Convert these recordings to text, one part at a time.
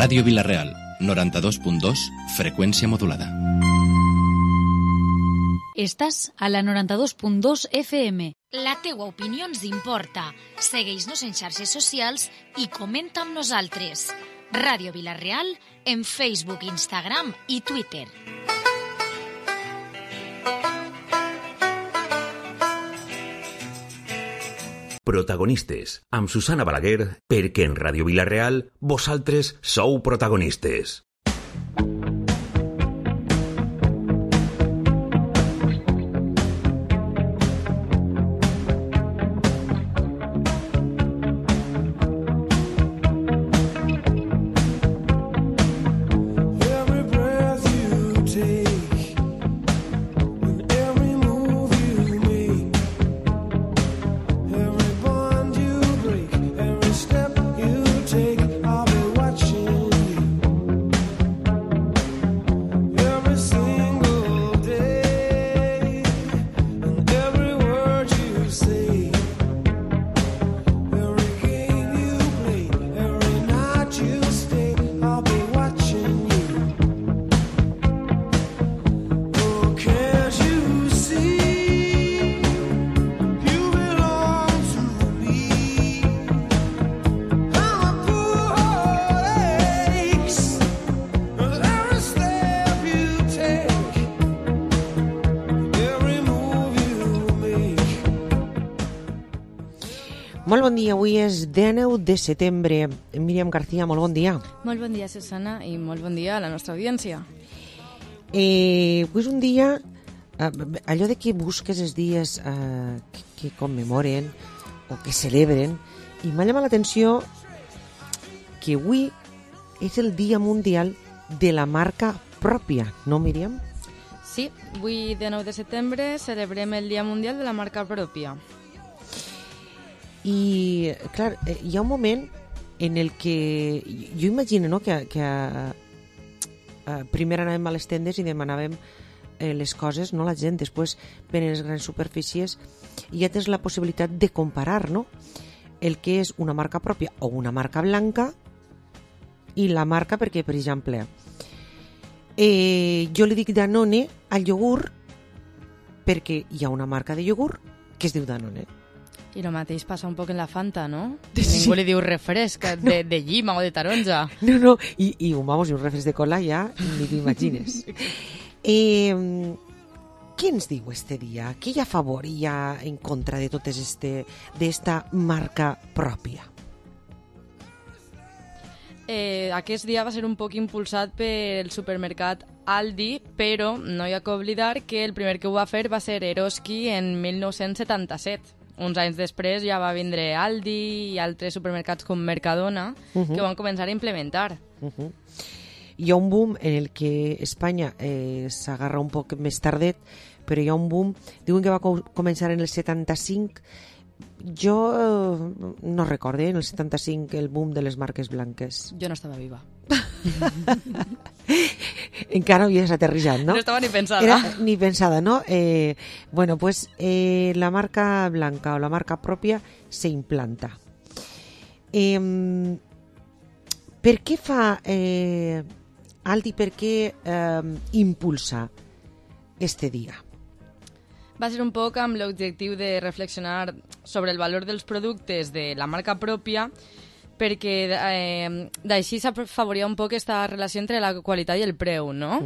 Ràdio Vila-real, 92.2, freqüència modulada. Estàs a la 92.2 FM. La teua opinió ens importa. Segueix-nos en xarxes socials i comenta amb nosaltres. Ràdio Vila-real en Facebook, Instagram i Twitter. Protagonistes, amb Susana Balaguer, perquè en Ràdio Vila-real vosaltres sou protagonistes. Molt bon dia, avui és 19 de setembre. Míriam García, molt bon dia. Molt bon dia, Susana, i molt bon dia a la nostra audiència. Avui és un dia, allò de que busques els dies que commemoren o que celebren, i m'ha llamat l'atenció que avui és el Dia Mundial de la Marca Pròpia, no, Míriam? Sí, avui, 19 de setembre, celebrem el Dia Mundial de la Marca Pròpia. I, clar, hi ha un moment en el que jo imagino, no?, que primer anàvem a les tendes i demanàvem les coses, no la gent, després venen les grans superfícies i ja tens la possibilitat de comparar, no?, el que és una marca pròpia o una marca blanca i la marca, perquè, per exemple, jo li dic Danone al iogurt perquè hi ha una marca de iogurt que es diu Danone. I el mateix passa un poc en la Fanta, no? Sí. Ningú li diu refresc de llima o de taronja. No, i vamos, i un refresc de cola ja ni t'imagines. Què ens diu este dia? Què hi ha a favor i hi ha en contra de totes d'esta marca pròpia? Aquest dia va ser un poc impulsat pel supermercat Aldi, però no hi ha que oblidar que el primer que ho va fer va ser Eroski en 1977. Uns anys després ja va vindre Aldi i altres supermercats com Mercadona que ho van començar a implementar. Hi ha un boom en el que Espanya s'agarra un poc més tardet, però hi ha un boom, diuen que va començar en el 75. Jo no recorde en el 75 el boom de les marques blanques. Jo no estava viva. Encara havies aterrissat, no? No estava ni pensada. Ni pensada, no? Bueno, pues la marca blanca o la marca pròpia s'implanta. Per què fa Aldi, per què impulsa este dia? Va ser un poc amb l'objectiu de reflexionar sobre el valor dels productes de la marca pròpia, perquè d'així s'afavoria un poc aquesta relació entre la qualitat i el preu, no?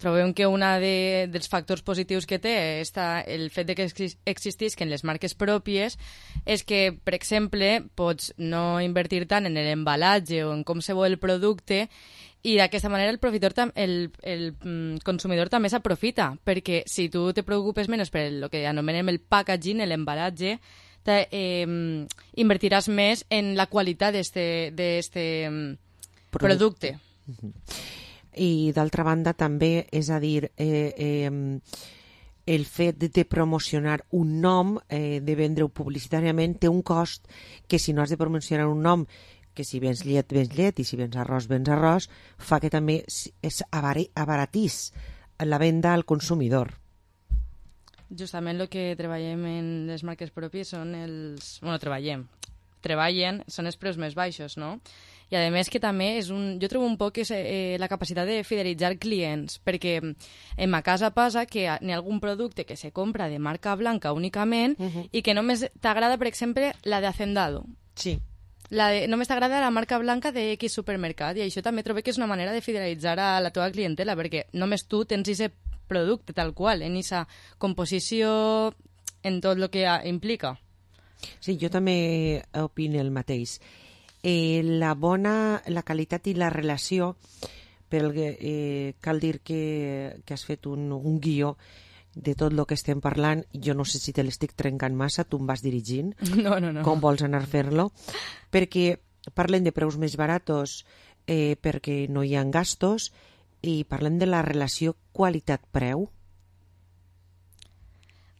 Trobem que un dels factors positius que té el fet de que existisquen les marques pròpies és que, per exemple, pots no invertir tant en l'embalatge o en com se vol el producte i d'aquesta manera el consumidor també s'aprofita, perquè si tu te preocupes menys per el que anomenem el packaging, l'embalatge, invertiràs més en la qualitat d'este producte. I d'altra banda també, és a dir, el fet de promocionar un nom, de vendre-ho publicitàriament, té un cost que si no has de promocionar un nom, que si vens llet, i si vens arròs, fa que també abaratís la venda al consumidor. Justament el que treballem en les marques pròpies són els... Bueno, treballem. treballen són els preus més baixos, no? I a més que també jo trobo un poc la capacitat de fidelitzar clients, perquè en ma casa passa que n'hi ha algun producte que se compra de marca blanca únicament i que només t'agrada, per exemple, la de Hacendado. Sí. Només t'agrada la marca blanca de X supermercat, i això també trobo que és una manera de fidelitzar a la teva clientela, perquè només tu tens aquest producte tal qual, en aquesta composició, en tot el que implica. Sí, jo també opino el mateix. La qualitat i la relació, cal dir que has fet un guió de tot el que estem parlant. Jo no sé si te l'estic trencant massa, tu em vas dirigint. No. Com vols anar a fer-lo? Perquè parlem de preus més baratos perquè no hi ha gastos, i parlem de la relació qualitat-preu.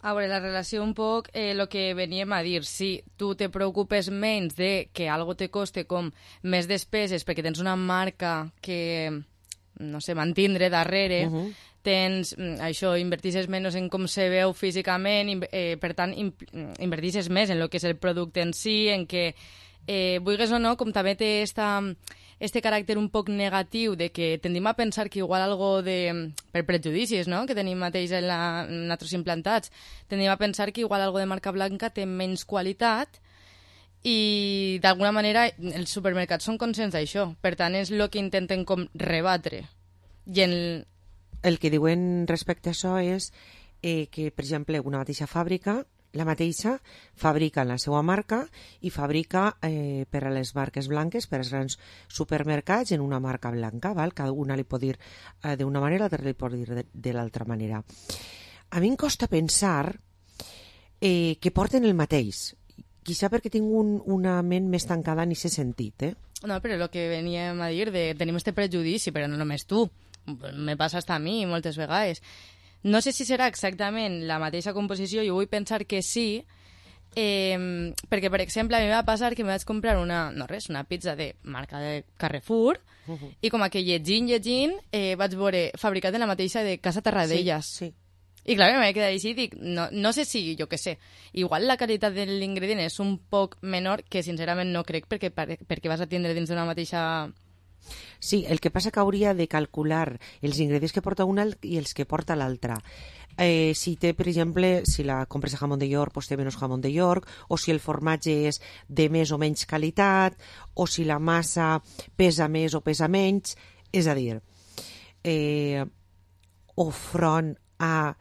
A veure, la relació un poc, el que veníem a dir, si tu te preocupes menys de que algo te coste com més despeses perquè tens una marca que, no sé, mantindre darrere, tens això, invertisses menys en com se veu físicament, per tant, invertisses més en el que és el producte en si, en que, vulguis o no, com també té este caràcter un poc negatiu de que tendim a pensar que igual algo per prejudicis, no?, que tenim mateix en nosaltres implantats, tendim a pensar que igual algo de marca blanca té menys qualitat, i d'alguna manera els supermercats són conscients d'això, per tant és el que intenten com rebatre. I el que diuen respecte a això és que, per exemple, una mateixa fàbrica, la mateixa, fabrica la seva marca i fabrica per a les marques blanques, per als grans supermercats, en una marca blanca, val? Cada una li pot dir d'una manera, l'altra li pot dir de l'altra manera. A mi em costa pensar que porten el mateix, quizá perquè tinc una ment més tancada en aquest sentit, No, però el que veníem a dir, tenim este prejudici, però no només tu, me passa hasta a mi moltes vegades. No sé si serà exactament la mateixa composició, jo vull pensar que sí, perquè, per exemple, a mi va passar que me vaig comprar una pizza de marca de Carrefour, i com que llegint, vaig veure fabricat en la mateixa de Casa Terradellas. Sí. I clar, m'he quedat així i dic, no sé si, jo què sé, igual la qualitat de l'ingredient és un poc menor, que sincerament no crec, perquè vas a tindre dins d'una mateixa... Sí, el que passa que hauria de calcular els ingredients que porta una i els que porta l'altra. Si té, per exemple, si la compres de jamón de York, doncs té menys jamón de York, o si el formatge és de més o menys qualitat, o si la massa pesa més o pesa menys. És a dir, o front a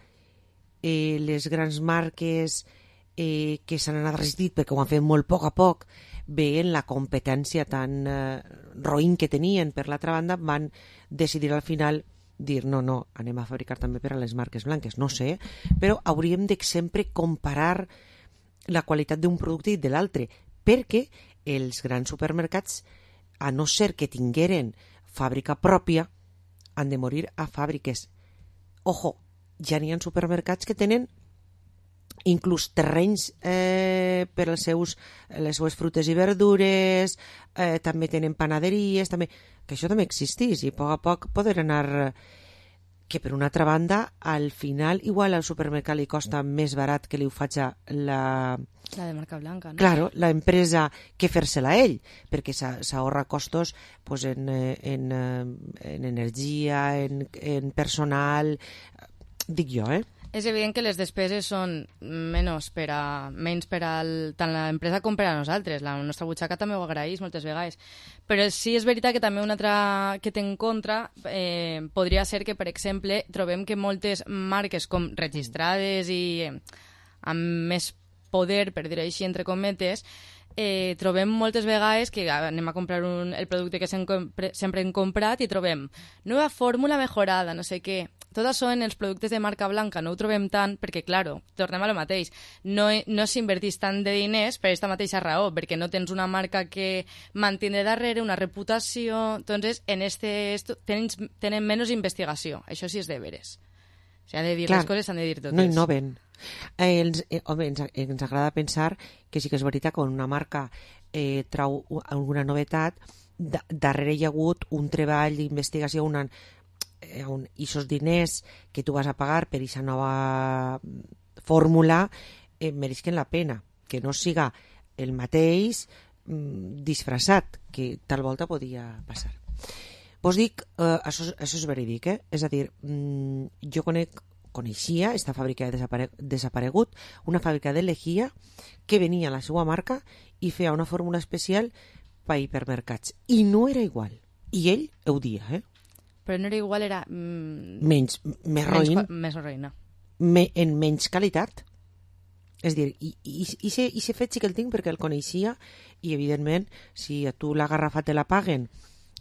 les grans marques que s'han anat resistit perquè ho han fet molt poc a poc, veient la competència tan roïn que tenien per l'altra banda, van decidir al final dir no, anem a fabricar també per a les marques blanques. No sé, però hauríem de sempre comparar la qualitat d'un producte i de l'altre, perquè els grans supermercats, a no ser que tingueren fàbrica pròpia, han de morir a fàbriques. Ojo, ja n'hi ha supermercats que tenen inclús terrenys per les seues frutes i verdures, també tenen panaderies, que això també existís, i a poc poder anar... Que per una altra banda, al final, igual al supermercat li costa més barat que li ho faig la de marca blanca, no? Claro, la empresa que fer-se-la ell, perquè s'ahorra costos pues, en energia, en personal, dic jo, És evident que les despeses són menys per a tant l'empresa com per a nosaltres. La nostra butxaca també ho agraeix moltes vegades. Però sí és veritat que també una altra que té en contra podria ser que, per exemple, trobem que moltes marques com registrades i amb més poder, per dir-ho així, entre cometes, trobem moltes vegades que anem a comprar el producte que sempre hem comprat i trobem nova fórmula mejorada, no sé què. Tot això en els productes de marca blanca no ho trobem tant perquè, claro, tornem a lo mateix. No s'invertís tant de diners per aquesta mateixa raó, perquè no tens una marca que mantindre darrere, una reputació... Entonces, tenen menys investigació. Això sí és de veres. S'ha de dir les coses, s'han de dir totes. No innoven. Home, ens agrada pensar que sí que és veritat que quan una marca trau alguna novetat, darrere hi ha hagut un treball d'investigació, i esos diners que tu vas a pagar per aquesta nova fórmula meresquen la pena, que no siga el mateix disfressat, que tal volta podia passar. Vos dic, això és verídic, és a dir, jo coneixia, esta fàbrica ha desaparegut, una fàbrica de lejía que venia a la seva marca i feia una fórmula especial per hipermercats. I no era igual. I ell ho dia, Però no era igual, era... més roïn. Més roïna. En menys qualitat. És a dir, i se fet sí que el tinc perquè el coneixia i, evidentment, si a tu la garrafa te la paguen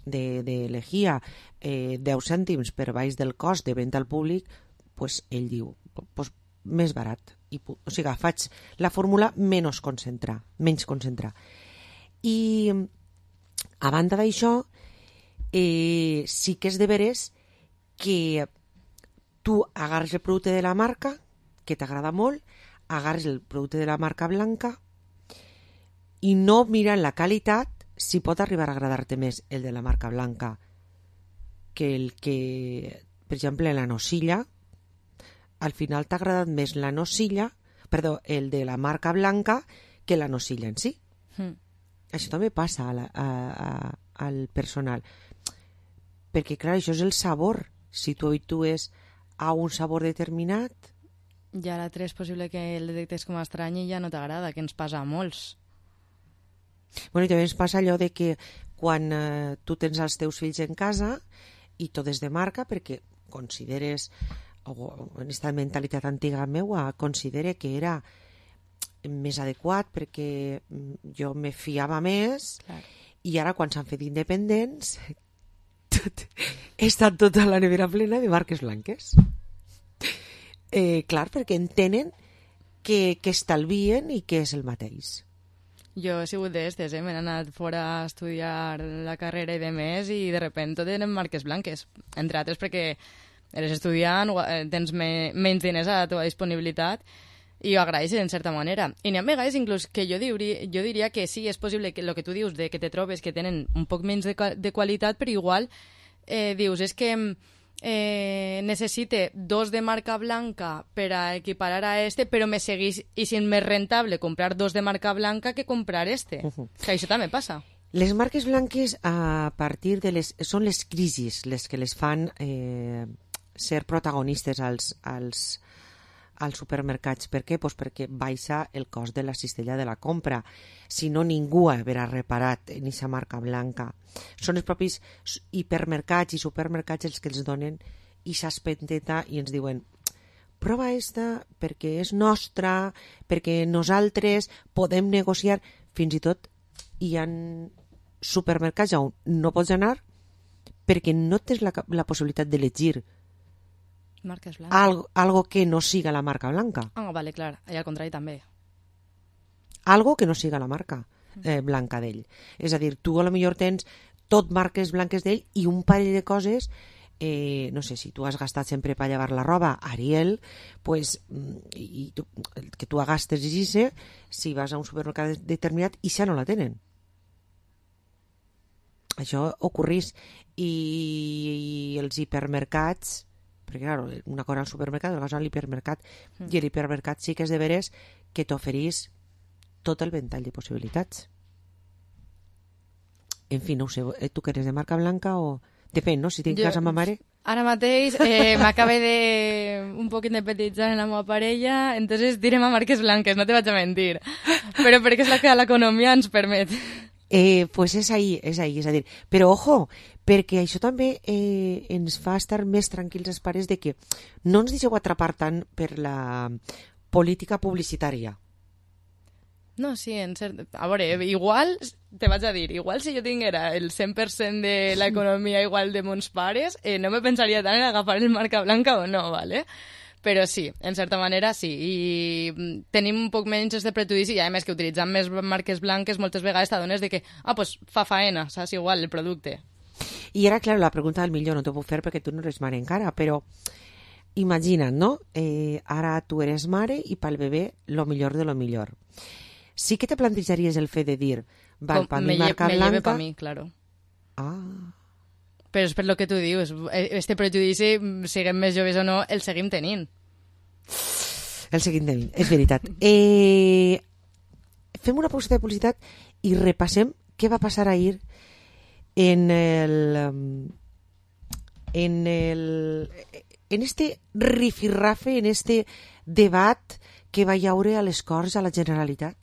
de lejía 10 cèntims per baix del cost de venda al públic, pues ell diu, pues, més barat. O sigui, faig la fórmula menys concentrar. I, a banda d'això, sí que és de veres que tu agarres el producte de la marca, que t'agrada molt, agarres el producte de la marca blanca i no mirant la qualitat si pot arribar a agradar-te més el de la marca blanca que el que, per exemple, la nocilla, al final t'ha agradat més la nocilla, el de la marca blanca que la nocilla en si. Això també passa al personal. Perquè, clar, això és el sabor. Si tu habitues a un sabor determinat... I a l'altre és possible que el detectes com a estrany i ja no t'agrada, que ens passa a molts. Bueno, i també ens passa allò de que quan tu tens els teus fills en casa i tot és de marca, perquè consideres, o en aquesta mentalitat antiga meua, considere que era més adequat perquè jo me fiava més. Clar. I ara quan s'han fet independents està tota la nevera plena de marques blanques. Clar, perquè entenen que estalvien i que és el mateix. Jo he sigut d'estes, m'he anat fora a estudiar la carrera i de més i de repente tot eren marques blanques, entre altres perquè eres estudiant, tens menys diners a la teva disponibilitat i ho agraeixes en certa manera. I n'hi ha vegades inclús que jo diria que sí, és possible que el que tu dius de que te trobes que tenen un poc menys de qualitat, però igual dius, és que necessite 2 de marca blanca per a equiparar a este, però me seguís i si és més rentable comprar 2 de marca blanca que comprar este. Que això també passa. Les marques blanques a partir de són les crisis les que les fan ser protagonistes als supermercats. Per què? Pues perquè baixa el cost de la cistella de la compra. Si no, ningú haurà reparat en aquesta marca blanca. Són els propis hipermercats i supermercats els que ens donen aquesta espenteta i ens diuen prova esta perquè és nostra, perquè nosaltres podem negociar. Fins i tot hi ha supermercats on no pots anar perquè no tens la possibilitat d'elegir marques blanques. Algo que no siga la marca blanca. Ah, vale, clar. I al contrari també. Algo que no siga la marca blanca d'ell. És a dir, tu a lo millor tens tot marques blanques d'ell i un parell de coses, no sé, si tu has gastat sempre per llevar la roba Ariel, pues, que tu gastes i si vas a un supermercat determinat i ja no la tenen. Això ocorrís. I els hipermercats, perquè clar, una cosa al supermercat, una cosa a l'hipermercat, i l'hipermercat sí que és de veres que t'oferís tot el ventall de possibilitats. En fi, no ho sé, tu que eres de marca blanca o... Depèn, no? Si tinc casa amb ma mare... Ara mateix m'acaba de un poc independitzar en la meva parella, entonces direm a marques blanques, no te vaig a mentir. Però perquè és la que l'economia ens permet. Pues és ahí, és a dir, però ojo, perquè això també ens fa estar més tranquils els pares de que no ens deixeu atrapar tant per la política publicitària. No, sí, a veure, igual, te vaig a dir, igual si jo tinguera el 100% de l'economia igual de mons pares, no me pensaria tant en agafar el marca blanca o no, ¿vale? Però sí, en certa manera sí, i tenim un poc menys de prejudici i a més que utilitzant més marques blanques moltes vegades t'adones de que, pues fa faena, saps, igual el producte. I ara, clar, la pregunta del millor no t'ho puc fer perquè tu no eres mare encara, però imagina't, no? Ara tu eres mare i pel bebè lo millor de lo millor. Sí que te plantejaries el fet de dir, val, per mi marca blanca... Me lleve per mi, claro. Ah... Però és per lo que tu dius, este prejudici, siguem més joves o no, el seguim tenint. El seguim tenint, és veritat. fem una pauseta de publicitat i repassem què va passar ahir en este rifirrafe, en este debat que va haure a les Corts a la Generalitat.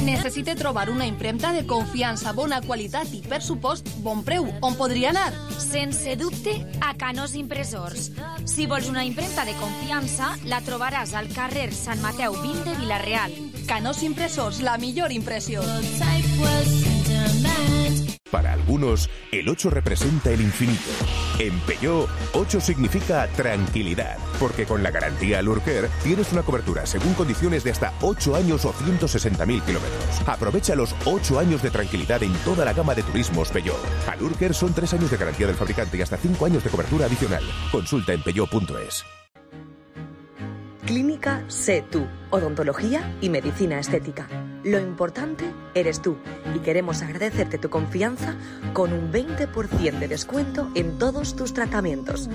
Necessite trobar una impremta de confiança, bona qualitat i, per supost, bon preu. On podria anar? Sense dubte, a Canós Impressors. Si vols una impremta de confiança, la trobaràs al carrer Sant Mateu 20 de Vila-real. Canós Impressors, la millor impressió. Para algunos, el 8 representa el infinito. En Peugeot, 8 significa tranquilidad, porque con la garantía Lurker tienes una cobertura según condiciones de hasta 8 años o 160.000 kilómetros. Aprovecha los 8 años de tranquilidad en toda la gama de turismos Peugeot. A Lurker son 3 años de garantía del fabricante y hasta 5 años de cobertura adicional. Consulta en peugeot.es. Clínica Sé Tú, odontología y medicina estética. Lo importante eres tú y queremos agradecerte tu confianza con un 20% de descuento en todos tus tratamientos.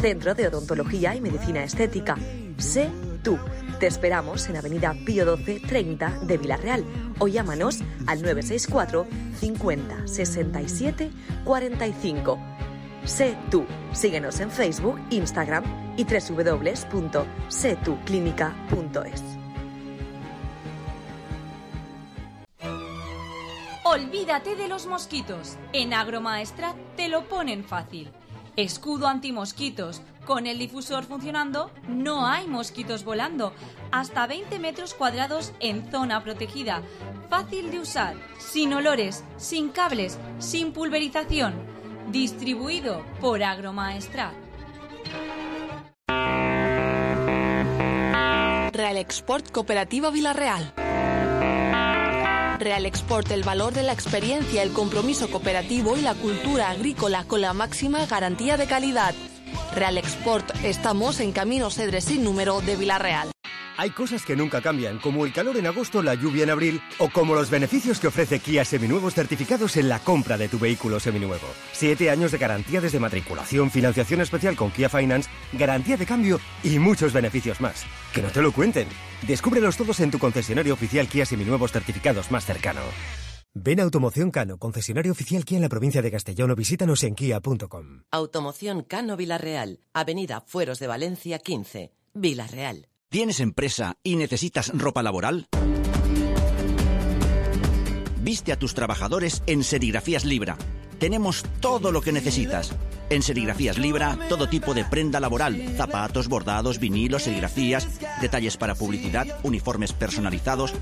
Centro de Odontología y Medicina Estética. Sé Tú. Te esperamos en Avenida Pío 12 30 de Vila-real o llámanos al 964 50 67 45. Sé Tú. Síguenos en Facebook, Instagram y www.setuclinica.es. Olvídate de los mosquitos. En Agromaestrat te lo ponen fácil. Escudo antimosquitos. Con el difusor funcionando, no hay mosquitos volando. Hasta 20 metros cuadrados en zona protegida. Fácil de usar, sin olores, sin cables, sin pulverización. Distribuido por Agromaestrat. Real Export Cooperativa Vila-real. Real Export, el valor de la experiencia, el compromiso cooperativo y la cultura agrícola con la máxima garantía de calidad. Real Export, estamos en Camino Cedre sin número de Vila-real. Hay cosas que nunca cambian, como el calor en agosto, la lluvia en abril, o como los beneficios que ofrece Kia Seminuevos certificados en la compra de tu vehículo seminuevo. 7 años de garantía desde matriculación, financiación especial con Kia Finance, garantía de cambio y muchos beneficios más. ¡Que no te lo cuenten! Descúbrelos todos en tu concesionario oficial Kia Seminuevos certificados más cercano. Ven a Automoción Cano, concesionario oficial Kia en la provincia de Castellón, o visítanos en kia.com. Automoción Cano Vila-real, Avenida Fueros de Valencia 15, Vila-real. ¿Tienes empresa y necesitas ropa laboral? Viste a tus trabajadores en Serigrafías Libra. Tenemos todo lo que necesitas. En Serigrafías Libra, todo tipo de prenda laboral, zapatos, bordados, vinilos, serigrafías, detalles para publicidad, uniformes personalizados.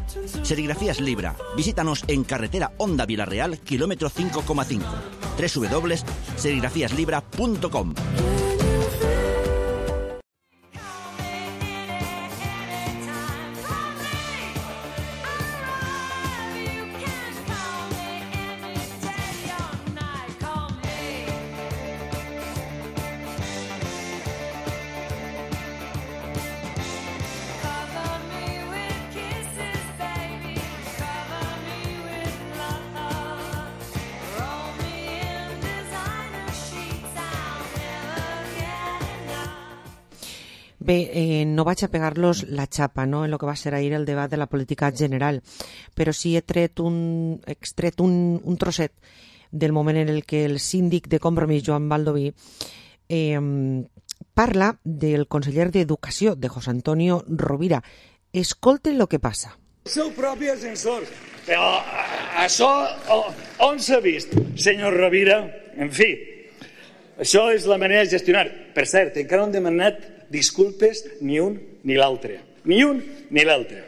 Serigrafías Libra. Visítanos en carretera Honda Vila-real, kilómetro 5,5. www.serigrafíaslibra.com. Bé, no vaig a pegar-los la xapa, no?, en el que va ser ahir el debat de la política general, però sí he extret un trosset del moment en el que el síndic de Compromís, Joan Baldoví, parla del conseller d'Educació, de José Antonio Rovira. Escolten lo que passa. El seu propi ascensor. Però això on s'ha vist, senyor Rovira? En fi, això és la manera de gestionar. Per cert, encara no hem demanat disculpes ni un ni l'altre. Ni un ni l'altre.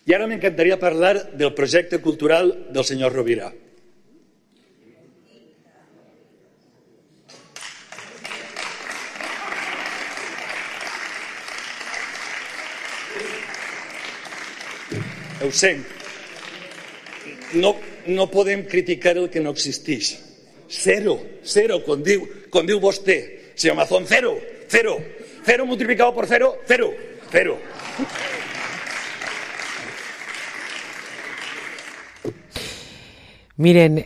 I ara m'encantaria parlar del projecte cultural del senyor Rovira. Ho sent. No podem criticar el que no existeix. Cero, com diu vostè. Senyor Mazón, cero. Cero multiplicado por cero, cero. Miren,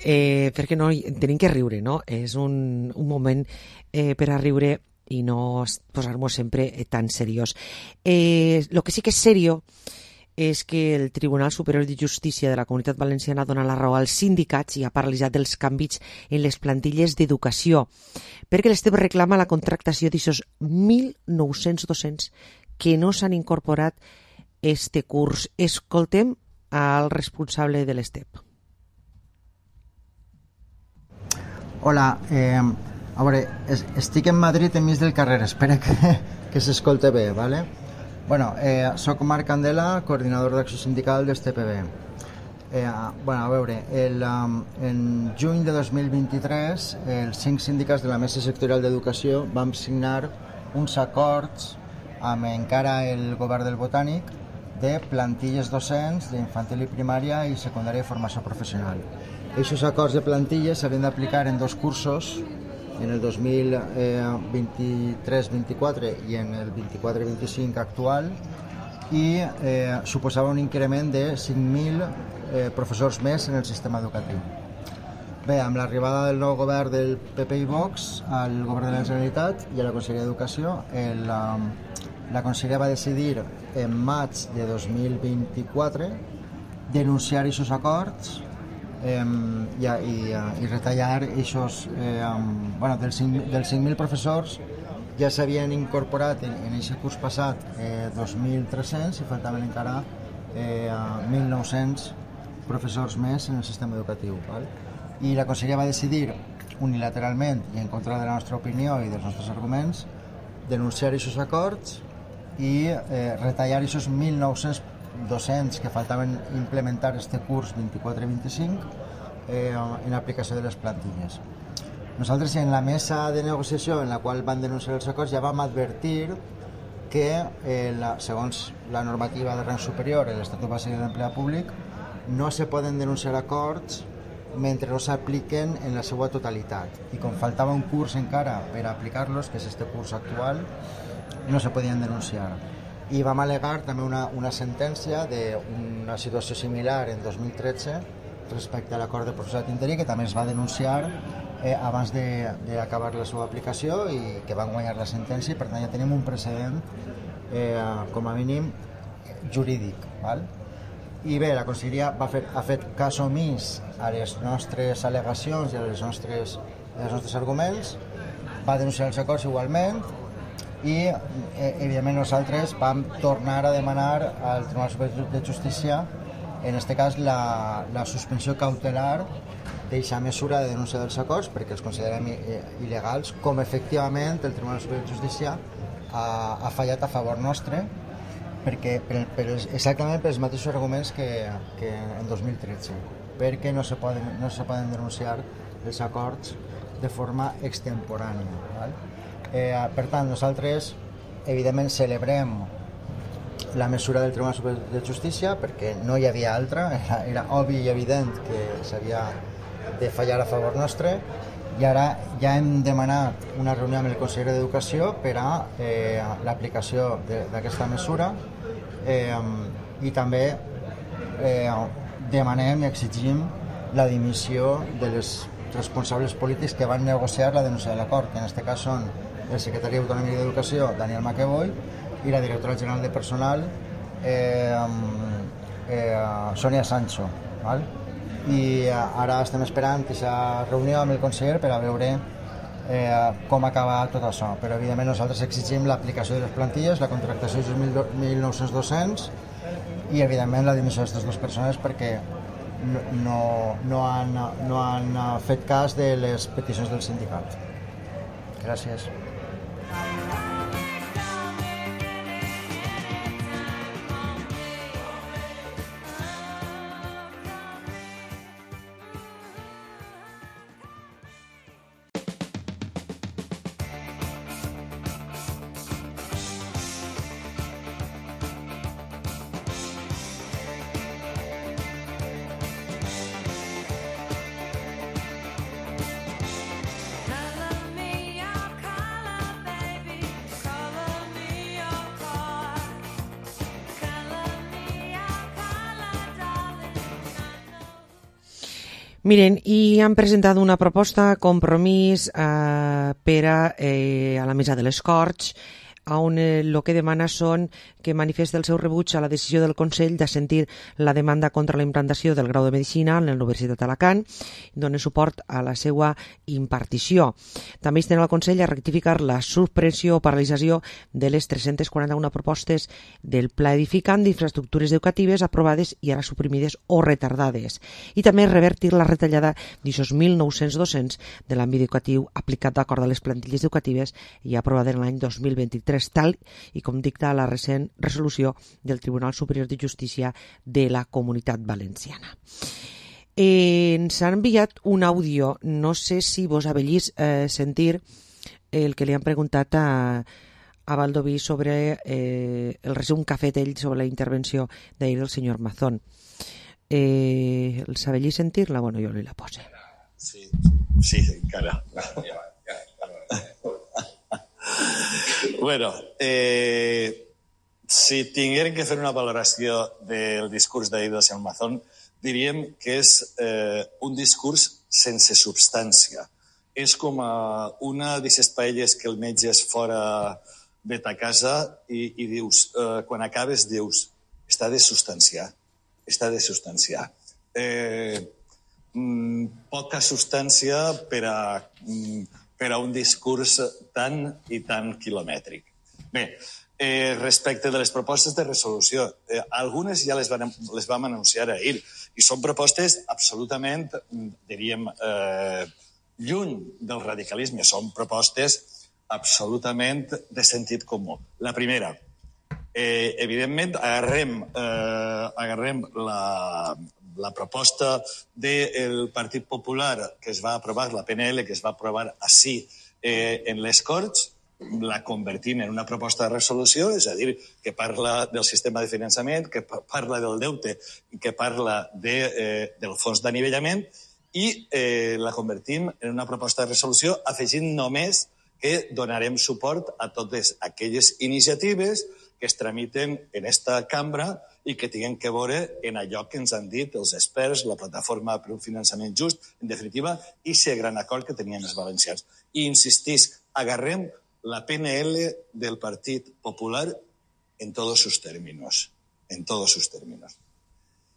perquè no, tenim que riure, no? És un moment per a riure i no posar-nos sempre tan seriós. Lo que sí que és serio és que el Tribunal Superior de Justícia de la Comunitat Valenciana dona la raó als sindicats i ha paralitzat els canvis en les plantilles d'educació, perquè l'Estep reclama la contractació d'aixòs 1.900 docents que no s'han incorporat este curs. Escoltem al responsable de l'Estep. Hola, a veure, estic en Madrid enmig del carrer, espera que s'escolte bé, ¿vale? Bueno, soc Marc Candela, coordinador d'acció sindical d'ESTPB. Bueno, a veure, en juny de 2023 els 5 sindicats de la Mesa Sectorial d'Educació vam signar uns acords amb encara el govern del Botànic de plantilles docents d'infantil i primària i secundària i formació professional. Aquests acords de plantilles s'havien d'aplicar en 2 cursos, en el 2023-24 i en el 24-25 actual, i suposava un increment de 5.000 professors més en el sistema educatiu. Bé, amb l'arribada del nou govern del PP i Vox al govern de la Generalitat i a la Conselleria d'Educació, la Conselleria va decidir en maig de 2024 denunciar aquests acords i retallar aquests, dels 5.000 professors ja s'havien incorporat en aquest curs passat 2.300 i faltaven encara 1.900 professors més en el sistema educatiu. I la Conselleria va decidir unilateralment i en contra de la nostra opinió i dels nostres arguments denunciar aquests acords i retallar aquests 1.900 docents que faltaven implementar este curs 24-25 en aplicació de les plantilles. Nosaltres en la mesa de negociació en la qual van denunciar els acords ja vam advertir que segons la normativa de rang superior, l'Estatut Bàsic de l'Empleat Públic, no se poden denunciar acords mentre no s'apliquen en la seva totalitat. I com faltava un curs encara per aplicar-los, que és este curs actual, no se podien denunciar. I vam al·legar també una sentència d'una situació similar en 2013 respecte a l'acord de professorat interí, que també es va denunciar abans d'acabar la seva aplicació i que van guanyar la sentència, i per tant ja tenim un precedent com a mínim jurídic. I bé, la Conselleria ha fet cas omís a les nostres al·legacions i als nostres arguments, va denunciar els acords igualment, i evidentment nosaltres vam tornar a demanar al Tribunal Superior de Justícia, en aquest cas la suspensió cautelar d'aquesta mesura de denúncia dels acords, perquè els considerem il·legals, com efectivament el Tribunal Superior de Justícia ha fallat a favor nostre, exactament pels mateixos arguments que en 2013, perquè no se poden denunciar els acords de forma extemporània. Per tant, nosaltres evidentment celebrem la mesura del Tribunal Superior de Justícia perquè no hi havia altra, era obvi i evident que s'havia de fallar a favor nostre, i ara ja hem demanat una reunió amb el conseller d'Educació per a l'aplicació d'aquesta mesura, i també demanem i exigim la dimissió de les responsables polítics que van negociar la denúncia de l'acord, que en aquest cas són el secretari autonòmic d'Educació, Daniel Maqueboy, i la directora general de personal, Sonia Sancho. I ara estem esperant aquesta reunió amb el conseller per a veure com acaba tot això. Però evidentment nosaltres exigim l'aplicació de les plantilles, la contractació de 1.900 docents i evidentment la dimissió d'aquestes dues persones perquè no han fet cas de les peticions del sindicat. Gràcies. Miren, i han presentat una proposta, compromís per a la mesa de les Corts, on el que demana són que manifesta el seu rebuig a la decisió del Consell d'assentir la demanda contra la implantació del grau de Medicina en la Universitat d'Alacant i dona suport a la seva impartició. També insten al Consell a rectificar la supressió o paralització de les 341 propostes del Pla Edificant d'infraestructures educatives aprovades i ara suprimides o retardades. I també revertir la retallada d'aixòs 1.900 docents de l'àmbit educatiu aplicat d'acord a les plantilles educatives i aprovada en l'any 2023, tal i com dicta la recent resolució del Tribunal Superior de Justícia de la Comunitat Valenciana. Ens han enviat un àudio, no sé si vos avellís sentir el que li han preguntat a Baldoví sobre el resum que ha fet ell sobre la intervenció d'ahir del senyor Mazón. Els avellís sentir-la? Bueno, jo li la pose. Sí, encara. Bueno, si tinguérem que fer una valoració del discurs d'ahir del senyor Mazón, diríem que és un discurs sense substància. És com una d'aquestes paelles que el metge és fora de ta casa i dius, quan acabes dius, està de substanciar. Poca substància per a un discurs tan i tan quilomètric. Bé, respecte de les propostes de resolució, algunes ja les vam anunciar ahir i són propostes absolutament, diríem, lluny del radicalisme. Són propostes absolutament de sentit comú. La primera, evidentment, agarrem la proposta del Partit Popular que es va aprovar, la PNL que es va aprovar així en les Corts, la convertim en una proposta de resolució, és a dir, que parla del sistema de finançament, que parla del deute i que parla del fons d'anivellament i la convertim en una proposta de resolució afegint només que donarem suport a totes aquelles iniciatives que es tramiten en esta cambra i que tinguem que veure en allò que ens han dit els experts, la plataforma per un finançament just, en definitiva, i aquest gran acord que tenien els valencians. I insistís, agarrem la PNL del Partit Popular en todos sus términos.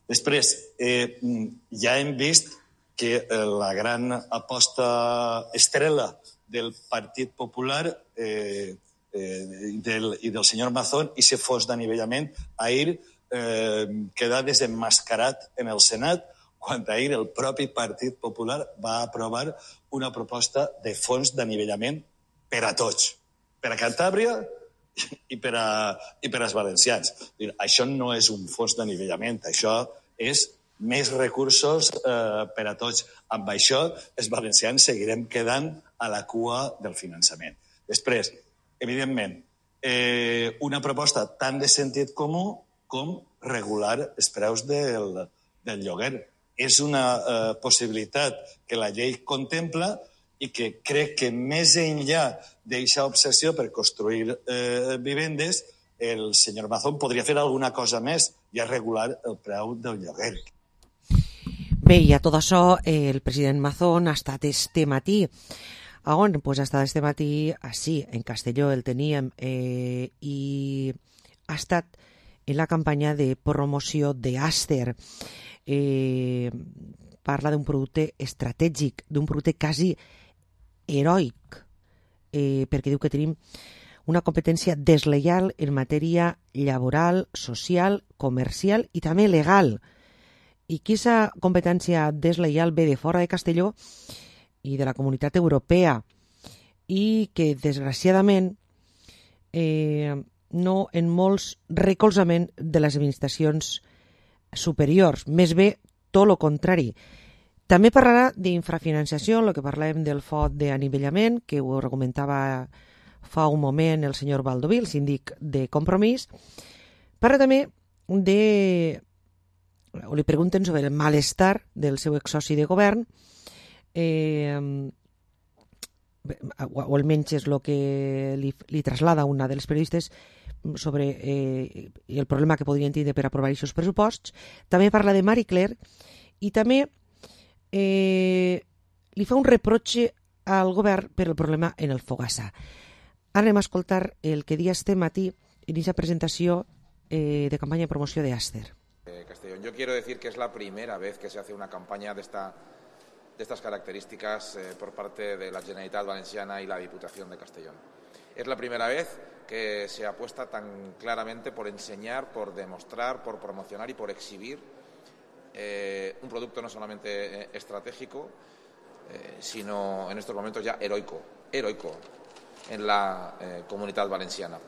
Després, ja hem vist que la gran aposta estrella del Partit Popular i del senyor Mazón i aquest fons d'anivellament ahir queda desenmascarat en el Senat quan ahir el propi Partit Popular va aprovar una proposta de fons d'anivellament per a tots, per a Cantàbria i per als valencians. Això no és un fons d'anivellament, això és més recursos per a tots. Amb això, els valencians seguirem quedant a la cua del finançament. Després, evidentment, una proposta tan de sentit comú com regular els preus del lloguer. És una possibilitat que la llei contempla i que crec que més enllà d'aquesta obsessió per construir vivendes, el senyor Mazón podria fer alguna cosa més i regular el preu del lloguer. Bé, i a tot això, el president Mazón ha estat este matí. A on? Pues ha estat este matí, així, en Castelló el teníem, i ha estat en la campanya de promoció d'Aster. Parla d'un producte estratègic, d'un producte quasi heroic, perquè diu que tenim una competència desleial en matèria laboral, social, comercial i també legal. I aquesta competència desleial ve de fora de Castelló i de la Comunitat Europea i que, desgraciadament, no en molts recolzament de les administracions superiors. Més bé, tot el contrari. També parlarà d'infrafinanciació, el que parlem del fons d'anivellament, que ho argumentava fa un moment el senyor Baldoví, el síndic de Compromís. Parla també o li pregunten sobre el malestar del seu exsoci de govern, o almenys és el que li traslada una dels periodistes sobre el problema que podrien tindre per aprovar aquests pressuposts. També parla de Marie Claire i també li fa un reproche al govern per el problema en el Fogassa. Ara anem a escoltar el que dia este matí en esa presentació de campaña de promoción de Aster. Castellón. Yo quiero decir que es la primera vez que se hace una campaña de estas características por parte de la Generalitat Valenciana y la Diputación de Castellón. Es la primera vez que se apuesta tan claramente por enseñar, por demostrar, por promocionar y por exhibir un producto no solamente estratégico, sino en estos momentos ya heroico en la Comunitat Valenciana.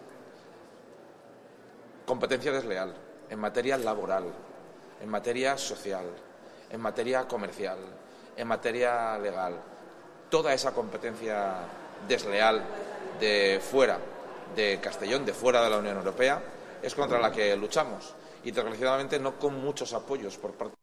Competencia desleal en materia laboral, en materia social, en materia comercial, en materia legal. Toda esa competencia desleal de fuera de Castellón, de fuera de la Unión Europea, es contra la que luchamos y desgraciadamente no con muchos apoyos por parte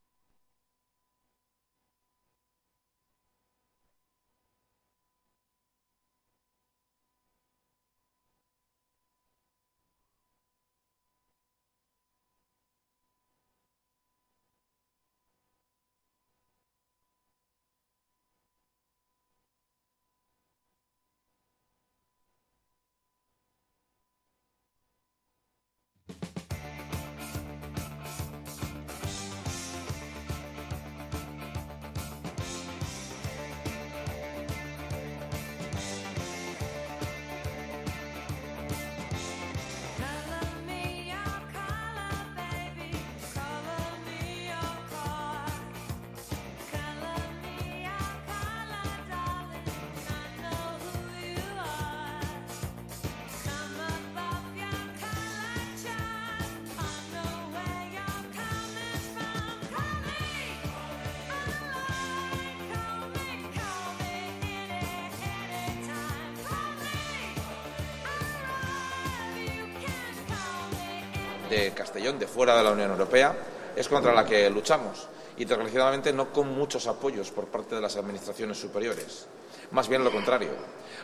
de Castellón, de fuera de la Unión Europea, es contra la que luchamos y desgraciadamente no con muchos apoyos por parte de las administraciones superiores, más bien lo contrario.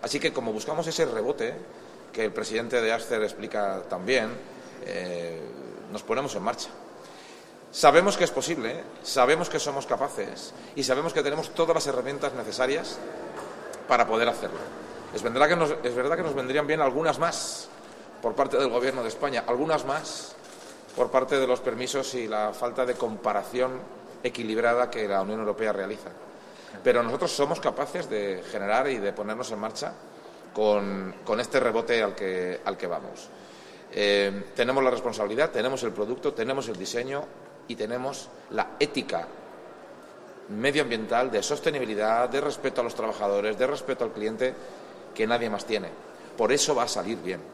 Así que como buscamos ese rebote que el presidente de Aster explica también, nos ponemos en marcha. Sabemos que es posible, sabemos que somos capaces y sabemos que tenemos todas las herramientas necesarias para poder hacerlo. Es verdad que nos vendrían bien algunas más por parte del Gobierno de España, algunas más por parte de los permisos y la falta de comparación equilibrada que la Unión Europea realiza. Pero nosotros somos capaces de generar y de ponernos en marcha con este rebote al que vamos. Tenemos la responsabilidad, tenemos el producto, tenemos el diseño y tenemos la ética medioambiental, de sostenibilidad, de respeto a los trabajadores, de respeto al cliente, que nadie más tiene. Por eso va a salir bien.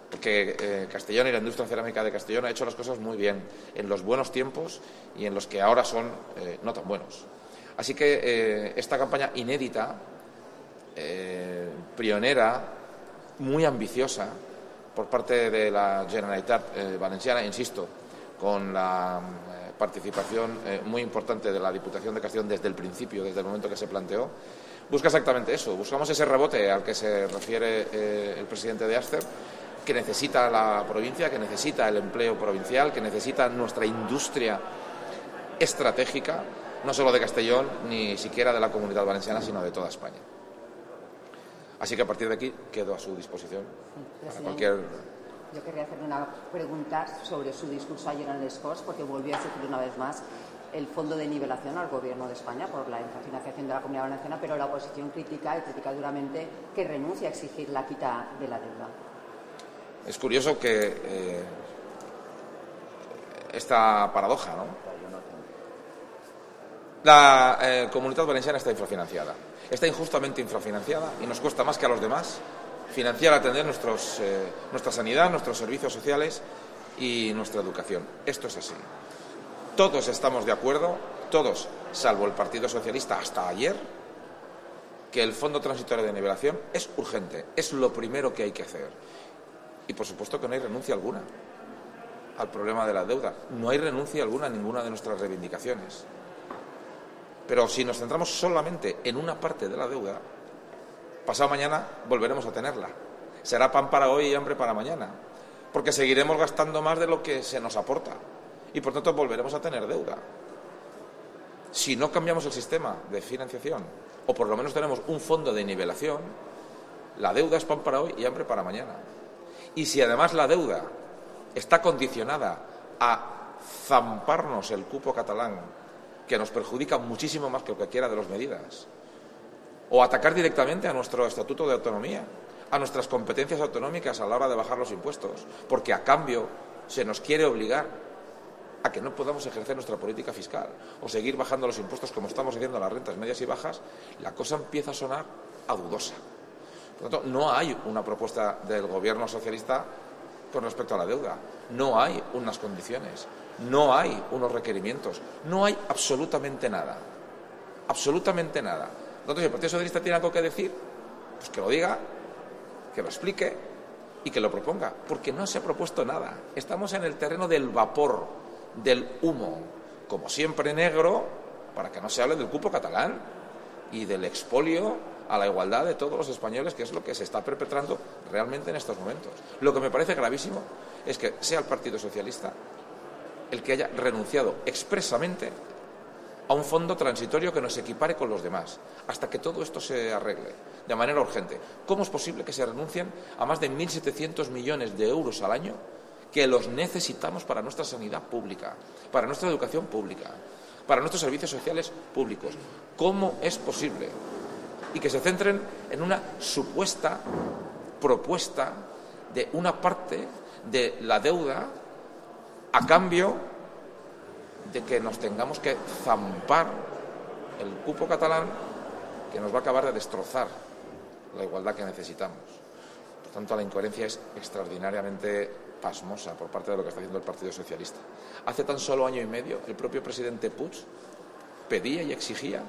Porque Castellón y la industria cerámica de Castellón ha hecho las cosas muy bien, en los buenos tiempos y en los que ahora son no tan buenos. Así que esta campaña inédita, pionera, muy ambiciosa, por parte de la Generalitat Valenciana, insisto, con la participación muy importante de la Diputación de Castellón desde el principio, desde el momento que se planteó, busca exactamente eso. Buscamos ese rebote al que se refiere el presidente de Aster, que necesita la provincia, que necesita el empleo provincial, que necesita nuestra industria estratégica, no solo de Castellón, ni siquiera de la Comunidad Valenciana, sino de toda España. Así que a partir de aquí quedo a su disposición para cualquier... Yo querría hacerle una pregunta sobre su discurso ayer en Les Corts, porque volvió a exigir una vez más el fondo de nivelación al Gobierno de España por la infrafinanciación de la Comunidad Valenciana, pero la oposición critica duramente que renuncie a exigir la quita de la deuda. Es curioso que esta paradoja, ¿no? La Comunidad Valenciana está infrafinanciada. Está injustamente infrafinanciada y nos cuesta más que a los demás financiar, atender nuestra sanidad, nuestros servicios sociales y nuestra educación. Esto es así. Todos estamos de acuerdo, todos, salvo el Partido Socialista hasta ayer, que el Fondo Transitorio de Nivelación es urgente, es lo primero que hay que hacer. Y por supuesto que no hay renuncia alguna al problema de la deuda. No hay renuncia alguna a ninguna de nuestras reivindicaciones. Pero si nos centramos solamente en una parte de la deuda, pasado mañana volveremos a tenerla. Será pan para hoy y hambre para mañana, porque seguiremos gastando más de lo que se nos aporta y por tanto volveremos a tener deuda. si no cambiamos el sistema de financiación, o por lo menos tenemos un fondo de nivelación, la deuda es pan para hoy y hambre para mañana. Y si además la deuda está condicionada a zamparnos el cupo catalán, que nos perjudica muchísimo más que cualquiera de las medidas, o atacar directamente a nuestro estatuto de autonomía, a nuestras competencias autonómicas a la hora de bajar los impuestos, porque a cambio se nos quiere obligar a que no podamos ejercer nuestra política fiscal o seguir bajando los impuestos como estamos haciendo a las rentas medias y bajas, la cosa empieza a sonar a dudosa. Por lo tanto, no hay una propuesta del gobierno socialista con respecto a la deuda, no hay unas condiciones, no hay unos requerimientos, no hay absolutamente nada, absolutamente nada. Entonces, el Partido Socialista tiene algo que decir, pues que lo diga, que lo explique y que lo proponga, porque no se ha propuesto nada. Estamos en el terreno del vapor, del humo, como siempre negro, para que no se hable del cupo catalán y del expolio a la igualdad de todos los españoles, que es lo que se está perpetrando realmente en estos momentos. Lo que me parece gravísimo es que sea el Partido Socialista el que haya renunciado expresamente a un fondo transitorio que nos equipare con los demás, hasta que todo esto se arregle de manera urgente. ¿Cómo es posible que se renuncien a más de 1.700 millones de euros al año que los necesitamos para nuestra sanidad pública, para nuestra educación pública, para nuestros servicios sociales públicos? ¿Cómo es posible? Y que se centren en una supuesta propuesta de una parte de la deuda a cambio de que nos tengamos que zampar el cupo catalán, que nos va a acabar de destrozar la igualdad que necesitamos. Por tanto, la incoherencia es extraordinariamente pasmosa por parte de lo que está haciendo el Partido Socialista. Hace tan solo año y medio, el propio presidente Puig pedía y exigía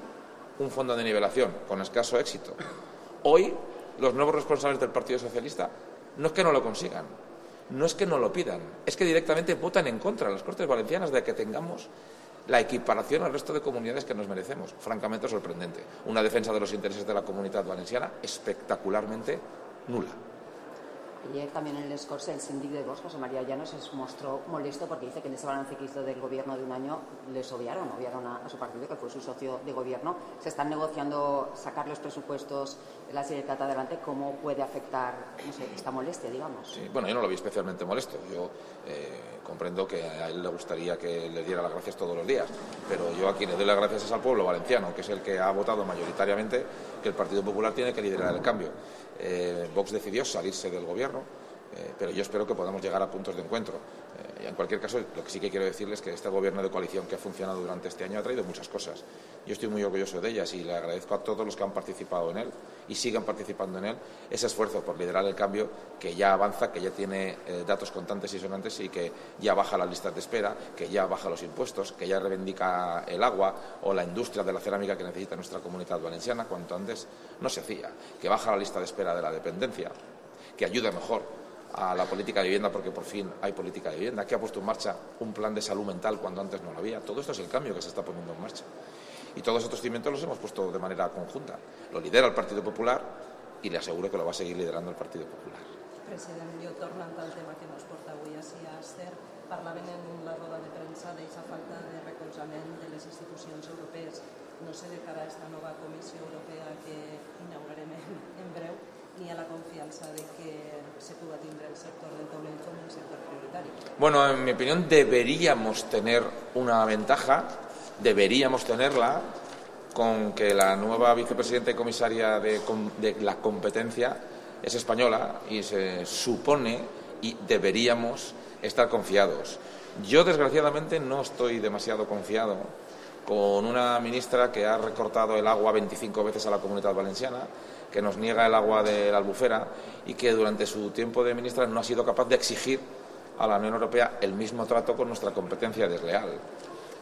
un fondo de nivelación, con escaso éxito. Hoy, los nuevos responsables del Partido Socialista no es que no lo consigan, no es que no lo pidan, es que directamente votan en contra en las Cortes Valencianas de que tengamos la equiparación al resto de comunidades que nos merecemos. Francamente sorprendente. Una defensa de los intereses de la Comunitat Valenciana espectacularmente nula. Ayer también en el discurso el síndic de Vox, José María Llanos, se mostró molesto porque dice que en ese balance que hizo del gobierno de un año les obviaron a su partido, que fue su socio de gobierno. Se están negociando sacar los presupuestos de la Generalitat adelante. ¿Cómo puede afectar, no sé, esta molestia, digamos? Sí, bueno, yo no lo vi especialmente molesto. Yo comprendo que a él le gustaría que le diera las gracias todos los días, pero yo a quien le doy las gracias es al pueblo valenciano, que es el que ha votado mayoritariamente que el Partido Popular tiene que liderar el cambio. Vox decidió salirse del gobierno, pero yo espero que podamos llegar a puntos de encuentro. En cualquier caso, lo que sí que quiero decirles es que este gobierno de coalición que ha funcionado durante este año ha traído muchas cosas. Yo estoy muy orgulloso de ellas y le agradezco a todos los que han participado en él y sigan participando en él ese esfuerzo por liderar el cambio que ya avanza, que ya tiene datos contantes y sonantes y que ya baja las listas de espera, que ya baja los impuestos, que ya reivindica el agua o la industria de la cerámica que necesita nuestra Comunitat Valenciana, cuanto antes no se hacía, que baja la lista de espera de la dependencia, que ayuda mejor a la política de vivienda porque por fin hay política de vivienda, que ha puesto en marcha un plan de salud mental cuando antes no lo había. Todo esto es el cambio que se está poniendo en marcha. Y todos estos cimientos los hemos puesto de manera conjunta. Lo lidera el Partido Popular i le asseguro que lo va a seguir liderando el Partido Popular. President, jo tornant al tema que nos porta avui així a Ester, parlaven en la roda de premsa d'aquesta falta de recolzament de les institucions europees. No sé, de cara a esta nova Comissió Europea que inaugurarem en breu, ni a la confianza de que se pueda tindre el sector del taulell como un sector prioritario. Bueno, en mi opinión deberíamos tener una ventaja, deberíamos tenerla con que la nueva vicepresidenta y comisaria de la competencia es española y se supone y deberíamos estar confiados. Yo desgraciadamente no estoy demasiado confiado con una ministra que ha recortado el agua 25 veces a la Comunitat Valenciana, que nos niega el agua de la Albufera y que durante su tiempo de ministra no ha sido capaz de exigir a la Unión Europea el mismo trato con nuestra competencia desleal.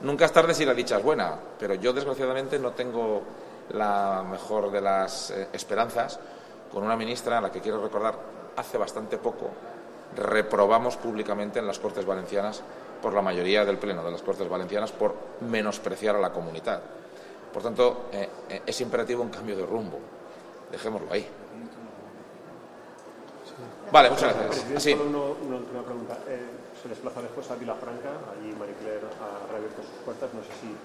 Nunca es tarde si la dicha es buena, pero yo desgraciadamente no tengo la mejor de las esperanzas con una ministra a la que quiero recordar hace bastante poco reprobamos públicamente en las Cortes Valencianas por la mayoría del Pleno de las Cortes Valencianas por menospreciar a la comunidad. Por tanto, es imperativo un cambio de rumbo. Dejémoslo ahí. Vale, muchas gracias. Sí. Solo una última pregunta. Se desplaza después a Vilafranca, allí Marie Claire ha reabierto sus puertas. No sé si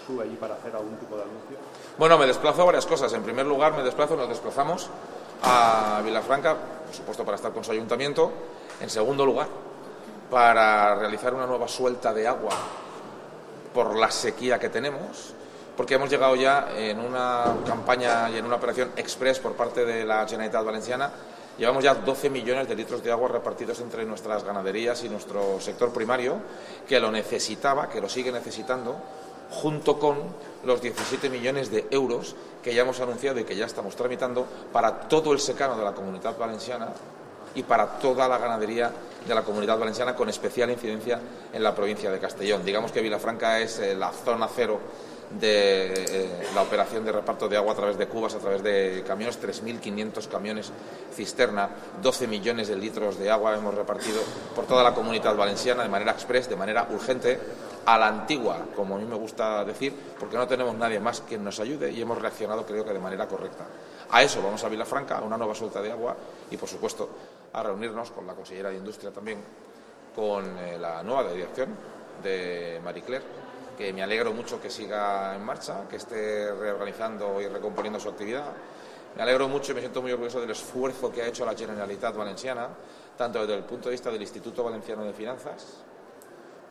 tú allí para hacer algún tipo de anuncio? Bueno, me desplazo a varias cosas. En primer lugar, nos desplazamos a Vilafranca, por supuesto para estar con su ayuntamiento. En segundo lugar, para realizar una nueva suelta de agua por la sequía que tenemos, porque hemos llegado ya en una campaña y en una operación express por parte de la Generalitat Valenciana. Llevamos ya 12 millones de litros de agua repartidos entre nuestras ganaderías y nuestro sector primario, que lo necesitaba, que lo sigue necesitando, junto con los 17 millones de euros que ya hemos anunciado y que ya estamos tramitando para todo el secano de la Comunitat Valenciana y para toda la ganadería de la Comunitat Valenciana, con especial incidencia en la provincia de Castellón. Digamos que Vilafranca es la zona cero de la operación de reparto de agua a través de cubas, a través de camiones, 3.500 camiones cisterna, 12 millones de litros de agua hemos repartido por toda la Comunitat Valenciana de manera express, de manera urgente, a la antigua, como a mí me gusta decir, porque no tenemos nadie más quien nos ayude y hemos reaccionado, creo que de manera correcta. A eso vamos a Vilafranca, a una nueva suelta de agua y, por supuesto, a reunirnos con la consellera de Industria también, con la nueva dirección de Marie Claire, que me alegro mucho que siga en marcha, que esté reorganizando y recomponiendo su actividad. Me alegro mucho y me siento muy orgulloso del esfuerzo que ha hecho la Generalitat Valenciana, tanto desde el punto de vista del Instituto Valenciano de Finanzas,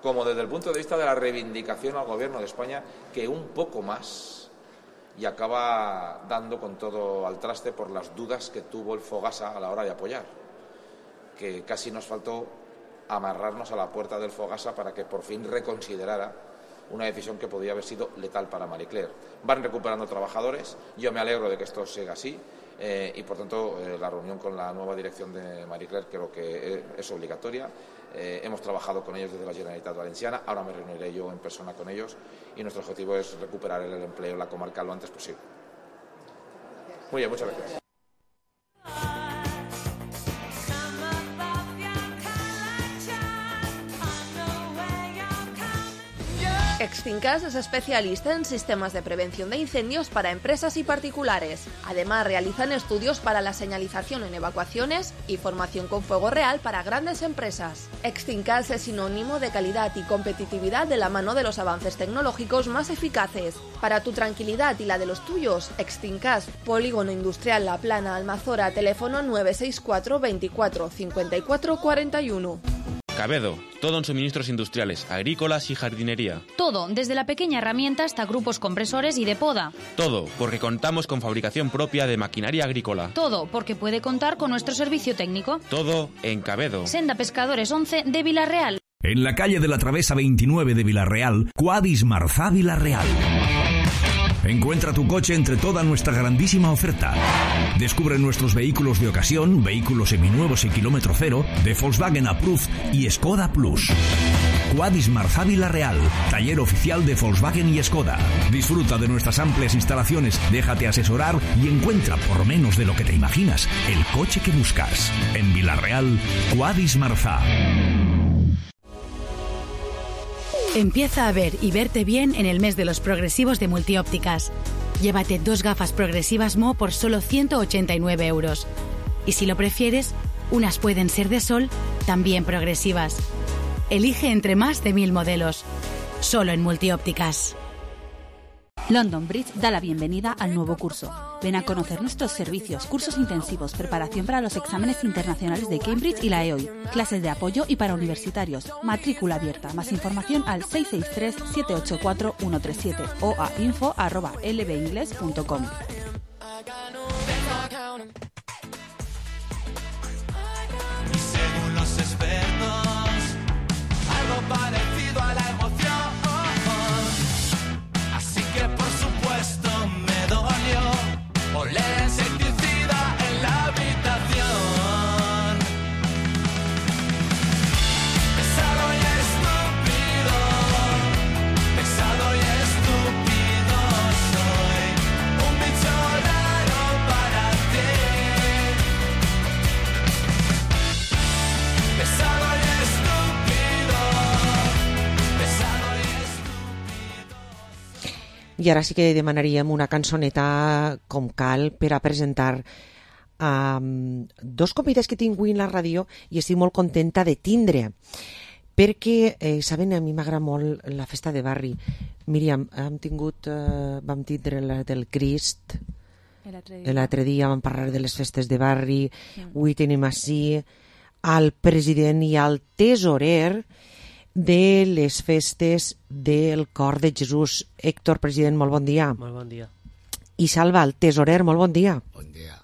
como desde el punto de vista de la reivindicación al Gobierno de España, que un poco más y acaba dando con todo al traste por las dudas que tuvo el Fogasa a la hora de apoyar, que casi nos faltó amarrarnos a la puerta del Fogasa para que por fin reconsiderara una decisión que podía haber sido letal para Marie Claire. Van recuperando trabajadores, yo me alegro de que esto siga así y por tanto la reunión con la nueva dirección de Marie Claire creo que es obligatoria. Hemos trabajado con ellos desde la Generalitat Valenciana, ahora me reuniré yo en persona con ellos y nuestro objetivo es recuperar el empleo en la comarca lo antes posible. Muy bien, muchas gracias. Extincas es especialista en sistemas de prevención de incendios para empresas y particulares. Además, realizan estudios para la señalización en evacuaciones y formación con fuego real para grandes empresas. Extincas es sinónimo de calidad y competitividad de la mano de los avances tecnológicos más eficaces. Para tu tranquilidad y la de los tuyos, Extincas, Polígono Industrial La Plana, Almazora, teléfono 964 24 54 41. Cabedo, todo en suministros industriales, agrícolas y jardinería. Todo, desde la pequeña herramienta hasta grupos compresores y de poda. Todo, porque contamos con fabricación propia de maquinaria agrícola. Todo, porque puede contar con nuestro servicio técnico. Todo en Cabedo. Senda Pescadores 11 de Villarreal. En la calle de la Travesa 29 de Villarreal, Quadis Marzá Villarreal. Encuentra tu coche entre toda nuestra grandísima oferta. Descubre nuestros vehículos de ocasión, vehículos seminuevos y kilómetro cero, de Volkswagen Approved y Skoda Plus. Quadis Marzá Villarreal, taller oficial de Volkswagen y Skoda. Disfruta de nuestras amplias instalaciones, déjate asesorar y encuentra, por menos de lo que te imaginas, el coche que buscas. En Villarreal, Quadis Marzá. Empieza a ver y verte bien en el mes de los progresivos de Multiópticas. Llévate 2 gafas progresivas Mo por solo 189 euros. Y si lo prefieres, unas pueden ser de sol, también progresivas. Elige entre más de 1000 modelos. Solo en Multiópticas. London Bridge da la bienvenida al nuevo curso. Ven a conocer nuestros servicios, cursos intensivos, preparación para los exámenes internacionales de Cambridge y la EOI, clases de apoyo y para universitarios, matrícula abierta. Más información al 663-784-137 o a info@lbingles.com. Según los expertos, algo parecido a la emoción. Así que por supuesto me dolió oler insecticida en la habitación. Pesado y estúpido, pesado y estúpido soy. Un bicho raro para ti. Pesado y estúpido, pesado y I ara sí que demanaríem una cançoneta com cal per a presentar dos convidats que tinc avui en la ràdio i estic molt contenta de tindre, perquè, saben, a mi m'agrada molt la festa de barri, Míriam, vam tindre la del Crist, L'altre dia. l'altre dia vam parlar de les festes de barri, avui tenim així al president i al tesorer de les festes del Cor de Jesús. Héctor, president, molt bon dia. Molt bon dia. I Salva, el tesorer, molt bon dia. Bon dia.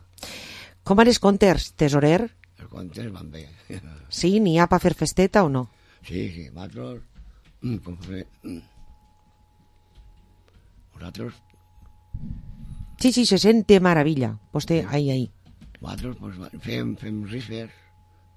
Com van els comptes, tesorer? Els comptes van bé. Sí, n'hi ha per fer festeta o no? Sí, nosaltres... Nosaltres... Sí, se sent de meravella. Vostè, ahí. Nosaltres pues, fem rifes,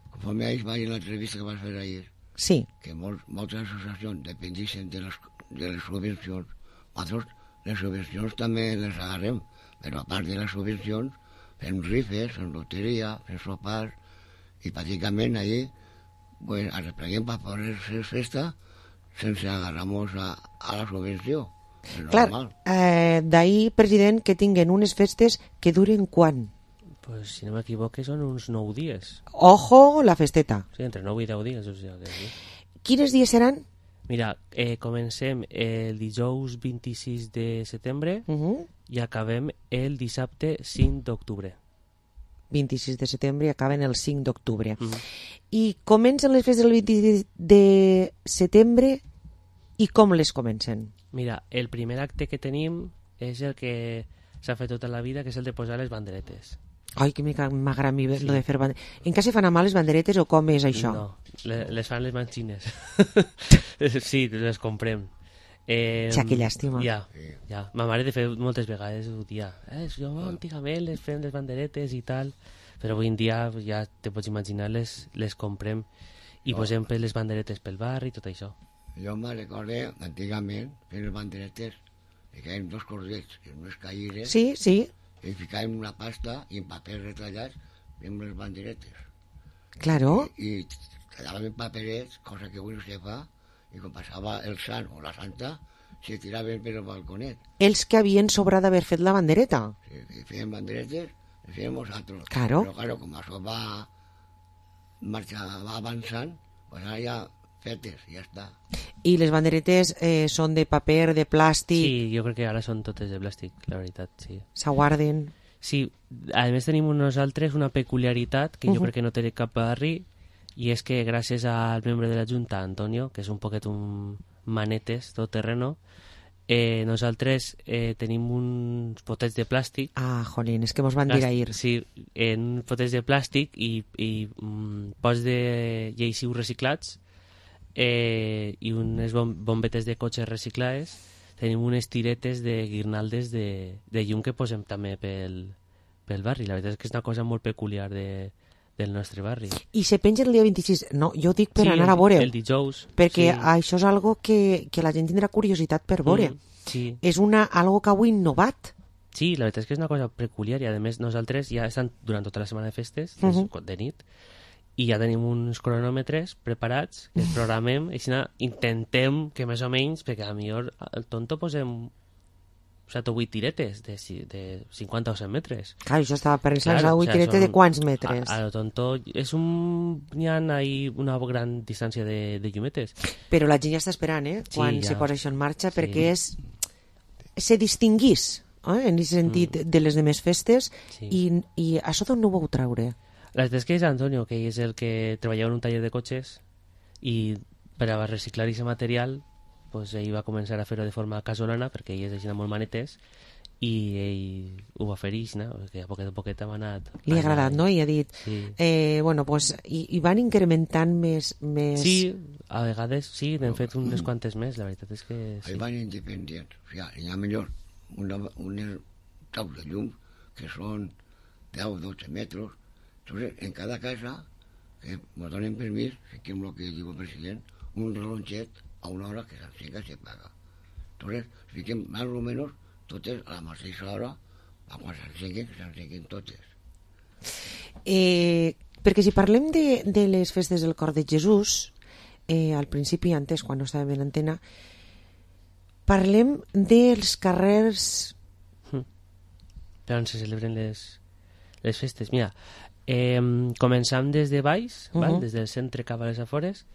conforme a ells va en l'entrevista que vas fer ahir. Sí. Que moltes associacions dependixen de les subvencions. Nosaltres les subvencions també les agarrem, però a part de les subvencions fem rifes, fem loteria, fem sopars, i pràcticament allí pues, arrepleguem per poder fer festa sense agarrar-nos a la subvenció. Clar, d'ahir, president, que tinguen unes festes que duren quan? Pues, si no m'equivoque, són uns 9 dies. Ojo, la festeta. Sí, entre 9 i 10 dies. O sigui, sí. Quins dies seran? Mira, comencem el dijous 26 de setembre i acabem el dissabte 5 d'octubre. 26 de setembre i acaben el 5 d'octubre. I comencen les festes el 26 de setembre i com les comencen? Mira, el primer acte que tenim és el que s'ha fet tota la vida, que és el de posar les banderetes. Ai, que m'agrada a mi lo de fer banderetes. En què se fan a mà les banderetes o com és això? No, les fan les mans xines. Sí, les comprem. Que llàstima. Ja. Ma mare de fer moltes vegades ho dia. Jo antigament les fem les banderetes i tal, però avui en dia ja te pots imaginar les comprem i posem les banderetes pel barri i tot això. Jo me recordo antigament fent les banderetes, ficàvem 2 cordets en unes caïres, sí. I ficàvem una pasta i en paper retallats fem les banderetes. Claro. I tallàvem en paperets, cosa que avui no se fa, i quan passava el sant o la santa se tiraven per el balconet. Els que havien sobrat d'haver fet la bandereta. Sí, fèiem banderetes, les fèiem nosaltres. Claro. Però claro, com això va avançant, pues ara ja fetes, ja està. I les banderetes són de paper, de plàstic? Sí, jo crec que ara són totes de plàstic, la veritat, sí. S'aguarden? Sí, a més tenim nosaltres una peculiaritat que jo crec que no té cap barri, i és que gràcies al membre de la Junta, Antonio, que és un poquet un manetes, tot terreno, nosaltres tenim uns potets de plàstic. Ah, jolín, és que mos van dir ahir. Sí, en potets de plàstic i pots de lleixius reciclats i unes bombetes de cotxes reciclades. Tenim unes tiretes de guirnaldes de llum que posem també pel barri. La veritat és que és una cosa molt peculiar del nostre barri. I se penja el dia 26? No, jo dic per anar a veure. El dijous. Perquè això és algo que la gent tindrà curiositat per veure. Sí. És algo que heu innovat. Sí, la veritat és que és una cosa peculiar i a més nosaltres ja estem durant tota la setmana de festes, de nit, i ja tenim uns cronòmetres preparats que els programem i intentem que més o menys, perquè a lo millor al tonto posem 7 o 8 tiretes de 50 o 100 metres. Clar, això estava pensant, 8 tiretes de quants metres? A lo tonto n'hi ha una gran distància de llumetes. Però la gent ja està esperant, quan se posa això en marxa, perquè se distinguís en aquest sentit de les demés festes i això d'on no ho vau treure? La veritat és que és Antonio, que és el que treballava en un taller de cotxes i per a reciclar aquest material pues, ell va començar a fer-ho de forma casolana perquè ell és així molt manetes i ell ho va fer que a poquet a poquet hem anat... Li ha agradat, no? I ha dit... Sí. Bueno, pues, i van incrementant més... Sí, a vegades sí, n'hem fet unes quantes més, la veritat és que... Sí. Ahí van independents, o sigui, hi ha millor un taus de llum que són 10-12 metres. Entonces, en cada casa, que nos donen permís, fiquem el que diu el president, un relonxet a una hora que s'encega i se paga. Entonces, fiquem més o menys totes a la mateixa hora, a quan s'encenguin, que s'encenguin totes. Perquè si parlem de les festes del Cor de Jesús, al principi, antes, quan no estàvem en antena, parlem dels carrers... Per on se celebren les festes. Mira, començam des de baix, des del centre cap a les afores,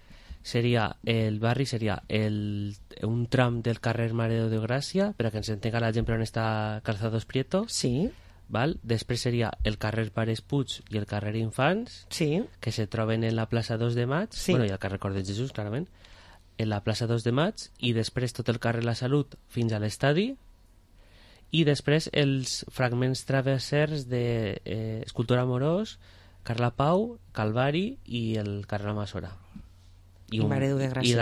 el barri seria un tram del carrer Mare de Gràcia, per a que ens entenga la gent per on està Calzados Prieto. Sí. Val? Després seria el carrer Pares Puig i el carrer Infants, sí, que se troben en la plaça 2 de Maig, sí, bueno, i el carrer Cor de Jesús, clarament, en la plaça 2 de Maig, i després tot el carrer La Salut fins a l'estadi, i després els fragments travessers de Escultura Amorós, Carla Pau, Calvari i el carrer La Masora. I Mare de Gràcia. I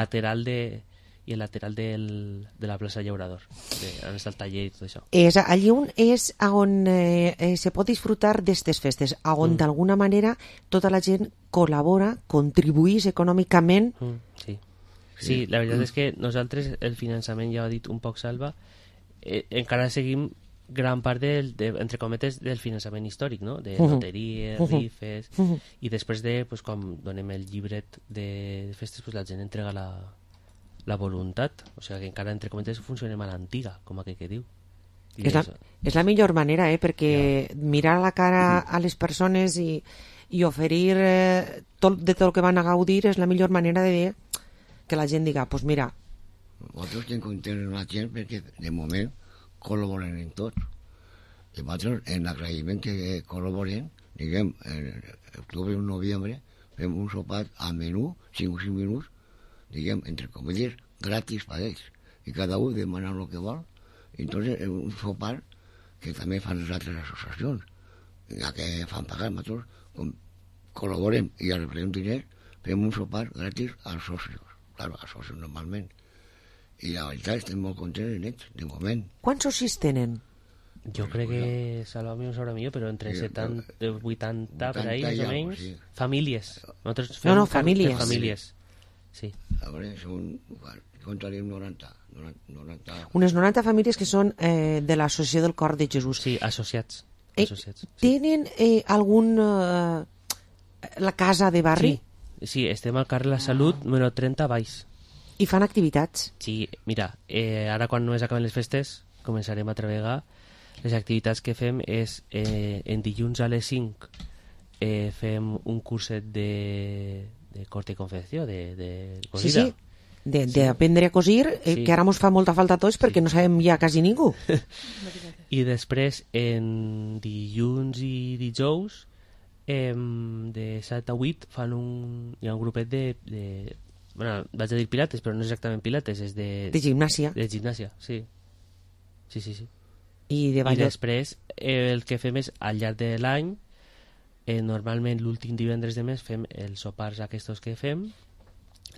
el lateral de la plaça Llaurador, on està el taller i tot això. Allí és on se pot disfrutar d'aquestes festes, on d'alguna manera tota la gent col·labora, contribuís econòmicament. Sí, la veritat és que nosaltres el finançament, ja ho ha dit un poc Salva, encara seguim gran part entre cometes del finançament històric, no? De loteries, rifes, i després de, pues, quan donem el llibret de festes, pues, la gent entrega la voluntat, o sigui que encara entre cometes funcionem a l'antiga, com aquell que diu. És la millor manera, perquè mirar a la cara a les persones i oferir de tot el que van a gaudir és la millor manera de que la gent diga, pues mira. Nosaltres estem contents amb la gent perquè de moment col·laboren en tot. I nosaltres, en l'agraïment que col·laboren, diguem, en octubre o novembre, fem un sopar a menú, 5 o 5 minuts, diguem, entre comèdies, gratis per ells. I cada un demana el que vol. I entonces és un sopar que també fan les altres associacions, ja que fan pagar. Nosaltres col·laborem i els reprenem diners, fem un sopar gratis als socios. Claro, als socios normalment. I la veritat estem molt contents en ells, de moment. Quants socis tenen? Jo crec que, Salva mi ho sabrà millor, però entre 70 i 80 per ahí, més o menys. Famílies. Nosaltres fem famílies. Sí. A veure, contaríem 90. Unes 90 famílies que són de l'Associació del Cor de Jesús. Sí, associats. Tenen algun... la casa de barri? Sí, estem al carrer La Salut, número 30, baix. I fan activitats? Sí, mira, ara quan només acaben les festes començarem a treballar. Les activitats que fem és en dilluns a les 5 fem un curset de corte i confecció, de cosida. Sí, d'aprendre a cosir, que ara ens fa molta falta a tots perquè no sabem ja quasi ningú. I després en dilluns i dijous de 7 a 8 fan hi ha un grupet de bueno, vaig a dir pilates, però no és exactament pilates, és de gimnàsia. De gimnàsia, sí. Sí. I després el que fem és al llarg de l'any, normalment l'últim divendres de mes fem els sopars aquests que fem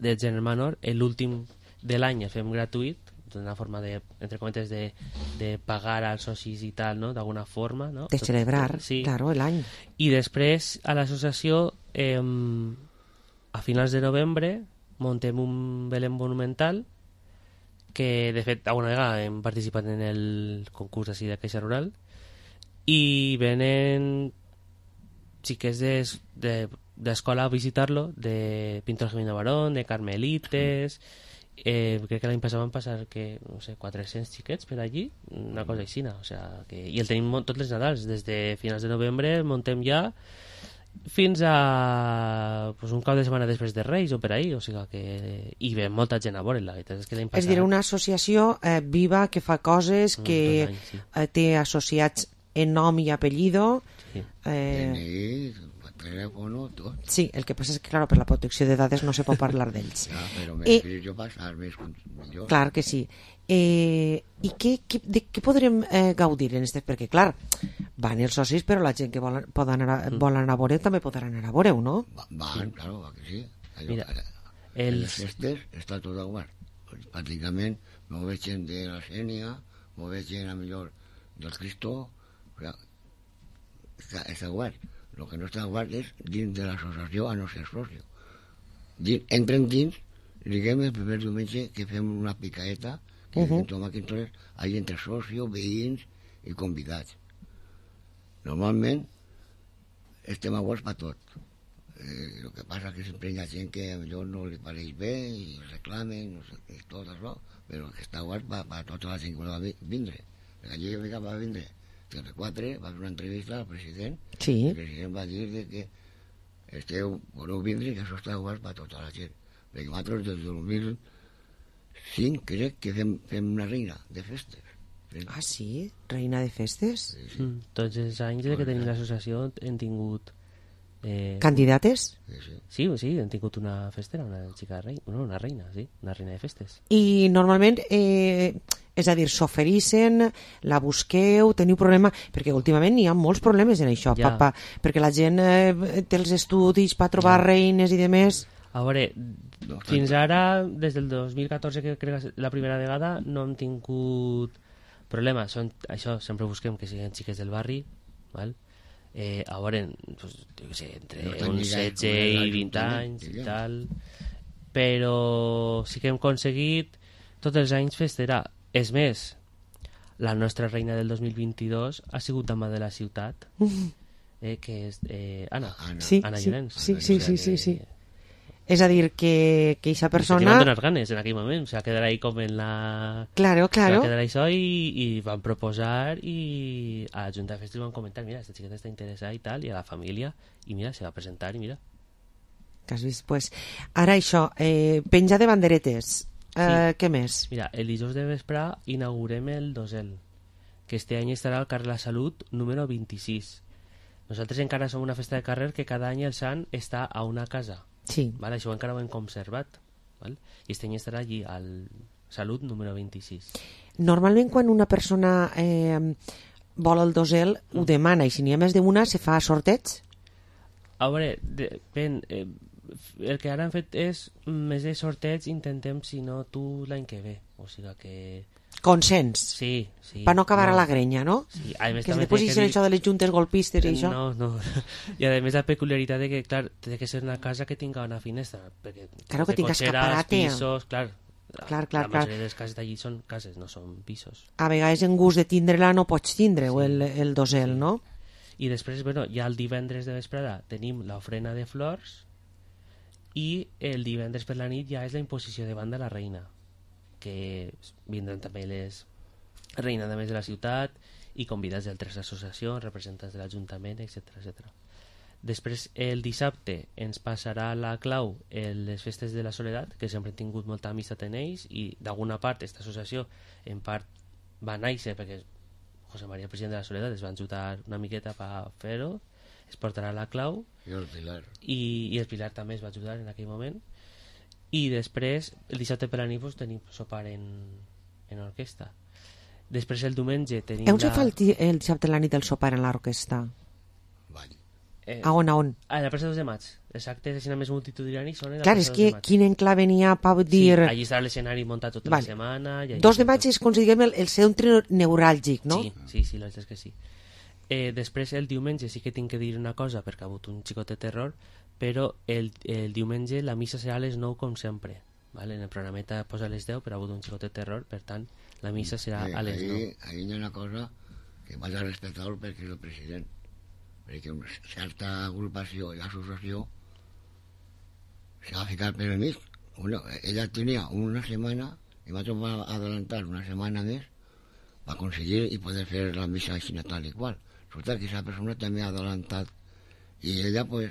del gènere menor, l'últim de l'any el fem gratuït, d'una forma de, entre cometes, de pagar als socis i tal, no? D'alguna forma, no? De celebrar, claro, l'any. I després a l'associació a finals de novembre montem un Belén monumental que de fet alguna vegada hem participat en el concurs així de Caixa Rural i venen xiquets d'escola a visitar-lo, de Pintor Gemino Barón, de Carmelites, crec que l'any passat van passar que, no sé, 400 xiquets per allí, una cosa així, o sea, i el tenim tots els Nadals, des de finals de novembre montem ja fins a pues, un cap de setmana després de Reis o per ahí, o sigui que hi ve molta gent a veure, la veritat és que l'any passat... És dir, una associació viva que fa coses, que té associats en nom i apellido. Sí. Teléfono, tot. Sí, el que passa és que, claro, per la protecció de dades no se pot parlar d'ells. Ja, però m'explico jo passar més millor. Clar que sí. I de què podrem gaudir en aquestes? Perquè, clar, van els socis, però la gent que vol anar a veure també pot anar a veure-ho, no? Van, claro, que sí. Mira, les festes està tot obert. Pràcticament no veig gent de la Sènia, no veig gent a millor del Cristo, està obert. El que no està obert és dins de l'associació a no ser socio. Entren dins, diguem el primer diumenge que fem una picaeta, que entonces hay entre socios, veïns i convidats. Normalment estem oberts per tot. El que passa que sempre hi ha gent que potser no li pareix bé i reclamen, no sé, tot això, però que està obert per tota la gent que va vindre. Allí va vindre 34, va fer una entrevista al president, el president va dir que voleu vindre i que això està obert per tota la gent. perquè nosaltres des del 2005 crec que fem una reina de festes. Ah, sí? Reina de festes? Tots els anys que tenim l'associació hem tingut... Candidates? Sí, hem tingut una festera, una reina, sí, una reina de festes. I normalment, és a dir, s'ofereixen, la busqueu, teniu problema, perquè últimament hi ha molts problemes en això, papa, perquè la gent té els estudis per trobar reines i demés. A veure, fins ara, des del 2014, que crec que la primera vegada, no hem tingut problema. Això, sempre busquem que siguin xiques del barri, val? A veure, pues, jo què sé, entre uns 16 i 20 anys i tal, però sí que hem aconseguit tots els anys festera. És més, la nostra reina del 2022 ha sigut dama de la ciutat, que és Anna Llorenç. Sí. És a dir, que aquesta persona... Que van donar ganes en aquell moment, o sea, quedar ahí com en la... Claro. Quedar això i van proposar i a la Junta de Festes van comentar, mira, esta xiqueta està interessada i tal, i a la família, i mira, se va presentar i mira. Que has vist, pues. Ara això, penja de banderetes, què més? Mira, el dijous de vespre inaugurem el dosel, que este any estarà al carrer La Salut número 26. Nosaltres encara som una festa de carrer que cada any el sant està a una casa. Sí. Vale, això encara ho hem conservat, val? I este any estarà allí al Salut número 26. Normalment quan una persona vol el dosel ho demana, i si n'hi ha més d'una se fa sorteig? A veure, depèn, el que ara hem fet és més de sorteig, intentem si no tu l'any que ve, o sigui que... Consens. Sí. Per no acabar a la grenya, no? Sí. A més, que després hi això de les juntes golpistes i això. No. I a més la peculiaritat de que, clar, té que ser una casa que tinga una finestra. Perquè claro, que tinga escaparate. Pisos, clar. Clar. La majoria de les cases d'allí són cases, no són pisos. A vegades en gust de tindre-la no pots tindre el dosel, no? I després, bueno, ja el divendres de vesprada tenim l'ofrena de flors i el divendres per la nit ja és la imposició de banda a la reina, que vindran també les reines de més de la ciutat i convidats d'altres associacions, representants de l'Ajuntament, etc. Després, el dissabte, ens passarà la clau les festes de la Soledat, que sempre hem tingut molta amistat en ells, i d'alguna part, aquesta associació, en part, va néixer perquè José María, president de la Soledat, es va ajudar una miqueta per fer-ho, es portarà la clau, i el Pilar. I el Pilar també es va ajudar en aquell moment. I després, el dissabte per la nit, pues, tenim sopar en orquestra. Després, el diumenge, tenim... On se fa el dissabte a la nit el sopar en l'orquestra? A on? A la plaça 2 de maig. Els actes així més multitudinaris són a la clar, plaça 2 de maig. Clar, és que quin enclave n'hi ha per dir... Sí, allí estarà l'escenari muntat tota la setmana... 2 de maig és, com si diguem, el centre neuràlgic, no? Sí, la veritat és que sí. Després, el diumenge, sí que tinc que dir una cosa, perquè ha hagut un xicot de terror, però el diumenge la missa serà a les 9 com sempre, vale? En el programeta posa a les 10 però ha hagut un xicot de terror, per tant la missa serà a les 9. Ahí hi ha una cosa que vaig a respectar perquè és el president, perquè una certa agrupació i associació se va ficar per el mig. Bueno, ella tenia una setmana i va tornar a adelantar una setmana més per aconseguir i poder fer la missa així tal i qual. Resulta que aquesta persona també ha adelantat i ella pues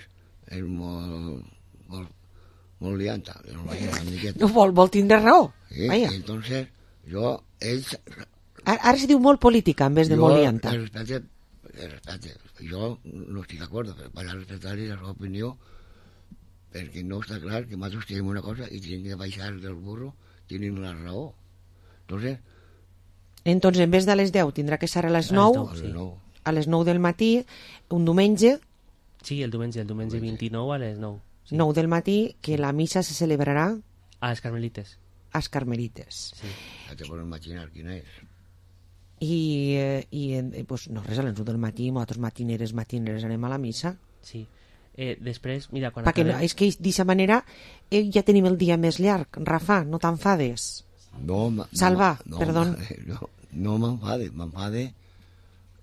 és molt lianta, no vol tindre raó. Sí, entonces ara se diu molt política en vez de molt lianta. Respecte, jo no estic d'acord, però vaig a respectar-li la seva opinió perquè no està clar que nosaltres tenim una cosa i tenim que baixar del burro, tenim la raó. Entonces en vez de a les 10 tindrà que ser a les 9, a les 9 del matí, un diumenge. Sí, el diumenge 29 a les 9. Sí. 9 del matí, que la missa se celebrarà a les Carmelites. A les Carmelites. Sí. Ja te pots imaginar quina és. I pues, no res, a les 9 del matí, nosaltres matineres anem a la missa. Sí. Després, mira, quan perquè és que d'aquesta manera ja tenim el dia més llarg. Rafa, no t'enfades. Salva, perdó. No m'enfade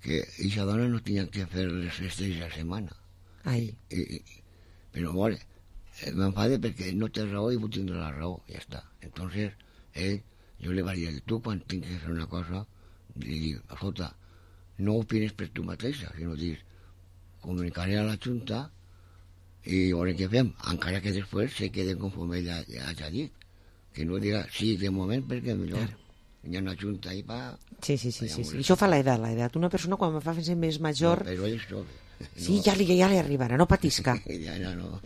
que aquesta dona no tenia que fer les festes de la setmana. Però bueno, m'enfade perquè no té raó i vull tindre la raó, ja està. Entonces, jo li vaig dir, tu quan tinc que fer una cosa, li dic, escolta, no opines per tu mateixa, sinó dir, comunicaré a la Junta i veure què fem, encara que després se queden conforme ja ha dit, que no diga sí de moment perquè millor hi ha una junta ahí pa... Sí. Això fa l'edat. Una persona quan fa fer més major... No, però ell és jove. Sí, ja li arribarà, no patisca. Ja no.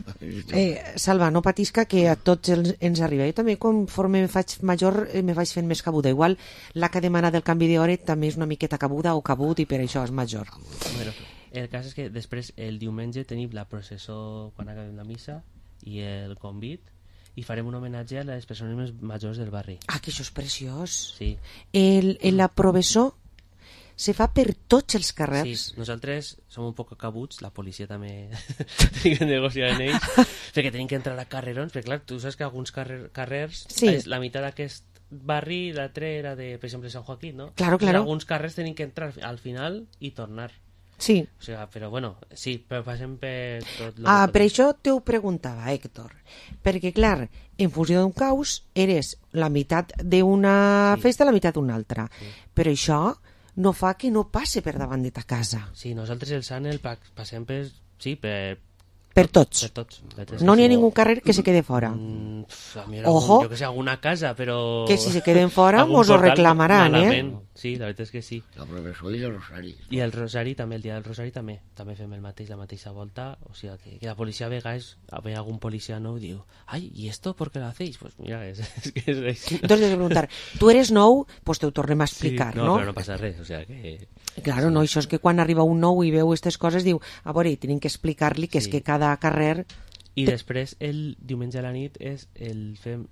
Salva, no patisca, que a tots ens arriba. Jo també, conforme me faig major, me vaig fent més cabuda. Igual, la que demana del canvi d'hora també és una miqueta cabuda o cabut i per això és major. Bueno, el cas és que després, el diumenge, tenim la processó quan acabem la missa i el convit, i farem un homenatge a les persones més majors del barri. Ah, que això és preciós. Sí. La processó se fa per tots els carrers. Sí, nosaltres som un poc acabuts, la policia també tenim que negociar en ells, perquè tenim que entrar a carrerons, perquè clar, tu saps que alguns carrers, la meitat d'aquest barri, l'altre era de, per exemple, Sant Joaquín, no? Claro. Alguns carrers tenim que entrar al final i tornar. Sí. O sigui, però bueno, sí, però passem per tot... Per això t'ho preguntava, Héctor. Perquè, clar, en funció d'un caus, eres la meitat d'una festa i la meitat d'una altra. Sí. Però això no fa que no passe per davant de ta casa. Sí, nosaltres el Sant el passem per... Sí, per tots. Per tots. No n'hi ha ningú carrer que se quede fora. Ojo. Jo que sé, alguna casa, però... Que si se queden fora mos ho reclamaran, Sí, la veritat és que sí. La professora i el Rosari. I el Rosari també, el dia del Rosari també fem el mateix, la mateixa volta, o sigui que la policia a vegades, ve algun policia nou i diu, ai, ¿y esto por qué lo hacéis? Pues mira, es que és així. Entonces he de preguntar, tu eres nou, pues te ho tornem a explicar, sí, no? Però no passa res, o sigui que... Claro, no, això és que quan arriba un nou i veu aquestes coses diu, a veure, tenim que explicar-li que és que cada carrer... I després el diumenge a la nit fem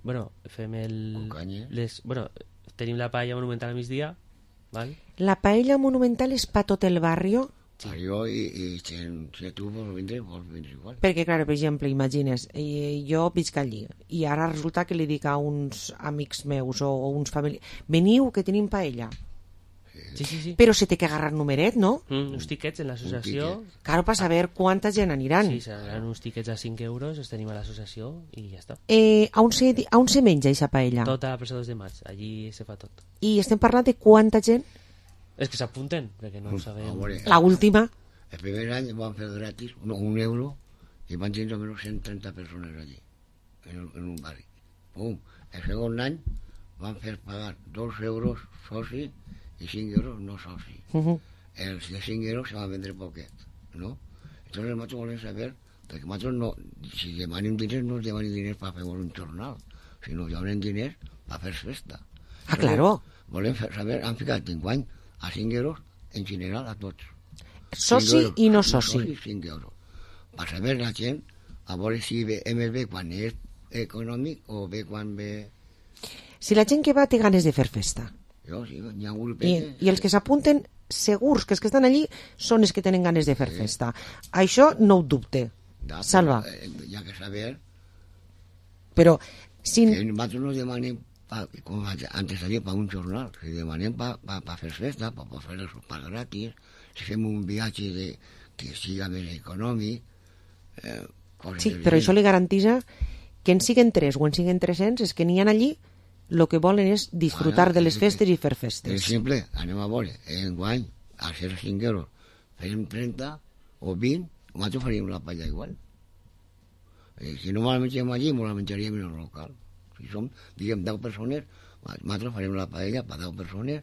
tenim la paella monumental al migdia, val? La paella monumental és pa tot el barri? Sí. I si tu vols vindre igual. Perquè, clar, per exemple, imagines, jo visc allí i ara resulta que li dic a uns amics meus o uns familiars, veniu que tenim paella. Sí. Però se té que agarrar numeret, no? Uns tiquets en l'associació. Claro, per saber quanta gent aniran. Sí, seran uns tiquets a 5 euros, els tenim a l'associació i ja està. On se menja aquesta paella? Tota la presa 2 de maig, allí se fa tot. I estem parlant de quanta gent? És que s'apunten, perquè no ho sabem. La última? El primer any van fer gratis, un euro, i van tenir almenys 130 persones allí, en un barri. Pum. El segon any van fer pagar 2 euros soci i 5 euros no soci. Els de 5 euros se van vendre poquet, ¿no? Entonces nosotros volem saber, perquè nosotros no, si demanem diners, no demanem diners per fer un jornal, sinó que demanem diners per fer festa. Ah, claro. Volem saber, han ficat enguany a 5 euros en general a tots. Soci i no soci. Soci 5 euros. Per saber la gent, a veure si ve quan és econòmic o ve quan ve... Si la gent que va té ganes de fer festa. Sí, hi ha un grupet. I els que s'apunten, segurs que els que estan allí són els que tenen ganes de fer festa. Això no ho dubte. Salva. Hi ha que saber... Però... Si... Que nosaltres no demanem, com antes havia, per un jornal, si demanem per fer festa, per fer els sopars gratis, si fem un viatge que siga més econòmic... Sí, però això li garantisa que en siguen 3 o en siguen 300, és que n'hi ha allí el que volen és disfrutar de les festes i fer festes. Per exemple, anem a veure, enguany, a ser 5 euros, fem 30 o 20, nosaltres faríem la paella igual. Si no la mengem allí, la menjaríem en el local. Si som, diguem, 10 persones, nosaltres farem la paella per 10 persones,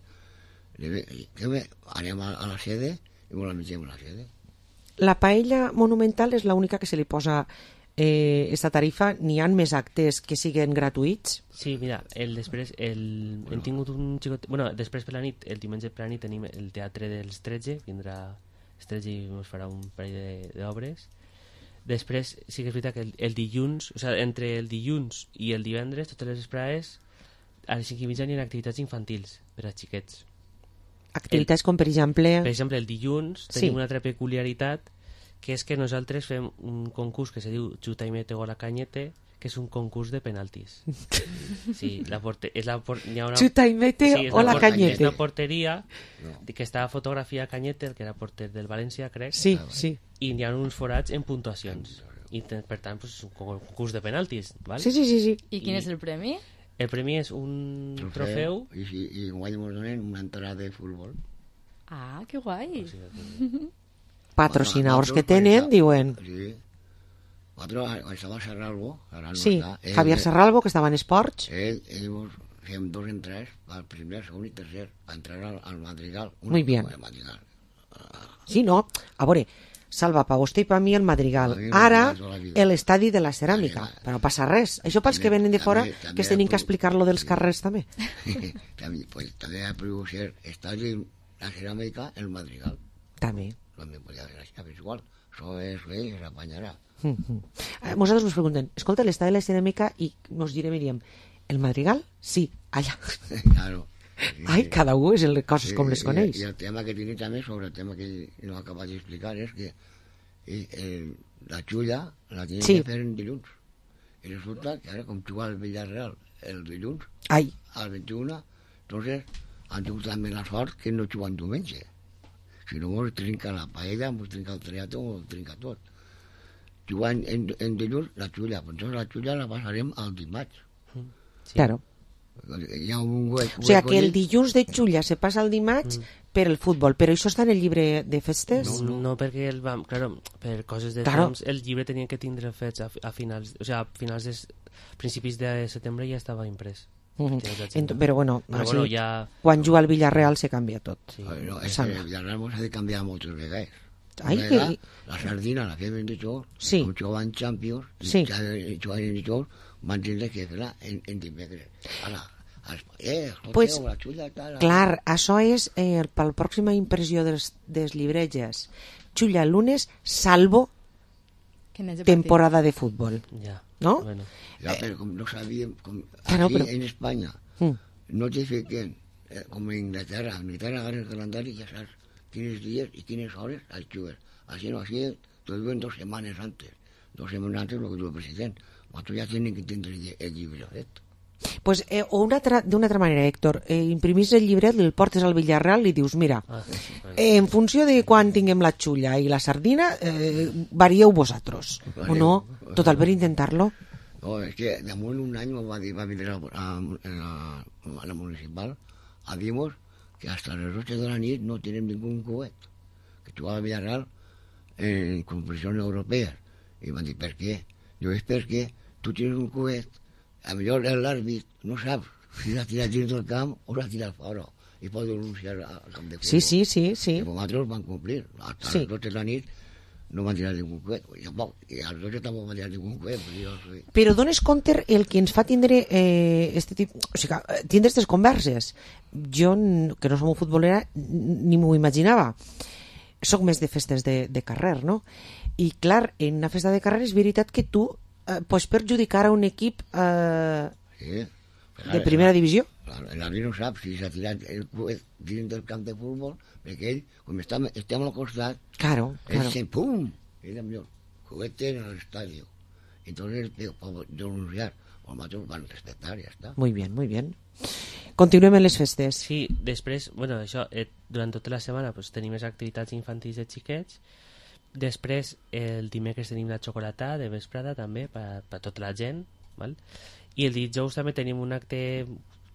anem a la sede i la mengem a la sede. La paella monumental és l'única que se li posa esta tarifa. N'hi ha més actes que siguen gratuïts? Sí, mira, després hem tingut un xicot... Bueno, després per la nit, el diumenge per la nit tenim el teatre dels 13, vindrà els 13 i ens farà un parell d'obres. Després sí que és veritat que el dilluns, o sigui, entre el dilluns i el divendres, totes les vesprades, a les 5:30 hi ha activitats infantils per a xiquets. Activitats com, per exemple... Per exemple, el dilluns tenim una altra peculiaritat, que és que nosaltres fem un concurs que se diu Xuta i mete gol a Cañete, que és un concurs de penaltis. Sí, Xuta i mete o la Cañete. És una porteria que està fotografia a Cañete, el que era porter del València, crec. Sí. I hi ha uns forats en puntuacions. I per tant, és un concurs de penaltis. ¿Vale? Sí. I quin és el premi? El premi és un trofeu. I guai ens donen una entrada de futbol. Ah, que guai. Patrocinadors que tenen, diuen. Sí. Nosaltres estava a Serralbo, ara no Sí, està. Javier Serralbo, que estava en esports. Ell fem 2 en 3, el primer, segon i tercer, va entrar al Madrigal. Muy bien. Al Madrigal. Sí, no, a veure, Salva, pa vostè i pa mi el Madrigal. A mi Ara, Madrigal tota la vida. l'estadi de la ceràmica. Però no passa res. Això pels que venen de fora, que es tenim que explicar-lo dels carrers també. També ha pogut ser estadi la ceràmica, el Madrigal. També. També podia ser així, igual. Això és ell, s'apanyarà. Nosaltres us preguntem, escolta, l'estadi de la ceràmica, i nos diríem, el Madrigal? Sí, allà. Claro. Ai, cada un és les coses com les coneix. I el tema que tiene també, sobre el tema que no acaba d'explicar, és que la xulla la tienen que fer en dilluns. I resulta que ara, com juga el Villarreal el dilluns, al 21, entonces han tingut també la sort que no juguen diumenge. Si no, mos trinca la paella, mos trinca el triato, mos trinca tot. Jugant en dilluns la xulla, però entonces la xulla la passarem al dimarts. Claro. Hi ha un hueco. O sigui que el dilluns de Xulla se passa al dimarts per el futbol, però això està en el llibre de festes? No, perquè per coses de temps el llibre tenia que tindre fets a finals, o sigui, a finals de principis de setembre ja estava imprès. Però bueno, ja... quan juga al Villarreal se canvia tot. No, és que el Villarreal s'ha de canviar moltes vegades. La sardina la fem en dijous, com jugaven Champions, jugaven en dijous, van tindre que fer-la en dimecres. Pues, clar, això és per la pròxima impressió dels llibretges. Xulla el lunes, salvo temporada de futbol. ¿No? Ja, però com no sabíem, aquí en Espanya no te fiquen, com en Inglaterra agarra el calendari i ja saps quins dies i quines hores els jugues. Així no, així t'ho diuen 2 setmanes antes. 2 setmanes antes el que diu el president. Nosaltres ja tenim que tindre el llibre fet. Pues, d'una altra manera, Héctor, imprimís el llibret, el portes al Villarreal i dius, mira, en funció de quan tinguem la xulla i la sardina, varieu vosaltres, o no? Total, per intentar-lo. No, és que damunt un any va vindre a la municipal a dir-nos que hasta les 8 de la nit no tenim ningú coet, que jugava a Villarreal en competicions europees. I van dir, per què? Jo és perquè tu tens un coet, a millor l'àrbit no sap si l'ha tirat dins del camp o l'ha tirat fora i pot denunciar al camp de futbol. Sí. I nosaltres van complir. Hasta les 12 de la nit no van tirar ningú coet. I a les 12 tampoc van tirar ningú coet. Però dones compte el que ens fa tindre tindre aquestes converses. Jo, que no som un futbolera, ni m'ho imaginava. Soc més de festes de carrer, no? I clar, en una festa de carrer és veritat que tu pots perjudicar a un equip de primera divisió. L'àrbit no sap si s'ha tirat el coet dins del camp de futbol, perquè ell, com estem al costat, ell sent pum, i millor, cohete en l'estadi. Entonces, puedo denunciar, o nosotros van a respetar, ya está. Muy bien, muy bien. Continuem en les festes. Sí, després, bueno, això, durant tota la setmana pues, tenim les activitats infantils de xiquets. Després, el dimecres tenim la xocolata de vesprada també per tota la gent, val? I el dijous també tenim un acte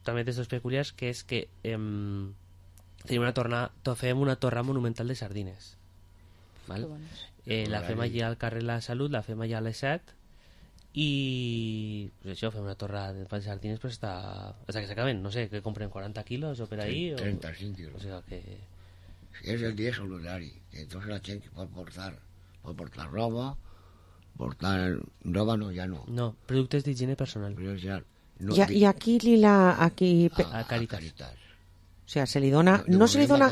també d'estos peculiars, que és que fem una torra monumental de sardines, val? La fem allà al carrer La Salut, la fem allà a les 7 i pues això, fem una torra de sardines pues, hasta que s'acaben, no sé, que compren 40 quilos o per ahí 35 quilos. O sea que... És el dia solidari, entonces la gent que pot portar roba, roba no, ja no. No, productes d'higiene personal. No, I aquí a Caritas. O sea, se li dona... No se li dona...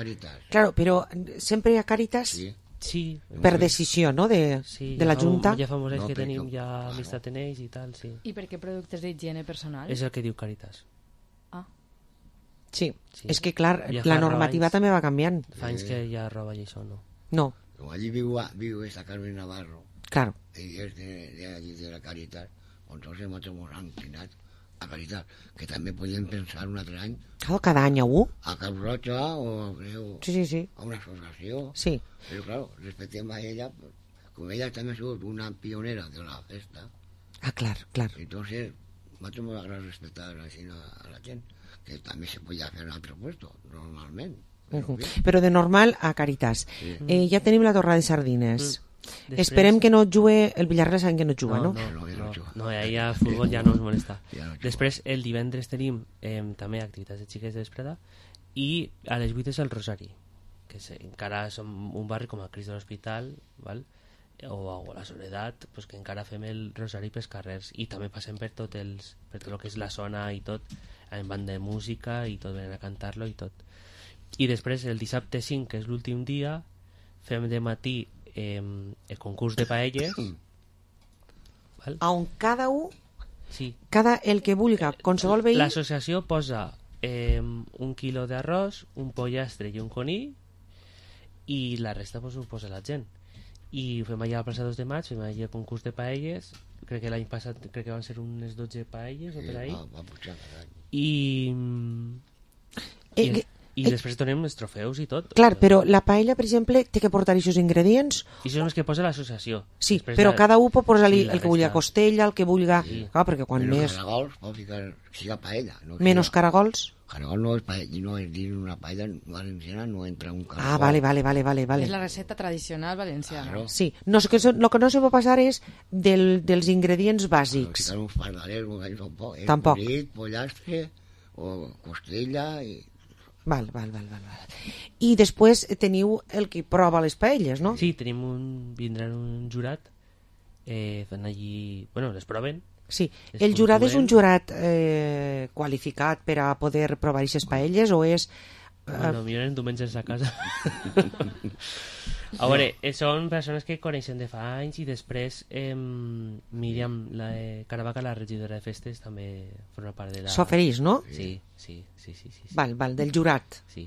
Claro, però sempre a Caritas... Sí. Per decisió, no?, de la Junta. Ja fa molts anys que tenim ja amistat en ells i tal, sí. I per què productes d'higiene personal? És el que diu Caritas. Sí, és que clar, la normativa també va canviant. Fa anys que ja roba i això no. No. Allí viu esta Carmen Navarro. Claro. Ella és de la Caritas. Entonces nosotros hemos inclinat a Caritas, que també podíem pensar un altre any. Cada any a un? A Cap Roja o a una associació. Sí. Però claro, respectem a ella, com ella també ha sigut una pionera de la festa. Ah, clar. Entonces, nosotros me agrada respetar a la gent, que també se podia fer en altre puesto, normalment. Però de normal a Caritas. Ja tenim la torra de sardines. Esperem que no jugue... El Villarreal sabem que no juga, no? No, ahí a futbol ja no ens molesta. Després, el divendres tenim també activitats de xiquets de vesprada i a les 8 és el Rosari, que encara som un barri com el Crist de l'Hospital, val? O la Soledat, pues que encara fem el Rosari pels carrers i també passem per tot el que és la zona i tot, en banda de música i tot, venen a cantar-lo i tot. I després el dissabte 5, que és l'últim dia, fem de matí el concurs de paelles, on cada un, sí, el que vulga, qualsevol veí... L'associació posa 1 quilo d'arròs, un pollastre i un conill, i la resta pues, ho posa la gent. I fem allà a la plaça 2 de maig, fem allà el concurs de paelles, crec que l'any passat van ser unes 12 paelles o per ahí. I després donem els trofeus i tot. Clar, però la paella, per exemple, té que portar aquests ingredients... I són els que posa l'associació. Sí, després però cada un pot posar-li el que vulgui costella, el que vulgui... Clar, perquè quan més... Caragols, pot ficar... Siga paella. Menos caragols? Caragol no és paella, no és dir una paella valenciana, no entra un caragol. Ah, vale. És la receta tradicional valenciana. Claro. Sí, no, el que no se pot passar és dels ingredients bàsics. Ficar uns pardalers, tampoc. Polit, pollastre, o costella... Val. I després teniu el que prova les paelles, no? Sí, vindran un jurat fan allí... Bueno, les proven. Sí, el jurat és un jurat qualificat per a poder provar aquestes paelles o és... Bueno, miren diumenges a casa. A veure, són persones que coneixen de fa anys i després Míriam Caravaca, la regidora de festes, també forma part de la... S'ofereix, no? Sí. Val, del jurat. Sí.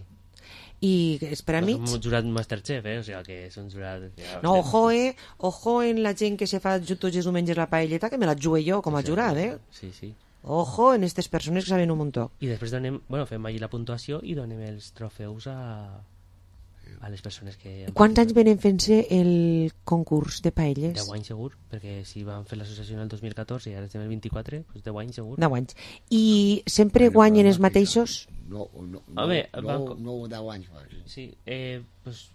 I els premis? No, som un jurat Masterchef, o sigui que és un jurat... No, ojo en la gent que se fa tots els diumenges la paelleta, que me la jugue jo com a jurat, Sí. Ojo en aquestes persones que saben un muntó. I després fem allí la puntuació i donem els trofeus a les persones que... Quants anys venen fent-se el concurs de paelles? 10 anys segur, perquè si van fer l'associació en el 2014 i ara estem el 24, doncs 10 anys segur. 10 anys. I sempre guanyen els mateixos? No, 10 anys. Sí, pues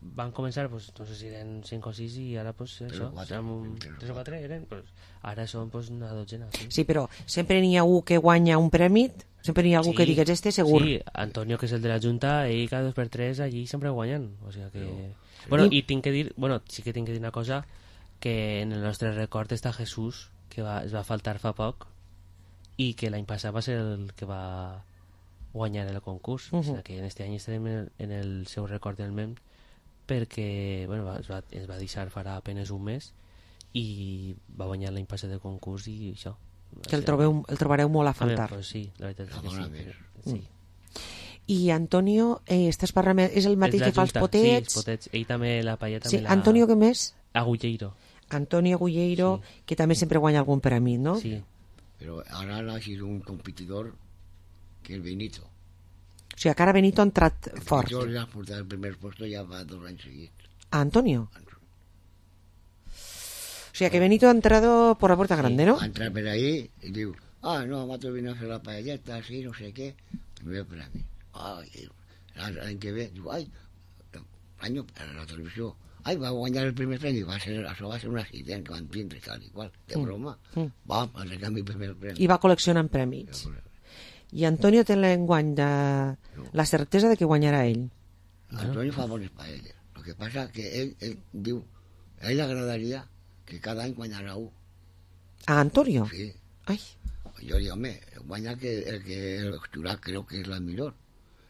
van començar, pues, no sé si eren 5 o 6 i ara pues, això, 3 o 4 eren, pues, ara són pues, una dotzena. Sí, però sempre n'hi ha algú que guanya un premi, sempre n'hi ha algú que digues segur. Sí, Antonio, que és el de la Junta, ell cada 2x3 allí sempre guanyen, o sigui que... Bueno, i tinc que dir, sí que tinc que dir una cosa, que en el nostre record està Jesús, que es va faltar fa poc, i que l'any passat va ser el que va guanyar el concurs, o sigui que en aquest any estarem en el seu record del MEM, perquè es va deixar farà apenas un mes i va guanyar l'any passat el concurs i això. Que el trobareu molt a faltar. Pues sí, la veritat és que sí. I Antonio, estàs parlant, és el mateix que fa els potets? Sí, els potets. Ell també la paella també la... Antonio què més? Agulleiro. Antonio Agulleiro, que també sempre guanya algun premi, no? Sí. Però ara ha sido un competidor que el Benito. O sigui, que ara Benito ha entrat fort. Jo ja ha portat el primer puesto ja fa 2 anys seguits. ¿A Antonio? O sea, que Benito ha entrado por la puerta grande, ¿no? Ha entrat per ahí y diu, no, m'altre vine a fer la paelleta, así, no sé què, primer per a mi. L'any que ve, diu, l'any a la televisió, va guanyar el primer premi, això va ser un accident que van tindre, tal i qual, de broma. Va, va regar mi primer premi. I va col·leccionant premis. I Antonio té l'enguany de la certesa de que guanyarà ell. Antonio fa bones paelles. El que passa que ell diu, a ell agradaria que cada any guanyarà un. ¿A Antonio? Sí. Ai. Jo dic, home, guanya el jurat creu que és la millor.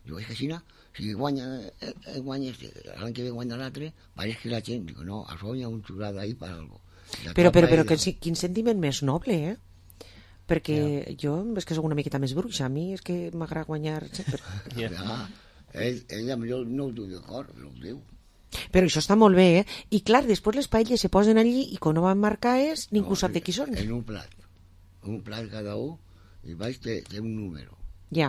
Diu, és que si guanya l'any que ve guanya l'altre, pareix que la gent, diu, no, això hi ha un jurat ahí per algo. Però quin sentiment més noble, perquè jo és que soc una miqueta més bruixa, a mi és que m'agrada guanyar sempre. Ell millor no ho diu de cor, però ho diu. Però això està molt bé, I clar, després les paelles se posen allí i quan no van marcar ningú sap de qui són. En un plat cada un, i baix té un número. Ja.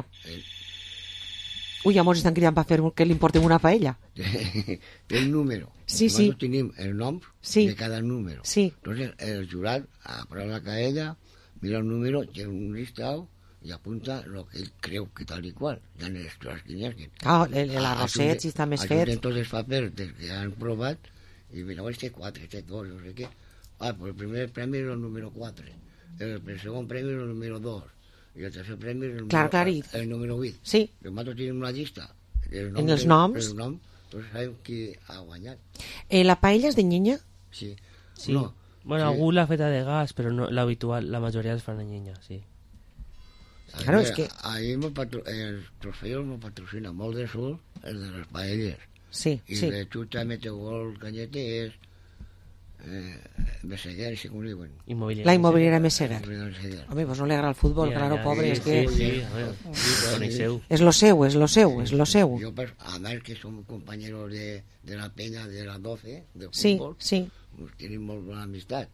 Ui, ja mos estan cridant per fer que li importem una paella. Té un número. Sí. Nosaltres tenim el nom de cada número. Sí. Entonces el jurat apaga la paella, mira el número, tiene un listado y apunta lo que él creu que tal y cual. Ya en les classes que n'hi ha. L'arrosset, si està més fet. Ajunten tots els papers que han provat Y mira, este 4, este 2, no sé qué. Ah, pues el primer premio era el número 4. El segundo premio era el número 2. Y el tercer premio era el número 8. Sí. Los matos tienen una llista. En els noms. El nom, entonces sabem qui ha guanyat. La paella és de Nyenya? Sí. Sí. No, Bueno, sí. algú l'ha feta de gas, però no, l'habitual, la majoria els fan a Nyenya, sí. Claro, es que... Ahí el trofeo nos patrocina molt de Sur, el de les paelles. Sí, y sí. de Chuta Metegol Cañete es Meseguer, si com diuen. La inmobiliària Meseguer. Home, pues no li agrada el futbol, claro, pobre, es que... És lo seu, és lo seu, és lo seu. Yo, además que somos compañeros de la Peña de la 12, de Sí, fútbol, sí. pues tienen molt bona amistat.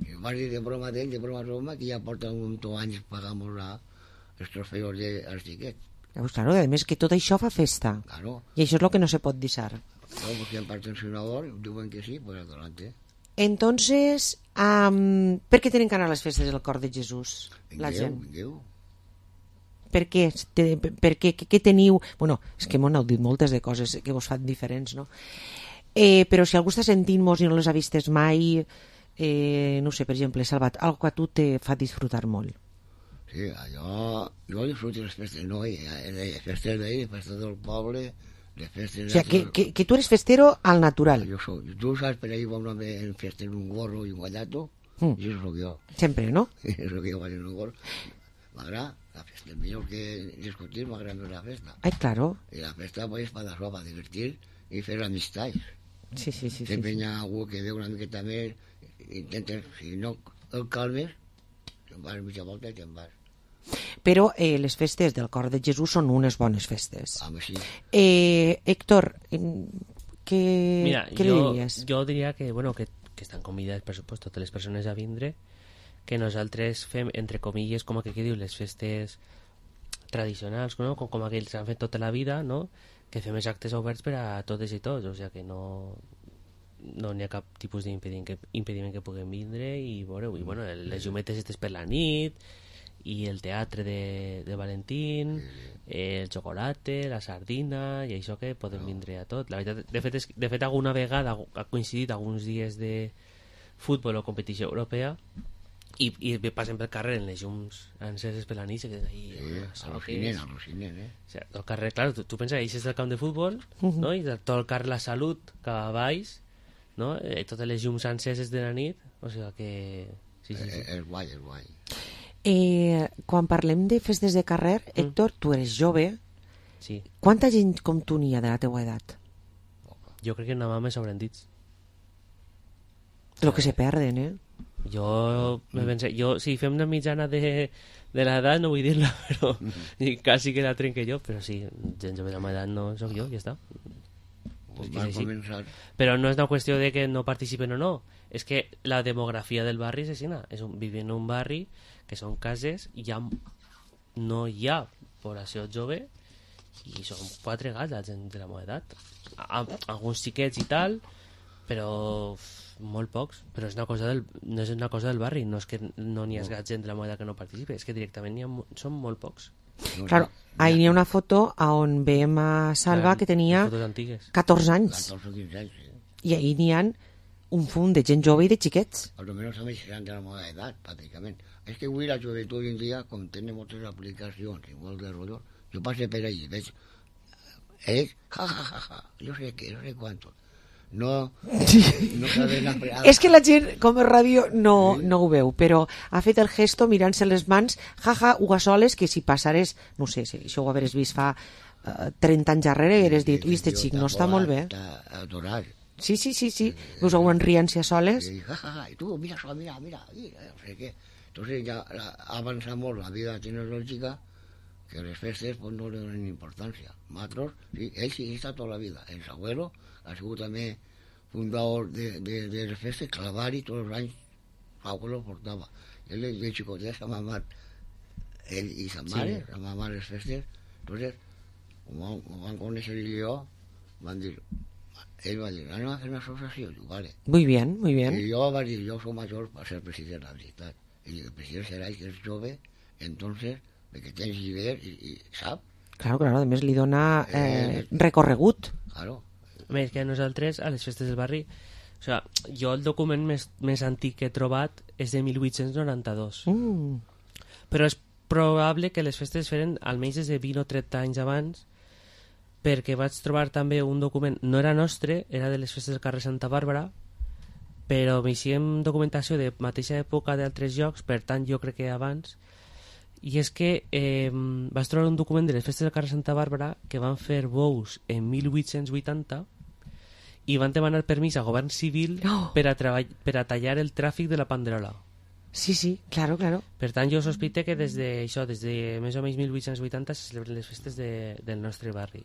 I vas dir de broma d'ell, de broma, que ja porta un anys pagamos els trofeos dels xiquets. Pues claro, a més que tot això fa festa. Claro. I això és el que no se pot deixar. Claro, pues si han patrocinador, diuen que sí, pues adelante. Entonces, per què tenen que anar a les festes del Cor de Jesús, la gent? Vingueu. Per què? Què teniu? Bueno, és que m'ho heu dit moltes de coses que vos fan diferents, no? Però si algú està sentint-nos i no les ha vistes mai, no sé, per exemple, Salvat, algo que a tu te fa disfrutar molt. Sí, jo disfruto les festes, no? Les festes d'ahir, les festes del poble, les festes... O sigui, que tu eres festero al natural. Jo soy. Tu saps, per ahí va un home en festa en un gorro i un guallato, i això soc jo. Sempre, no? És el que jo vaig en un gorro. M'agrada la festa, el millor que discutir m'agrada més la festa. Ai, claro. I la festa pues, és per això, per divertir i fer amistats. Sí. Sempre hi ha algú que veu una miqueta més, intentes, si no el calmes, te'n vas mitja volta i te'n vas. Però les festes del Cor de Jesús són unes bones festes. Home, sí. Héctor, què li diries? Jo diria que, bueno, que estan convidats, per supost, totes les persones a vindre, que nosaltres fem, entre comilles, com que diu, les festes tradicionals, no? com aquells que han fet tota la vida, no? Que fem els actes oberts per a totes i tots, o sigui que no n'hi ha cap tipus d'impediment que puguem vindre i veureu, i bueno, les llumetes estes per la nit, i el teatre de Valentín, el xocolate, la sardina, i això que podem vindre a tot. La veritat, de fet alguna vegada ha coincidit alguns dies de futbol o competició europea i passen pel carrer en les llums enceses per la nit, que ahí al·lucinen, o sigui, el carrer, clar, tu penses que eixes del camp de futbol, no? I tot el carrer La Salut cap a baix, no? Totes les llums enceses de la nit, o sigui que sí. És guai, és guai. Quan parlem de festes de carrer, Héctor, tu eres jove. Sí. Quanta gent com tu n'hi ha de la teua edat? Jo crec que nada més sobren dits. Lo que se perden, Jo si fem una mitjana de l'edat, no vull dir-la, però quasi que la trenque jo, però sí, gent jove de l'edat no soc jo, ja està. Però no és una qüestió de que no participen o no, és que la demografia del barri és així, vivim en un barri que són cases i no hi ha població jove i són 4 gats la gent de la meva edat, alguns xiquets i tal, però molt pocs, però no és una cosa del barri, no és que no n'hi ha gats gent de la meva edat que no participi, és que directament són molt pocs. Claro, ahí n'hi ha una foto on veiem a Salva que tenia 14 anys. 14 o 15 anys, sí. I ahí n'hi ha un fum de gent jove i de xiquets. Almenys a més seran de la meva edat, pràcticament. És que avui la joventut hoy en dia, com tenen moltes aplicacions, igual de rotllo, jo passo per allí, veig ells, ja, jo sé què, no sé quantos. No saben aprendre. És que la gent, com a ràdio, no ho veu, però ha fet el gesto mirant-se les mans, jaja, ugasoles, que si passares, no sé, si això ho haveres vist fa 30 anys darrere, hagueres dit, ui, este xic no està molt bé. Està adorat. Sí. Us ho enrient-se a soles. I tu, mira això, mira, no sé què. Entonces ja ha avançat molt la vida tecnològica, que les festes pues, no li donen importància. Nosaltres, sí, ell sí està tota la vida. El abuelo ha sigut també fundador de les festes, clavar-hi tots els anys, l'abuelo portava. Ell de xicotet s'ha mamat, ell i sa mare, s'ha mamat les festes. Entonces, ho van conèixer ell i jo, ell va dir, anem a fer una associació. Diu, vale. Muy bien. I jo va dir, jo soc major per ser president, la veritat. I el president serà que és jove, entonces, que tens idees i sap. Claro, a més li dona recorregut. Claro. Més que a nosaltres, a les festes del barri, O sigui, jo el document més antic que he trobat és de 1892. Però és probable que les festes feren almenys des de 20 o 30 anys abans, perquè vaig trobar també un document, no era nostre, era de les festes del carrer Santa Bàrbara, però m'eixíem documentació de mateixa època d'altres llocs, per tant jo crec que abans, i és que vaig trobar un document de les festes del carrer Santa Bàrbara que van fer bous en 1880 i van demanar permís al govern civil per a tallar el tràfic de la panderola. Sí, sí, claro. Per tant, jo sospite que des de més o menys 1880 se celebren les festes del nostre barri.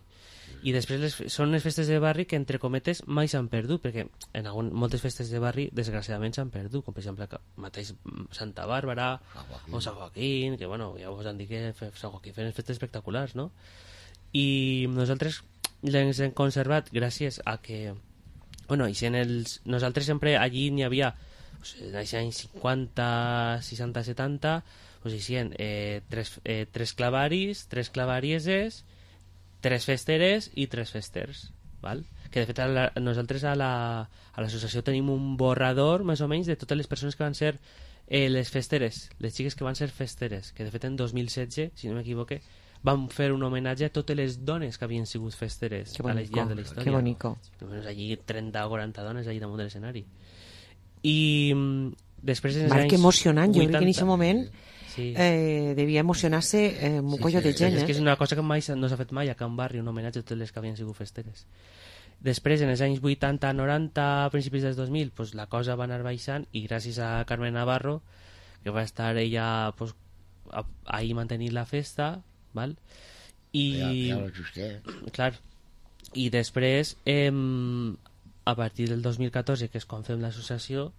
I després són les festes de barri que, entre cometes, mai s'han perdut, perquè en moltes festes de barri, desgraciadament, s'han perdut, com per exemple mateix Santa Bàrbara o Sant Joaquín, que bueno, ja us han dit que Sant Joaquín feien festes espectaculars, no? I nosaltres les hem conservat gràcies a que, bueno, nosaltres sempre allí n'hi havia, en els anys 50, 60, 70, pues hicien tres clavaris, tres clavarieses, tres festeres i tres festers, val? Que de fet nosaltres a l'associació tenim un borrador més o menys de totes les persones que van ser les festeres, les xiques que van ser festeres, que de fet en 2016, si no m'equivoque, van fer un homenatge a totes les dones que havien sigut festeres a les llarg de la història. Que bonico. Allí 30 o 40 dones allí damunt de l'escenari. I després en els Marc, anys que emocionant, 80, jo crec que en aquest moment sí. Devia emocionar-se un collo de gent. És que és una cosa que mai no s'ha fet mai a Can Barri, un homenatge a totes les que havien sigut festeres. Després, en els anys 80, 90, a principis dels 2000, pues, la cosa va anar baixant i gràcies a Carmen Navarro, que va estar ella pues, ahí mantenint la festa, val? I clar, i després a partir del 2014, que és quan fem l'associació,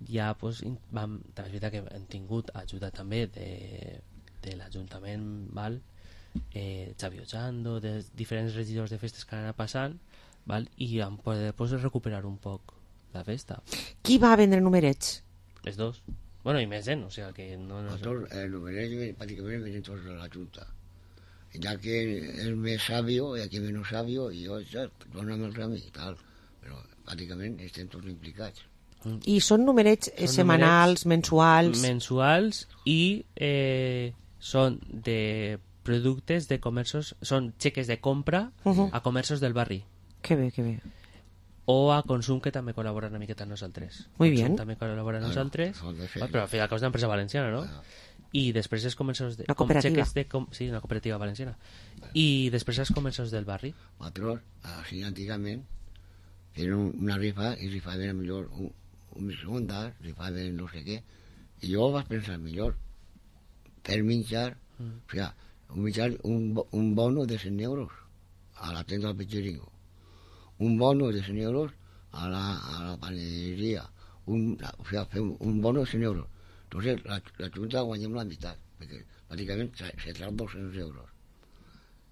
ja pues, és veritat que hem tingut ajuda també de l'Ajuntament, val? Xavi Ochando, de diferents regidors de festes que han anat passant, val? I han poder pues, recuperar un poc la festa. Qui va vendre numerets? Les dos. Bueno, i més gent, o sigui que no... El numerets pràcticament venen tots de la Junta. Ya que es más sabio y aquí menos sabio, y yo, perdóname el camí y tal, pero prácticamente estén todos implicados. I són numerets setmanals, mensuals? Mensuals i són de productes de comerços, són xeques de compra a comerços del barri. Que bé, que bé. O a consum, que també col·labora una miqueta amb nosaltres. Muy bien. També col·labora amb nosaltres, però al final és una empresa valenciana, no? I després els comerços... Una cooperativa. Sí, una cooperativa valenciana. I després els comerços del barri. Nosaltres, així antigament, tenen una rifa i rifaven millor un microondas, rifaven no sé què. I jo vaig pensar millor per menjar, o sigui, un bono de 100 euros a la tenda del Pichiringo, un bono de 100 euros a la panadería, o sea, un bono de 100 euros. Entonces, la Junta guanyem la meitat, perquè pràcticament se trau 200 euros.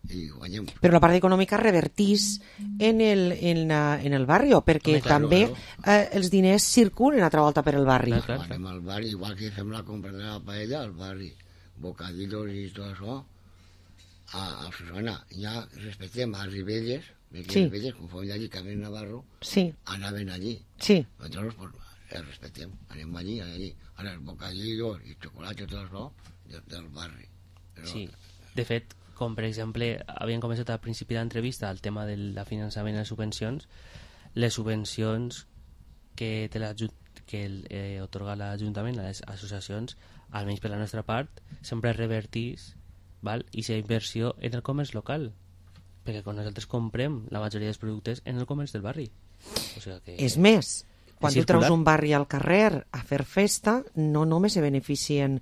I guanyem. Però la part econòmica revertís en el barri, perquè també els diners circulen a altra volta per el barri. Guanyem al barri, igual que fem la compra de la paella al barri, bocadillos i tot això, a Susana. Ja respectem a Ribelles, perquè Ribelles, conforme allí Carmen Navarro, anaven allí. Nosaltres, pues, el respetem, anem allí. Ara els bocadillos i xocolats i tot això del barri. Sí, de fet, com per exemple havien començat al principi d'entrevista el tema del finançament i les subvencions, les subvencions que otorga l'Ajuntament a les associacions, almenys per la nostra part, sempre revertís, val? I la inversió en el comerç local, perquè quan nosaltres comprem la majoria dels productes en el comerç del barri. O sigui que és més, quan tu treus un barri al carrer a fer festa, no només se beneficien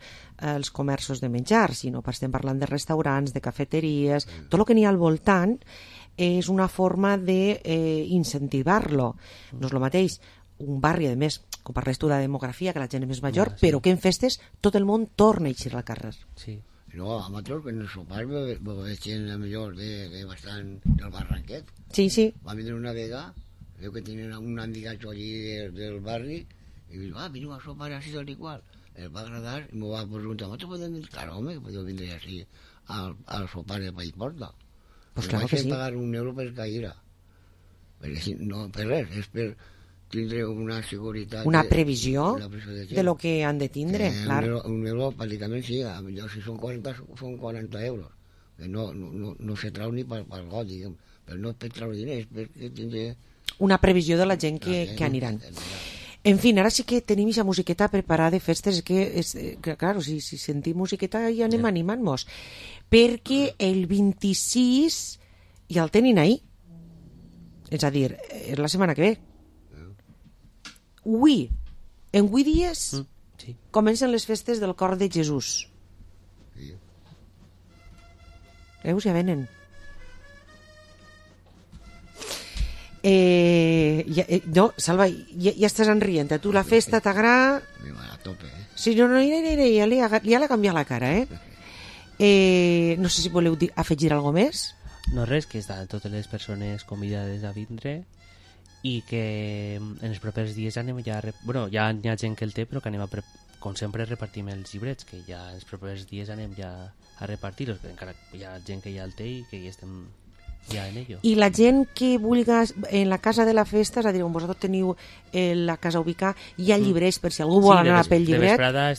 els comerços de menjar, sinó que estem parlant de restaurants, de cafeteries, tot el que n'hi ha al voltant és una forma d'incentivar-lo. No és el mateix un barri, a més, com parles tu de demografia, que la gent és més major, però que en festes tot el món torna a eixir al carrer. Sí. No, a nosaltres, que en el sopar veig gent millor de bastant del Barranquet. Sí. Va vindre una vegada, veu que tenen un amigatxo allí del barri, i diu, veniu a sopar així tal i qual. El va agradar i m'ho va preguntar, ¿no podem vindre? Claro, home, que podeu vindre així al sopar de Paiporta. Pues claro que sí. Vaig pagar €1 per caïra. Perquè no, per res, és per tindre una seguretat... Una previsió de lo que han de tindre, clar. Un euro, pràcticament, sí, si són 40, són 40 euros. Que no se trau ni pel got, diguem. Però no és per treure diners, és perquè tindre... Una previsió de la gent que aniran. En fi, ara sí que tenim aquesta musiqueta preparada de festes, que claro, si sentim musiqueta ja anem animant-nos. Perquè el 26 ja el tenen ahir. És a dir, és la setmana que ve. En 8 dies comencen les festes del Cor de Jesús. Veus, ja venen. No, Salva, ja estàs enrient. Tu la festa t'agrada? A tope, Sí, no, ja l'ha canviat la cara, no sé si voleu afegir alguna més. No res, que estan totes les persones convidades a vindre i que en els propers dies anem ja... Bueno, ja hi ha gent que el té, però que anem com sempre repartim els llibrets, que ja en els propers dies anem ja a repartir-los, que encara hi ha gent que ja el té i que ja estem ja en ello. I la gent que vulgui en la casa de la festa, és a dir, on vosaltres teniu la casa ubicada, hi ha llibrets per si algú vol anar pel llibret. De vesprada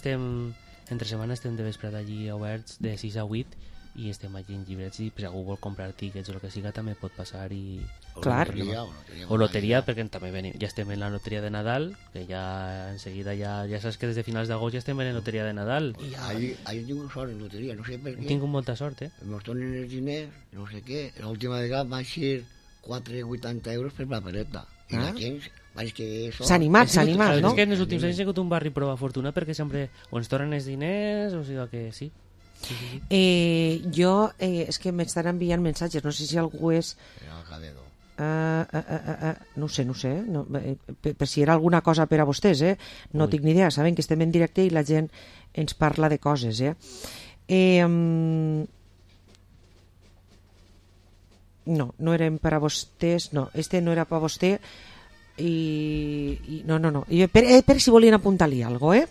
entre setmana estem de vesprada allí oberts de 6 a 8 i estem allí en llibrets i si algú vol comprar tíquets o el que siga també pot passar i... Clar. O loteria, perquè també ja estem en la loteria de Nadal, que ja enseguida ja saps que des de finals d'agost ja estem en la loteria de Nadal. Ahir he tingut sort en loteria, no sé per què. He tingut molta sort, Ens donen els diners, no sé què. L'última vegada va ser 4,80 euros per papereta. I la gent... S'ha animat, no? És que en els últims anys ha sigut un barri prova fortuna perquè sempre o ens tornen els diners o sigui que sí. Jo és que m'estan enviant missatges, no sé si algú és... no sé, per si era alguna cosa per a vostès, no tinc ni idea, saben que estem en directe i la gent ens parla de coses, no eren per a vostès, no, no era per a vostè i no, per si volien apuntar-li alguna cosa,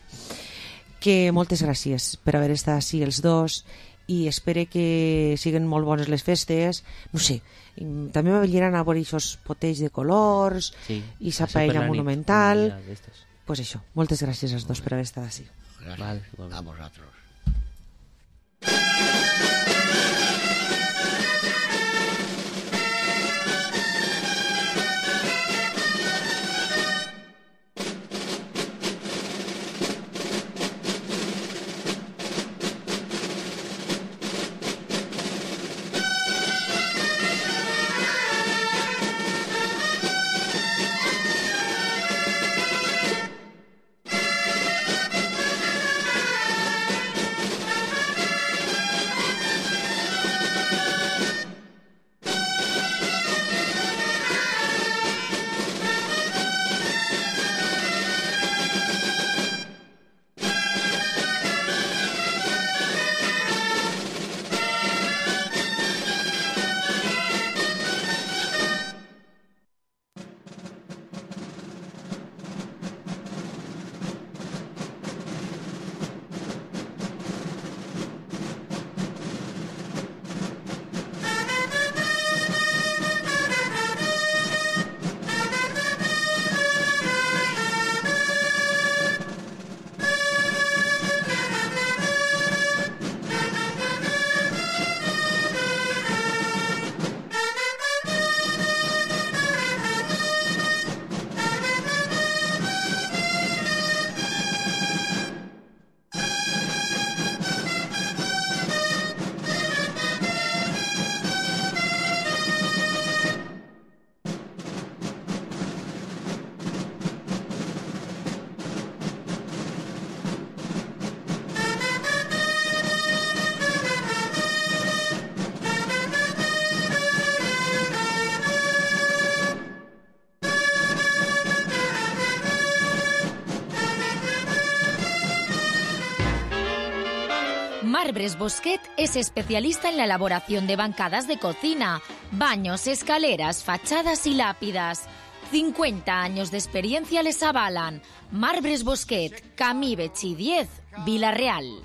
que moltes gràcies per haver estat així els dos i espero que siguin molt bones les festes, no sé, també m'avelliran a veure aquests potells de colors i sa paella monumental, pues això, moltes gràcies als dos per haver estat així. Gràcies a vosaltres. Marbres Bosquet es especialista en la elaboración de bancadas de cocina, baños, escaleras, fachadas y lápidas. 50 años de experiencia les avalan. Marbres Bosquet, Camí Betxí 10, Vila Real.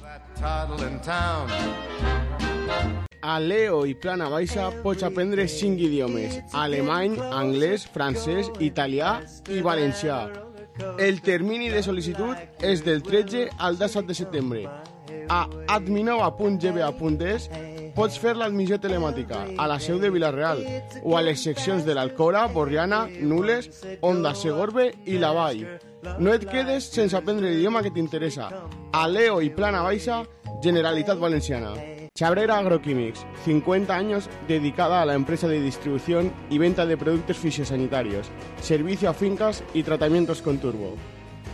A Leo i Plana Baixa pots aprendre 5 idiomes: alemany, anglès, francès, italià i valencià. El termini de sol·licitud és del 13 al 17 de setembre. A adminova.gba.es pots fer l'admissió telemàtica a la seu de Vila-real o a les seccions de l'Alcora, Borriana, Nules, Onda, Segorbe i la Vall. No et quedes sense aprendre l'idioma que t'interessa. A Leo i Plana Baixa, Generalitat Valenciana. Chabrera Agroquímics, 50 años dedicada a la empresa de distribución y venta de productos fitosanitarios, servicio a fincas y tratamientos con turbo.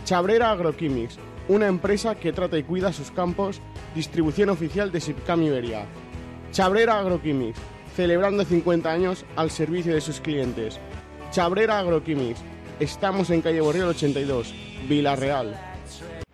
Chabrera Agroquímics, una empresa que trata y cuida sus campos, distribución oficial de Sipcam Iberia. Chabrera Agroquímics, celebrando 50 años al servicio de sus clientes. Chabrera Agroquímics, estamos en calle Borriol 82, Vila-real.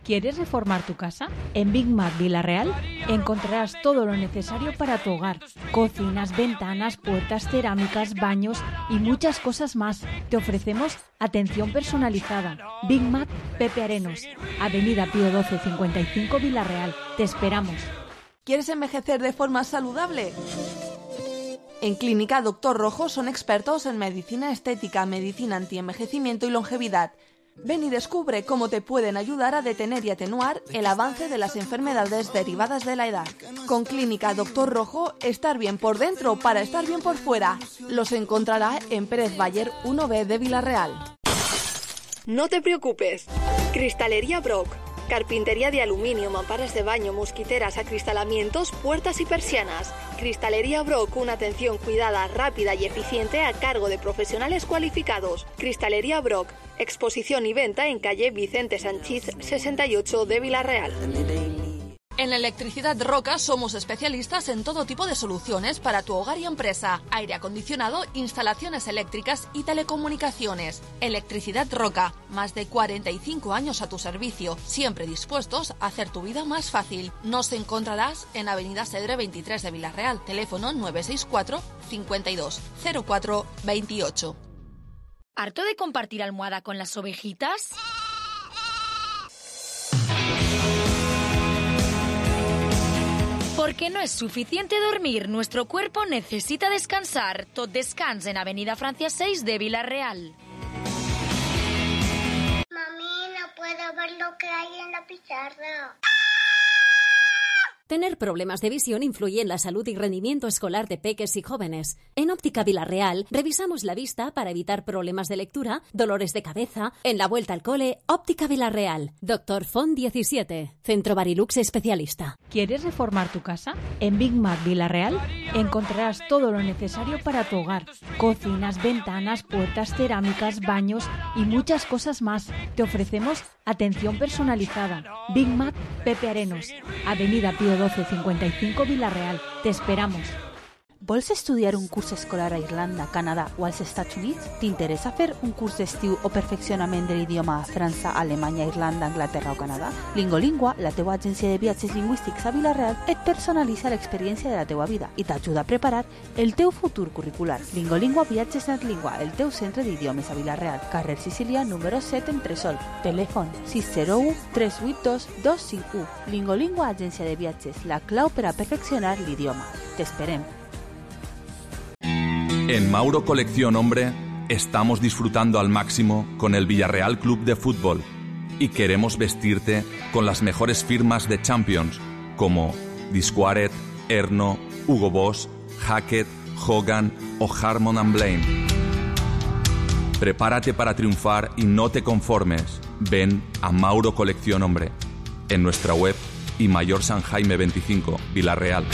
¿Quieres reformar tu casa? En Big Mac Vila-real encontrarás todo lo necesario para tu hogar. Cocinas, ventanas, puertas, cerámicas, baños y muchas cosas más. Te ofrecemos atención personalizada. Big Mac Pepe Arenos, Avenida Pío 12 55 Vila-real. Te esperamos. ¿Quieres envejecer de forma saludable? En Clínica Doctor Rojo son expertos en medicina estética, medicina antienvejecimiento y longevidad. Ven y descubre cómo te pueden ayudar a detener y atenuar el avance de las enfermedades derivadas de la edad. Con Clínica Doctor Rojo, estar bien por dentro para estar bien por fuera. Los encontrará en Pérez Bayer 1B de Vila-real. No te preocupes. Cristalería Brock. Carpintería de aluminio, mamparas de baño, mosquiteras, acristalamientos, puertas y persianas. Cristalería Brock, una atención cuidada, rápida y eficiente a cargo de profesionales cualificados. Cristalería Brock, exposición y venta en calle Vicente Sanchís 68 de Vila-real. En Electricidad Roca somos especialistas en todo tipo de soluciones para tu hogar y empresa. Aire acondicionado, instalaciones eléctricas y telecomunicaciones. Electricidad Roca, más de 45 años a tu servicio, siempre dispuestos a hacer tu vida más fácil. Nos encontrarás en Avenida Cedre 23 de Vila-real, teléfono 964 52 04 28. ¿Harto de compartir almohada con las ovejitas? Porque no es suficiente dormir, nuestro cuerpo necesita descansar. Tot Descans en Avenida Francia 6 de Vila-real. Mami, no puedo ver lo que hay en la pizarra. Tener problemas de visión influye en la salud y rendimiento escolar de peques y jóvenes. En Óptica Vila-real revisamos la vista para evitar problemas de lectura, dolores de cabeza. En la vuelta al cole, Óptica Vila-real. Dr. Font 17, Centro Barilux especialista. ¿Quieres reformar tu casa? En Big Mac Vila-real encontrarás todo lo necesario para tu hogar. Cocinas, ventanas, puertas, cerámicas, baños y muchas cosas más. Te ofrecemos atención personalizada. Big Mac Pepe Arenos, Avenida Pío 12 55 Vila-real. Te esperamos. Vols estudiar un curs escolar a Irlanda, Canadà o als Estats Units? T'interessa fer un curs d'estiu o perfeccionament de l'idioma a França, Alemanya, Irlanda, Anglaterra o Canadà? Lingolingua, la teua agència de viatges lingüístics a Vila-real, et personalitza l'experiència de la teua vida i t'ajuda a preparar el teu futur curricular. Lingolingua Viatges Netlingua, el teu centre d'idiomes a Vila-real, carrer Sicília, número 7 en Tresol. Telèfon 601 382 251. Lingolingua, agència de viatges, la clau per a perfeccionar l'idioma. T'esperem. En Mauro Colección Hombre estamos disfrutando al máximo con el Villarreal Club de Fútbol y queremos vestirte con las mejores firmas de Champions como Disquaret, Erno, Hugo Boss, Hackett, Hogan o Harmon & Blaine. Prepárate para triunfar y no te conformes. Ven a Mauro Colección Hombre en nuestra web y Mayor San Jaime 25, Vila-real.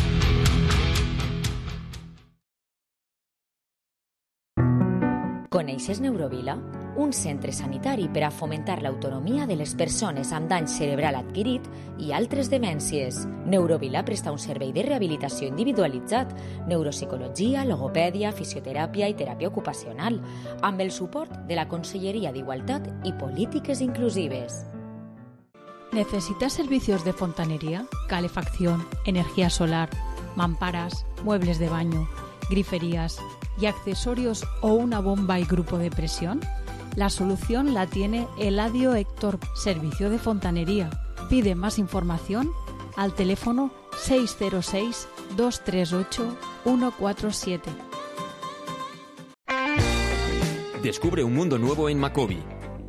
Coneixes Neurovila? Un centre sanitari per a fomentar l'autonomia de les persones amb dany cerebral adquirit i altres demències. Neurovila presta un servei de rehabilitació individualitzat, neuropsicologia, logopèdia, fisioteràpia i teràpia ocupacional, amb el suport de la Conselleria d'Igualtat i Polítiques Inclusives. ¿Necesitas servicios de fontanería, calefacción, energía solar, mamparas, muebles de baño, griferías y accesorios o una bomba y grupo de presión? La solución la tiene Eladio Héctor, Servicio de Fontanería. Pide más información al teléfono 606-238-147. Descubre un mundo nuevo en Macobi.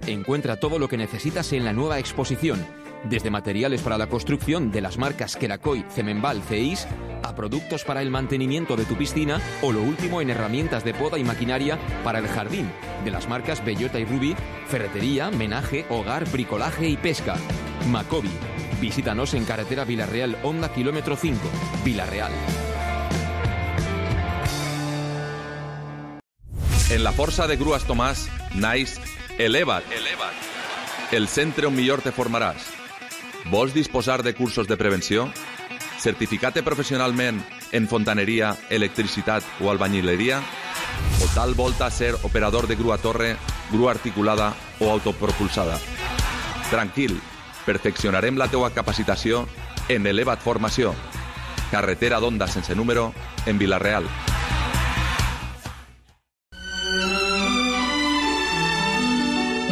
Encuentra todo lo que necesitas en la nueva exposición, desde materiales para la construcción de las marcas Kerakoy, Cemenbal, CEIS, a productos para el mantenimiento de tu piscina o lo último en herramientas de poda y maquinaria para el jardín, de las marcas Bellota y Ruby, ferretería, menaje, hogar, bricolaje y pesca. Macobi. Visítanos en carretera Vilarreal, Honda, kilómetro 5, Vilarreal. En la força de Grues Tomàs naix Eleva't. El centre on millor te formaràs. Vols disposar de cursos de prevenció? Certificat professionalment en fontaneria, electricitat o albañileria? O tal volta ser operador de grua torre, grua articulada o autopropulsada? Tranquil, perfeccionarem la teua capacitació en Eleva't Formació. Carretera d'Onda sense número, en Vilareal.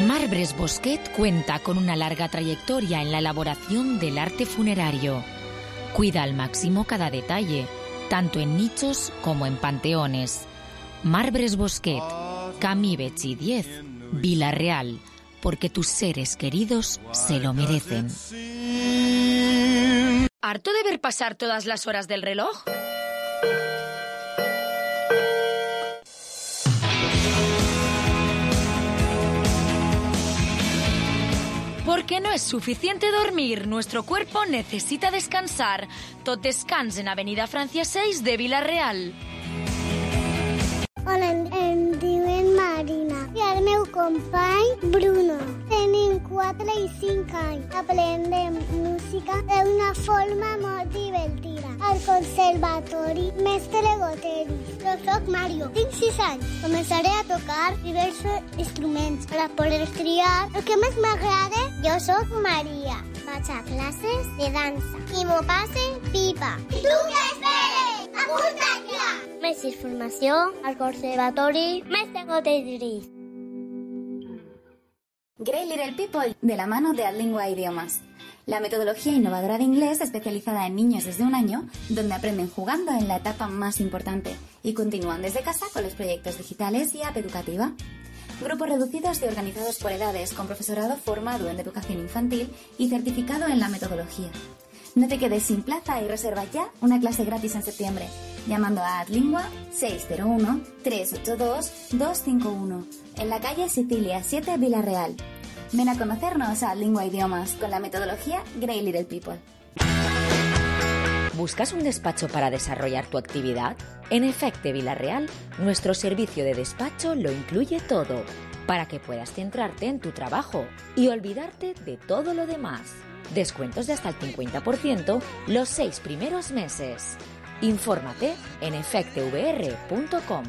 Marbres Bosquet cuenta con una larga trayectoria en la elaboración del arte funerario. Cuida al máximo cada detalle, tanto en nichos como en panteones. Marbres Bosquet, Camí Betxí 10, Vilareal, porque tus seres queridos se lo merecen. ¿Harto de ver pasar todas las horas del reloj? Porque no es suficiente dormir, nuestro cuerpo necesita descansar. Tot descans en Avenida Francia 6 de Vilareal. Hola, em diuen Marina i el meu company Bruno. Tenim 4 i 5 anys. Aprendem música d'una forma molt divertida. Al Conservatori Mestre Goteri. Jo soc Mario, tinc 6 anys. Començaré a tocar diversos instruments per a poder triar el que més m'agrada. Jo soc Maria. Vaig a classes de dansa i m'ho passe pipa. I tu què esperes? Apunta't ja! Més informació al Conservatori Mestre Goteri. Great Little People, de la mano de Adlingua Idiomas. La metodología innovadora de inglés especializada en niños desde 1 año, donde aprenden jugando en la etapa más importante y continúan desde casa con los proyectos digitales y app educativa. Grupos reducidos y organizados por edades, con profesorado formado en educación infantil y certificado en la metodología. No te quedes sin plaza y reserva ya una clase gratis en septiembre, llamando a Adlingua 601-382-251, en la calle Sicilia 7, Vilareal. Ven a conocernos a Adlingua Idiomas con la metodología Great Little People. ¿Buscas un despacho para desarrollar tu actividad? En Efecte Vilareal, nuestro servicio de despacho lo incluye todo, para que puedas centrarte en tu trabajo y olvidarte de todo lo demás. Descuentos de hasta el 50% los 6 primeros meses. Infórmate en efectevr.com.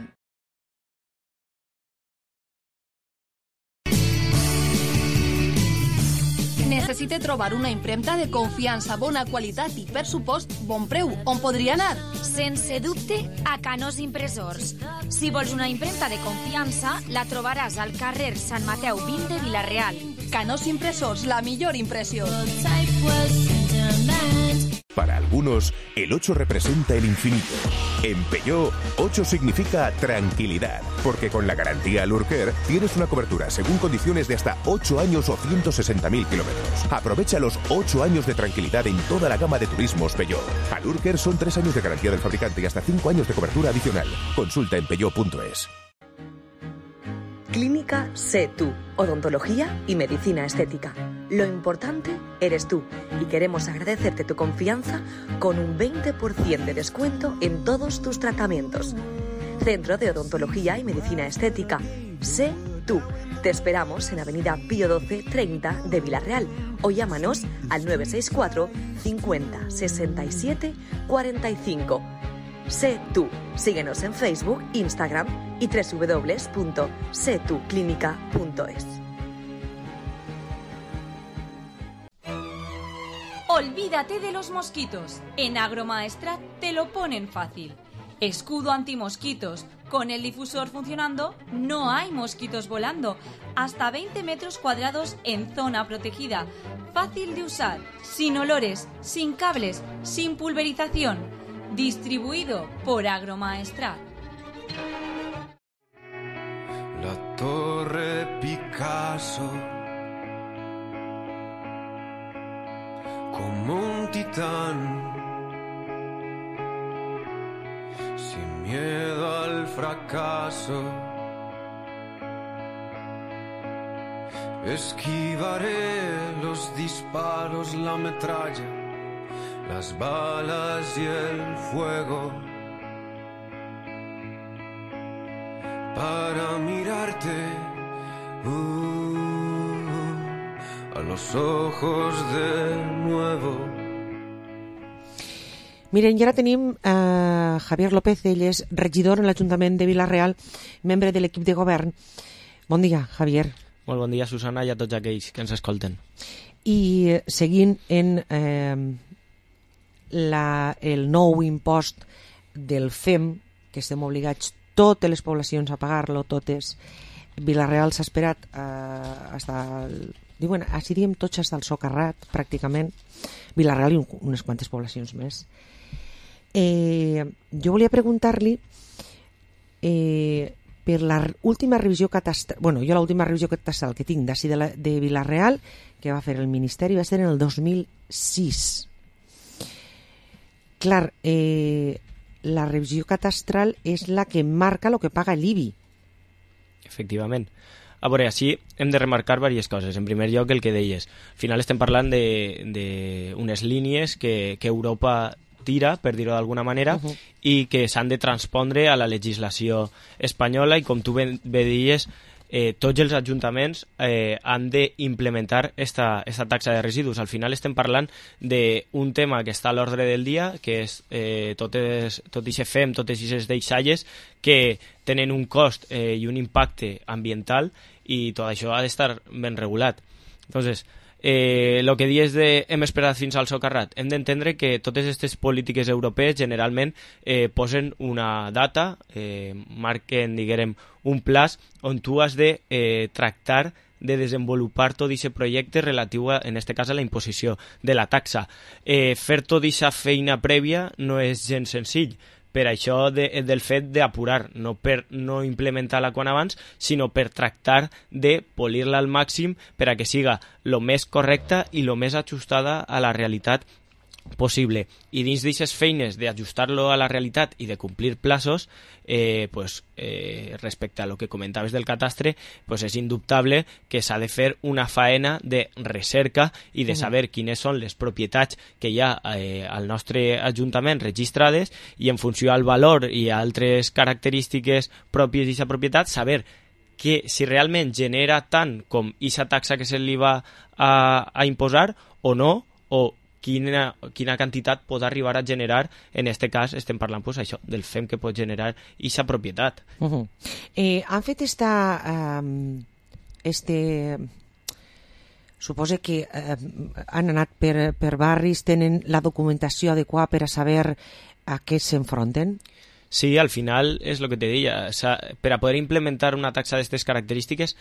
Necessite trobar una impremta de confiança, bona qualitat i, per supost, bon preu. On podria anar? Sense dubte, a Canós Impressors. Si vols una impremta de confiança, la trobaràs al carrer Sant Mateu 20 de Vilareal. Canós Impressors, la millor impressió. Para algunos, el 8 representa el infinito. En Peugeot, 8 significa tranquilidad, porque con la garantía Alurcare tienes una cobertura según condiciones de hasta 8 años o 160.000 kilómetros. Aprovecha los 8 años de tranquilidad en toda la gama de turismos Peugeot. Alurcare son 3 años de garantía del fabricante y hasta 5 años de cobertura adicional. Consulta en peugeot.es. Clínica Sé Tú, odontología y medicina estética. Lo importante eres tú y queremos agradecerte tu confianza con un 20% de descuento en todos tus tratamientos. Centro de Odontología y Medicina Estética. Sé Tú. Te esperamos en Avenida Pío 12 30 de Vilareal o llámanos al 964 50 67 45. Sé Tú. Síguenos en Facebook, Instagram y www.setuclinica.es. Olvídate de los mosquitos. En Agromaestrat te lo ponen fácil. Escudo antimosquitos, Con el difusor funcionando, no hay mosquitos volando. Hasta 20 metros cuadrados en zona protegida. Fácil de usar, sin olores, sin cables, sin pulverización. Distribuido por Agromaestrat. La Torre Picasso, como un titán, sin miedo al fracaso, esquivaré los disparos, la metralla, las balas y el fuego, para mirarte a los ojos de nuevo. Miren, i ara tenim Javier López, ell és regidor en l'Ajuntament de Vila-real, membre de l'equip de govern. Bon dia, Javier. Molt bon dia, Susana, i a tots aquells que ens escolten. I seguint en el nou impost del FEM, que estem obligats totes les poblacions a pagar-lo, totes. Vila-real s'ha esperat diuen, així diem tots fins al socarrat, pràcticament. Vila-real i unes quantes poblacions més. Jo volia preguntar-li per l'última revisió catastral, jo l'última revisió catastral que tinc d'ací de Vila-real, que va fer el Ministeri, va ser en el 2006. Clar, la revisió catastral és la que marca el que paga l'IBI. Efectivament. A veure, així hem de remarcar diverses coses. En primer lloc, el que deies. Al final estem parlant d'unes línies que Europa tira, per dir-ho d'alguna manera, i que s'han de transpondre a la legislació espanyola i, com tu bé deies, tots els ajuntaments han d'implementar esta taxa de residus. Al final estem parlant d'un tema que està a l'ordre del dia, que és tot aquest FEM, totes aquestes deixalles que tenen un cost i un impacte ambiental, i tot això ha d'estar ben regulat. Entonces, el que dius de hem esperat fins al socarrat, hem d'entendre que totes aquestes polítiques europees generalment posen una data, marquen, diguem, un plaç on tu has de tractar de desenvolupar tot aquest projecte relatiu, en aquest cas, a la imposició de la taxa. Fer tota aquesta feina prèvia no és gens senzill, per això del fet d'apurar, no per no implementar-la quan abans, sinó per tractar de polir-la al màxim per a que siga el més correcta i el més ajustada a la realitat possible. I dins d'aquestes feines d'ajustar-lo a la realitat i de complir plaços, respecte a lo que comentaves del catastre, és indubtable que s'ha de fer una faena de recerca i de saber quines són les propietats que hi ha al nostre ajuntament registrades, i en funció al valor i a altres característiques pròpies d'aquesta propietat, saber que si realment genera tant com aquesta taxa que se li va a imposar o no, o quina quantitat pot arribar a generar. En aquest cas estem parlant això, del FEM que pot generar aquesta propietat. Han fet suposo que han anat per barris, tenen la documentació adequada per a saber a què s'enfronten? Sí, al final és el que te deia, per a poder implementar una taxa d'aquestes característiques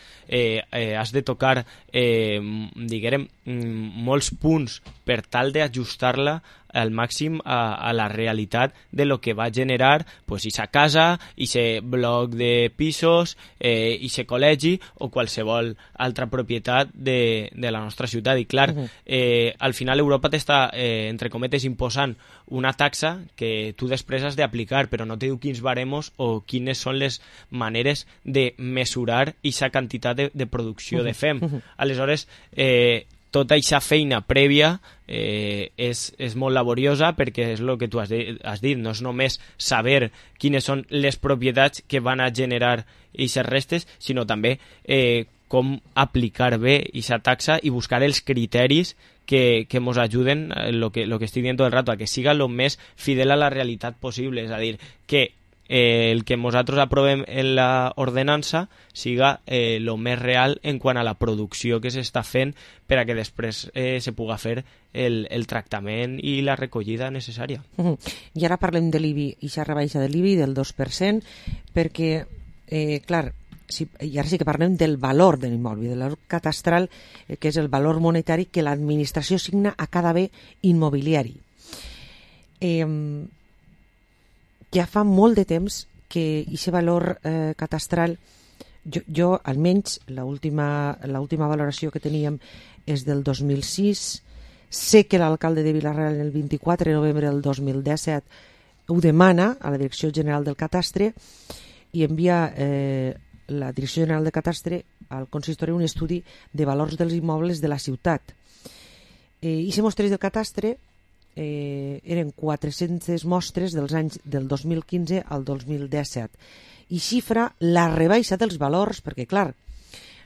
has de tocar, diguem, molts punts per tal d'ajustar-la al màxim a la realitat de lo que va generar aquesta casa, aquest bloc de pisos, aquest col·legi o qualsevol altra propietat de la nostra ciutat. I clar, al final Europa t'està, entre cometes, imposant una taxa que tu després has d'aplicar, però no te diu quins baremos o quines són les maneres de mesurar aquesta quantitat de producció de FEM. Aleshores, tota aquesta feina prèvia és molt laboriosa, perquè és el que tu has dit, no és només saber quines són les propietats que van a generar aquestes restes, sinó també com aplicar bé aquesta taxa i buscar els criteris que ens ajuden, el que estic dient tot el rato, a que siga el més fidel a la realitat possible. És a dir, que el que nosaltres aprovem en la ordenança siga lo més real en quant a la producció que s'està fent per a que després se puga fer el tractament i la recollida necessària. I ara parlem de l'IBI i la rebaixa de l'IBI del 2%, perquè, clar, i ara sí que parlem del valor de l'immoble, del valor catastral, que és el valor monetari que l'administració assigna a cada bé immobiliari. Ja fa molt de temps que aquest valor catastral, jo almenys l'última valoració que teníem és del 2006, sé que l'alcalde de Vila-real el 24 de novembre del 2017 ho demana a la Direcció General del Catastre i envia la Direcció General del Catastre al consistori un estudi de valors dels immobles de la ciutat. I se mostres del Catastre eren 400 mostres dels anys del 2015 al 2017 i xifra la rebaixa dels valors, perquè clar,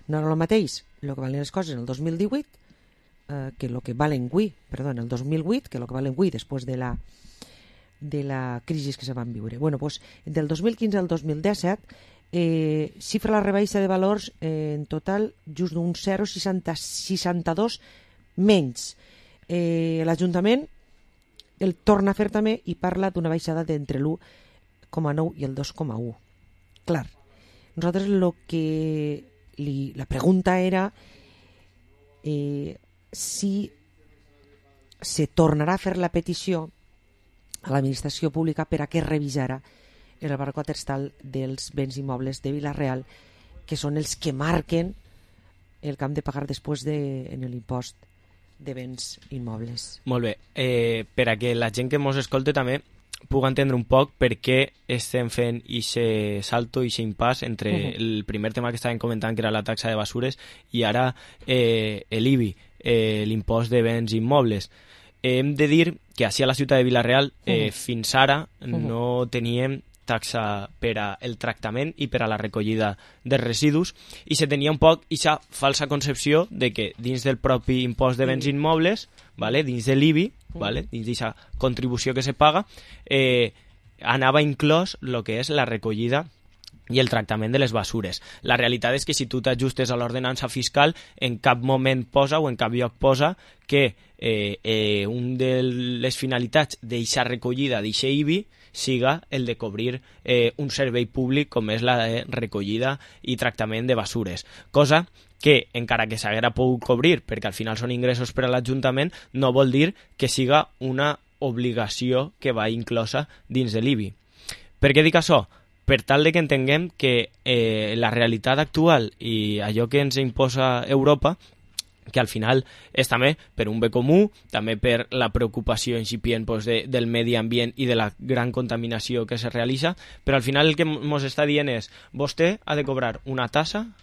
no era el mateix el que valen les coses en el 2018 que el que valen avui, en el 2008 que el que valen avui després de la crisi que se van viure. Bueno, doncs, del 2015 al 2017 xifra la rebaixa de valors en total just d'un 0,62 menys. L'Ajuntament el torna a fer també i parla d'una baixada d'entre l'1,9 i el 2,1. Clar, nosaltres la pregunta era si se tornarà a fer la petició a l'administració pública per a que revisara el valor catastral dels béns immobles de Vila-real, que són els que marquen el que hem de pagar després en l'impost de béns immobles. Molt bé. Per a que la gent que ens escolta també pugui entendre un poc per què estem fent aquest salto i aquest impàs entre el primer tema que estàvem comentant, que era la taxa de basures, i ara l'IBI, l'impost de béns immobles. Hem de dir que així a la ciutat de Vila-real fins ara no teníem taxa per al tractament i per a la recollida dels residus i se tenia un poc aquesta falsa concepció de que dins del propi impost de béns immobles, dins de l'IBI, dins d'aquesta contribució que se paga, anava inclòs el que és la recollida i el tractament de les basures. La realitat és que si tu t'ajustes a l'ordenança fiscal, en cap moment posa o en cap lloc posa que un de les finalitats d'aquesta recollida, d'aquest IBI, siga el de cobrir un servei públic com és la de recollida i tractament de basures. Cosa que, encara que s'haguera pogut cobrir, perquè al final són ingressos per a l'Ajuntament, no vol dir que siga una obligació que va inclosa dins de l'IBI. Per què dic això? Per tal de que entenguem que la realitat actual i allò que ens imposa Europa, que al final és també per un bé comú, també per la preocupació incipient del medi ambient i de la gran contaminació que se realitza, però al final el que ens està dient és vostè ha de cobrar una tassa,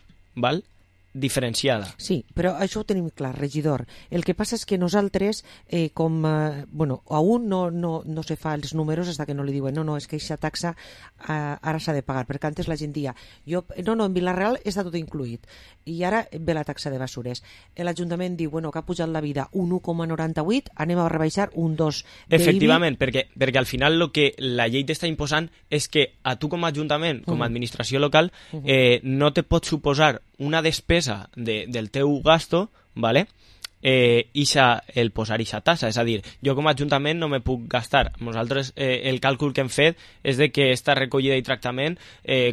diferenciada. Sí, però això ho tenim clar, regidor. El que passa és que nosaltres, aún no se fa els números fins que no li diuen no, és que aquesta taxa ara s'ha de pagar, perquè antes la gent dia en Vila-real està tot incluït i ara ve la taxa de basures. L'Ajuntament diu, que ha pujat la vida un 1,98, anem a rebaixar un 2 d'IBI. Efectivament, perquè al final el que la llei t'està imposant és que a tu com a Ajuntament, com a administració local, no te pot suposar una despesa del teu gasto, el posar aquesta tassa. És a dir, jo com a Ajuntament no me puc gastar. Nosaltres el càlcul que hem fet és de que aquesta recollida i tractament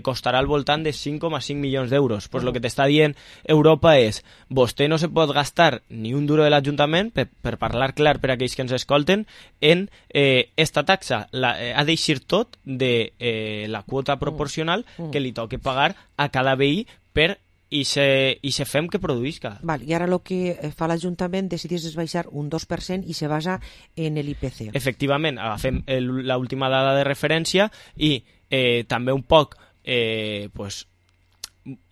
costarà al voltant de 5,5 milions d'euros. Pues lo que t'està dient Europa és vostè no se pot gastar ni un duro de l'Ajuntament, per parlar clar per a aquells que ens escolten, en esta taxa. Ha d'eixir tot de la quota proporcional que li toqui pagar a cada veí per i se fem que produïsca. I ara el que fa l'Ajuntament decidís baixar un 2% i se basa en l'IPC. Efectivament, agafem l'última dada de referència i també un poc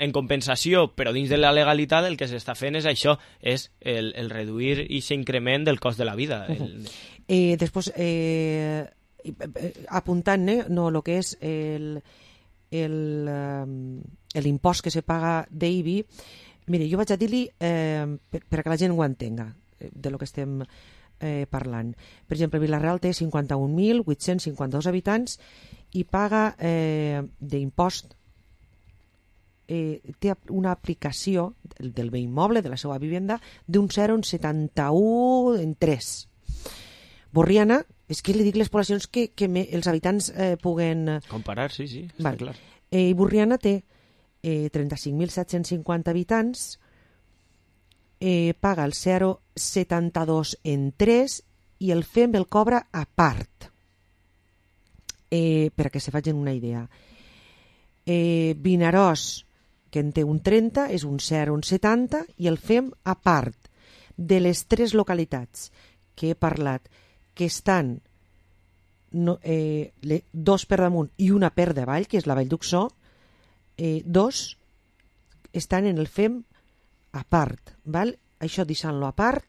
en compensació, però dins de la legalitat el que s'està fent és això, és el reduir aquest increment del cost de la vida. Després, apuntant el que és l'impost que se paga d'IBI, mire, jo vaig a dir-li per que la gent ho entenga de lo que estem parlant. Per exemple, Vila-real té 51.852 habitants i paga d'impost, té una aplicació del bé immoble, de la seva vivenda, d'un 0,71 en 3. Borriana, és que li dic les poblacions que els habitants puguen... Comparar, sí, està clar. Borriana té 35.750 habitants, paga el 0,72 en 3 i el FEM el cobra a part. Per a que se facin una idea. Vinaròs, que en té un 30, és un 0,70 i el FEM a part. De les 3 localitats que he parlat, que estan 2 per damunt i una per davall, que és la Vall d'Uxó, 2 estan en el FEM a part. Val? Això deixant-lo a part,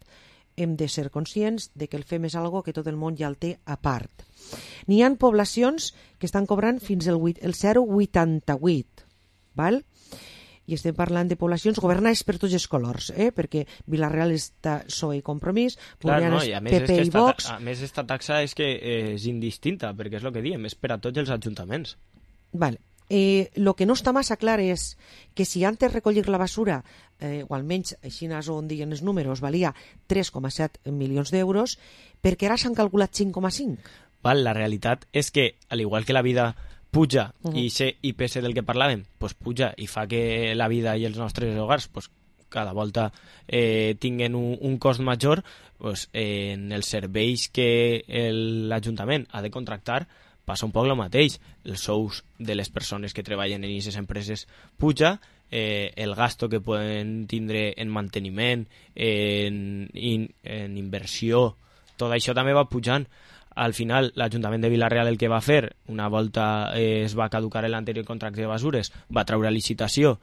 hem de ser conscients de que el FEM és algo que tot el món ja el té a part. N'hi ha poblacions que estan cobrant fins el 0,88, val? I estem parlant de poblacions governades per tots els colors, perquè Vila-real està PSOE i Compromís, Borriana és PP i Vox. A més, esta taxa és que és indistinta, perquè és el que diem, és per a tots els ajuntaments. Vale. El que no està massa clar és que si antes recollir la basura, o almenys així on diguen els números, valia 3,7 milions d'euros, perquè ara s'han calculat 5,5. La realitat és que, al igual que la vida puja i ser IPC del que parlàvem, pues puja i fa que la vida i els nostres hogars pues, cada volta tinguen un cost major, pues, en els serveis que l'Ajuntament ha de contractar passa un poc el mateix. Els sous de les persones que treballen en aquestes empreses puja, el gasto que poden tindre en manteniment, en inversió, tot això també va pujant. Al final, l'Ajuntament de Vila-real el que va fer, una volta es va caducar l'anterior contracte de basures, va treure a licitació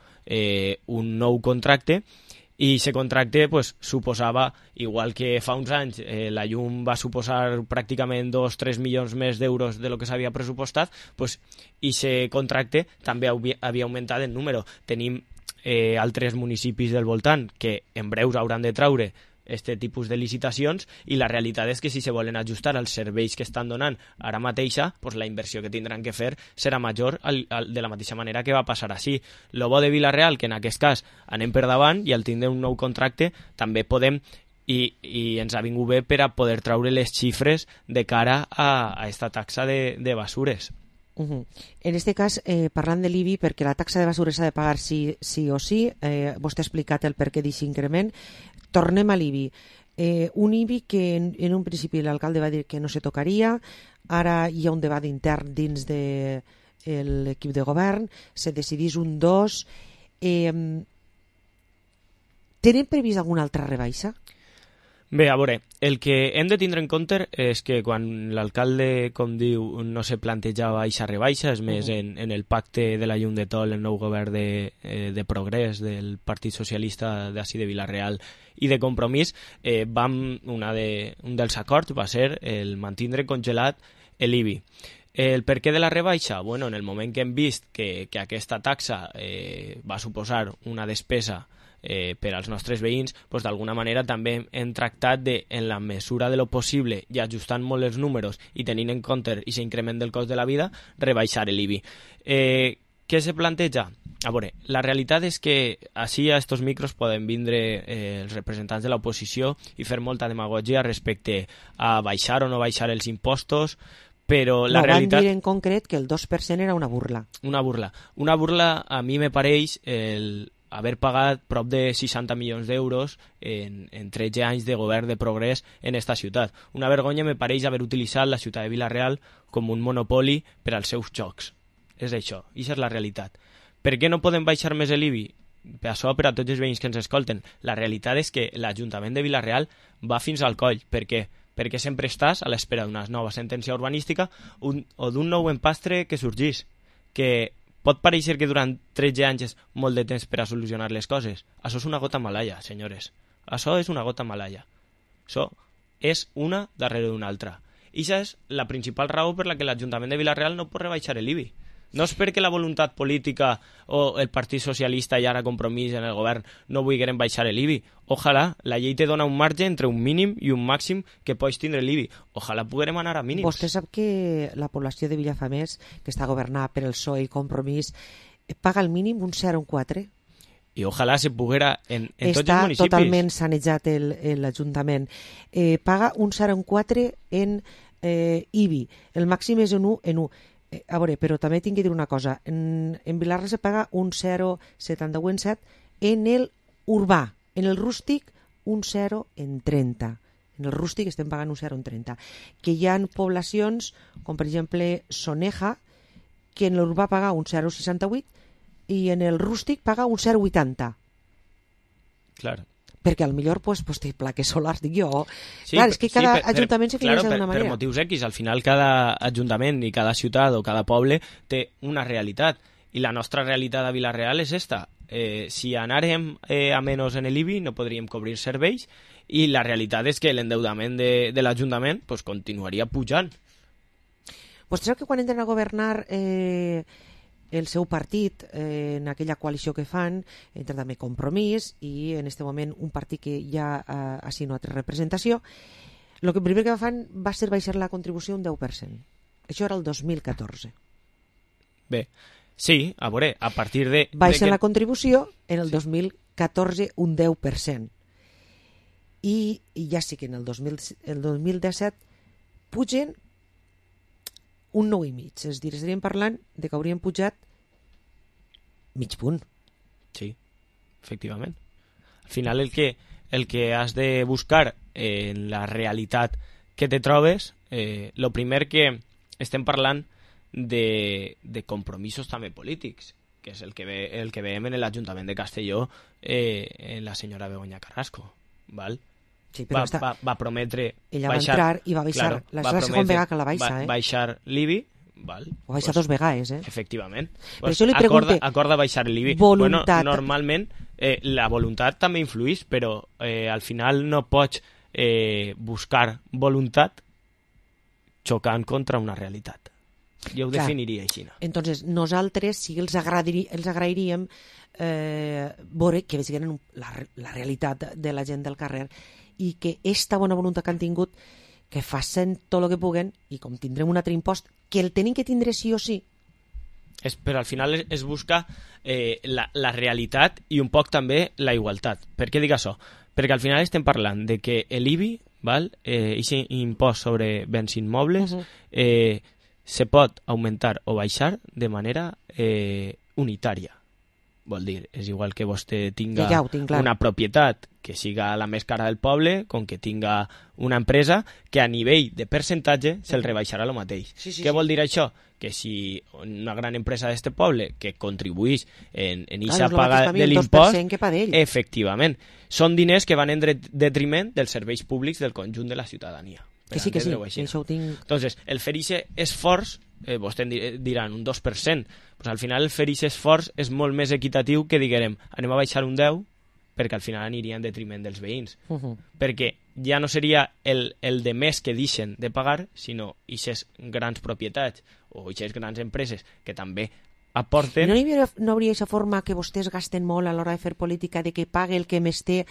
un nou contracte i aquest contracte pues, suposava, igual que fa uns anys la llum va suposar pràcticament 2-3 milions més d'euros de lo que s'havia pressupostat, pues, i aquest contracte també havia augmentat en número. Tenim altres municipis del voltant que en breus hauran de treure este tipus de licitacions i la realitat és que si se volen ajustar als serveis que estan donant ara mateixa, pues la inversió que tindran que fer serà major de la mateixa manera que va passar així. Lo bo de Vila-real, que en aquest cas anem per davant i al tindre un nou contracte també podem i ens ha vingut bé per a poder treure les xifres de cara a esta taxa de basures. En este cas, parlant de l'IBI, perquè la taxa de basures s'ha de pagar sí o sí, vostè ha explicat el per què d'aquest increment. Tornem a l'IBI. Un IBI que en un principi l'alcalde va dir que no se tocaria, ara hi ha un debat intern dins de l'equip de govern, se decidís un 2. Tenen previst alguna altra rebaixa? Bé, a veure, el que hem de tindre en compte és que quan l'alcalde, com diu, no se plantejava aquesta rebaixa, és més, en el pacte de la llum de Tol, el nou govern de progrés del Partit Socialista d'ací de Vila-real i de Compromís, un dels acords va ser el mantindre congelat l'IBI. El per què de la rebaixa? Bueno, en el moment que hem vist que aquesta taxa va suposar una despesa per als nostres veïns, doncs d'alguna manera també hem tractat de, en la mesura de lo possible i ajustant molt els números i tenint en compte aquest increment del cost de la vida, rebaixar l'IBI. Què se planteja? A veure, la realitat és que així a estos micros poden vindre els representants de l'oposició i fer molta demagogia respecte a baixar o no baixar els impostos, però la realitat... Van dir en concret que el 2% era una burla. Una burla a mi me pareix haver pagat prop de 60 milions d'euros en 13 anys de govern de progrés en esta ciutat. Una vergonya me pareix haver utilitzat la ciutat de Vila-real com un monopoli per als seus jocs. És això, això és la realitat. Per què no podem baixar més l'IBI? Per això, per a tots els veïns que ens escolten, la realitat és que l'Ajuntament de Vila-real va fins al coll. Per què? Perquè sempre estàs a l'espera d'una nova sentència urbanística o d'un nou empastre que sorgís, que pot pareixer que durant 13 anys és molt de temps per a solucionar les coses. Això és una gota malaia, senyores. Això és una gota malaia. Això és una darrere d'una altra. I això és la principal raó per la que l'Ajuntament de Vila-real no pot rebaixar l'IBI. No és perquè la voluntat política o el Partit Socialista i ara Compromís en el govern no vulguin baixar l'IBI. Ojalà, la llei te dona un marge entre un mínim i un màxim que pots tindre l'IBI. Ojalà puguem anar a mínims. Vostè sap que la població de Vilafamés, que està governada per el PSOE i Compromís, paga al mínim un 0,4. I ojalà se poguera en tots els municipis. Està totalment sanejat l'Ajuntament. Paga un 0,4 en IBI. El màxim és en 1. A veure, però també tinc que dir una cosa. En Vilarra se paga un 0,71 en el urbà. En el rústic, un 0,30. En el rústic estem pagant un 0,30. Que hi ha poblacions, com per exemple Soneja, que en l'urbà paga un 0,68 i en el rústic paga un 0,80. Clar. Perquè potser pues, té plaques solars, dic jo. Sí, clar, és que cada ajuntament se finança d'una manera. Per motius X, al final cada ajuntament i cada ciutat o cada poble té una realitat. I la nostra realitat a Vila-real és esta. Si anàrem a menys en l'IBI no podríem cobrir serveis i la realitat és que l'endeudament de l'Ajuntament pues, continuaria pujant. Vostè sap que quan entren a governar el seu partit, en aquella coalició que fan, entra també Compromís i en aquest moment un partit que ja ha sigut altra representació, el primer que fan va ser baixar la contribució un 10%. Això era el 2014. Bé, sí, a veure, a partir de... Baixen la contribució en el 2014 un 10%. I ja sí que en el 2017 pugen un 9,5. És a dir, estaríem parlant de que haurien pujat mig punt. Sí, efectivament. Al final el que has de buscar en la realitat que te trobes, lo primer que estem parlant de compromisos també polítics, que és el que veiem en l'Ajuntament de Castelló en la senyora Begoña Carrasco, val? Sí, però va prometre ella va entrar i va baixar, és la segona vegada que la baixa, baixar l'IBI, val? O baixa dos vegades, Efectivament. Per això li pregunte, acorda baixar l'IBI. Voluntat. Bueno, normalment la voluntat també influeix, però al final no pots buscar voluntat xocant contra una realitat. Jo ho definiria així. Entonces, nosaltres sí els agrairíem veure que vegin la realitat de la gent del carrer i que esta bona voluntat que han tingut que facin tot el que puguen i com tindrem un altre impost que el tenim que tindre sí o sí. Però al final es busca la realitat i un poc també la igualtat. Per què dic això? Perquè al final estem parlant de que l'IBI, aquest impost sobre béns immobles, se pot augmentar o baixar de manera unitària. Vol dir, és igual que vostè tinga una propietat que siga la més cara del poble, com que tinga una empresa que a nivell de percentatge se'l rebaixarà el mateix. Què vol dir això? Que si una gran empresa d'este poble que contribuís en eixa paga de l'impost, efectivament, són diners que van en detriment dels serveis públics del conjunt de la ciutadania. Que sí, això ho tinc... Entonces, el fer aquest esforç, vostè diran un 2%, pues al final el fer aquest esforç és molt més equitatiu que diguem, anem a baixar un 10, perquè al final aniria en detriment dels veïns. Perquè ja no seria el de més que deixen de pagar, sinó aquestes grans propietats o aquestes grans empreses que també aporten... No hauria aquesta forma que vostès gasten molt a l'hora de fer política, de que pague el que més té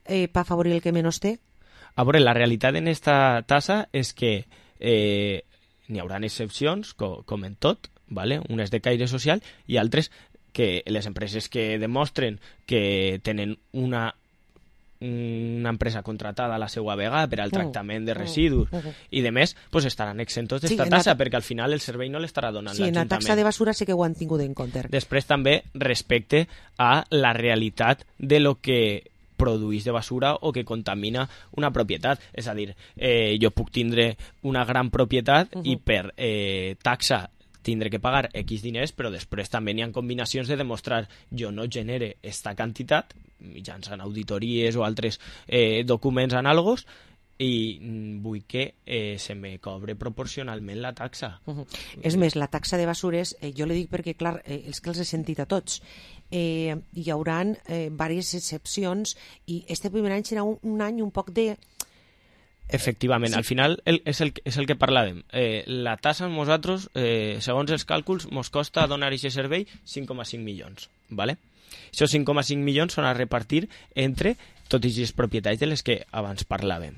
per afavorir el que menys té? A veure, la realitat en esta tassa és que n'hi haurà excepcions, com en tot, ¿vale? Unes de caire social i altres que les empreses que demostren que tenen una empresa contratada a la seva vegada per al tractament de residus i de més, pues estaran exentos d'esta tassa perquè al final el servei no l'estarà donant l'Ajuntament. Sí, en la taxa de basura sí que ho han tingut en compte. Després també respecte a la realitat de lo que produís de basura o que contamina una propietat. És a dir, jo puc tindre una gran propietat i per taxa tindré que pagar X diners, però després també n'hi ha combinacions de demostrar jo no genere esta quantitat mitjançant auditories o altres documents anàlogos i vull que se me cobre proporcionalment la taxa. És més, la taxa de basures, jo li dic perquè, clar, els que els he sentit a tots, hi haurà diverses excepcions i este primer any serà un any un poc de Efectivament, al final és el que parlàvem. La tassa, nosaltres, segons els càlculs, ens costa donar aquest servei 5,5 milions. ¿Vale? Aquests 5,5 milions són a repartir entre tots els propietaris de les que abans parlàvem.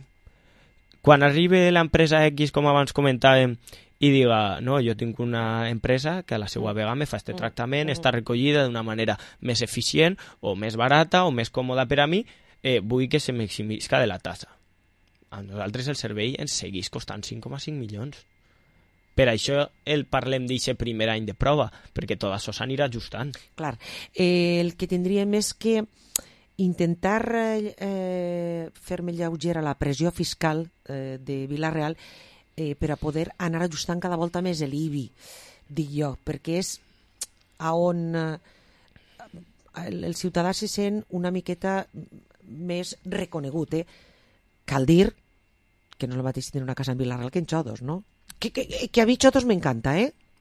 Quan arribi l'empresa X, com abans comentàvem, i diga, no, jo tinc una empresa que a la seva vegada me fa este tractament, està recollida d'una manera més eficient o més barata o més còmoda per a mi, vull que se maximisca de la tassa. A nosaltres el servei ens segueix costant 5,5 milions. Per això el parlem d'aquest primer any de prova, perquè tot això s'anirà ajustant. Clar, el que tindríem és que intentar fer-me lleugera la pressió fiscal de Vila-real per a poder anar ajustant cada volta més l'IBI, dic jo, perquè és on el ciutadà se sent una miqueta més reconegut. Cal dir que no és el mateix tenir una casa en Vila-real que en Xodos, no? Que a mi Xodos m'encanta,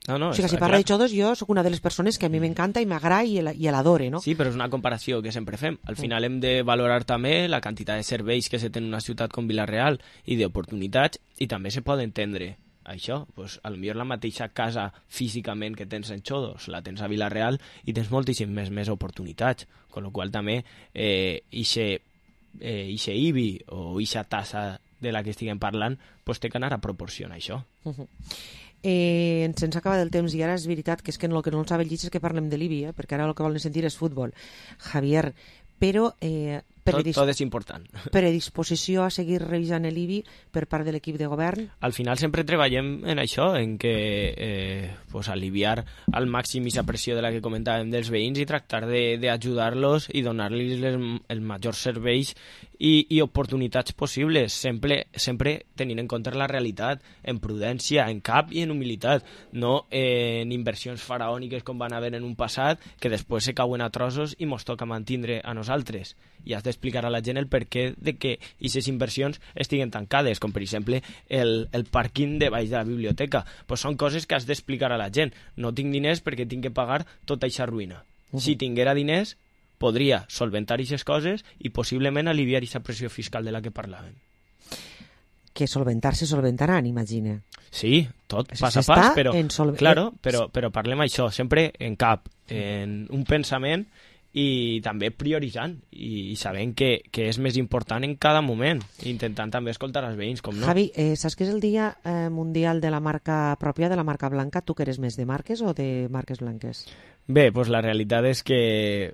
No, o sigui, si parla de Xodos, jo sóc una de les persones que a mi m'encanta i m'agrada i l'adore, no? Sí, però és una comparació que sempre fem. Al final hem de valorar també la quantitat de serveis que se té en una ciutat com Vila-real i d'oportunitats, i també se pot entendre això. Pues, a lo millor la mateixa casa físicament que tens en Xodos la tens a Vila-real i tens moltíssimes més oportunitats, amb la qual cosa també ixe IBI o ixa tassa de la que estiguem parlant pues té que anar a proporcionar això. Se'ns acaba del temps i ara és veritat que és que el que no ens sabe és que parlem de l'IBI, perquè ara el que volen sentir és futbol, Javier, però tot és important. Predisposició a seguir revisant l'IBI per part de l'equip de govern? Al final sempre treballem en això, en que aliviar al màxim aquesta pressió de la que comentàvem dels veïns i tractar d'ajudar-los i donar-los els majors serveis i oportunitats possibles, sempre tenint en compte la realitat, en prudència, en cap i en humilitat, no en inversions faraòniques com van haver en un passat que després se cauen a trossos i mos toca mantindre a nosaltres. I has d'explicar a la gent el perquè de que aquestes inversions estiguen tancades, com per exemple el pàrquing de baix de la biblioteca. Pues són coses que has d'explicar a la gent. No tinc diners perquè tinc que pagar tota aquesta ruïna. Si tinguera diners, podria solventar aquestes coses i possiblement aliviar aquesta pressió fiscal de la que parlàvem. Que solventar-se solventaran, imagina. Sí, tot pas a pas, però parlem això, sempre en cap, en un pensament i també prioritzant i sabent que és més important en cada moment, intentant també escoltar els veïns, com no. Javi, saps que és el dia mundial de la marca pròpia, de la marca blanca? Tu que eres més de marques o de marques blanques? Bé, doncs la realitat és que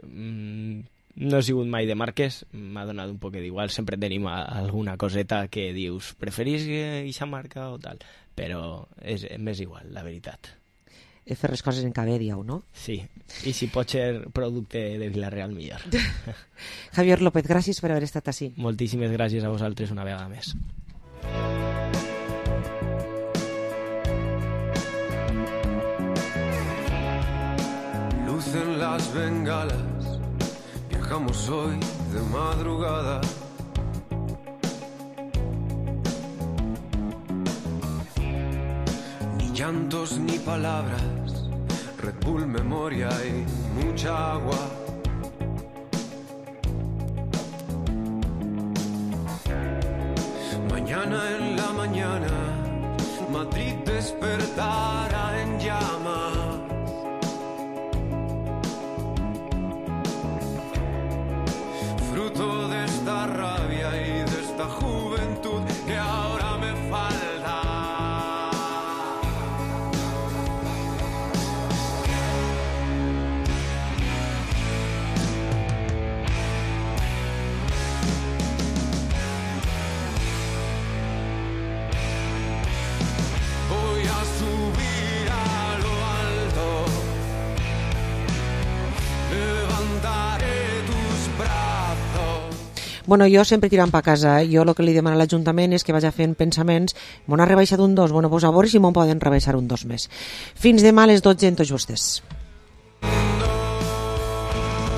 no he sigut mai de marques, m'ha donat un poc d'igual, sempre tenim alguna coseta que dius, preferís aquesta marca o tal, però m'és igual, la veritat. Fer les coses en cabé, dieu, no? Sí, i si pot ser producte de Vila-real, millor. Javier López, gràcies per haver estat així. Moltíssimes gràcies a vosaltres una vegada més. Lucen las bengalas, viajamos hoy de madrugada. Llantos ni palabras, Red Bull, memoria y mucha agua. Mañana en la mañana, Madrid despertará en llamas. Fruto de esta rabia y de esta juventud que ahora me falta. Bueno, jo sempre tirant per casa. Jo el que li demano a l'Ajuntament és que vagi fent pensaments. M'ho ha rebaixat un 2, bueno, pues a veure si m'ho poden rebaixar un 2 més. Fins demà a les 12 en tots vostès.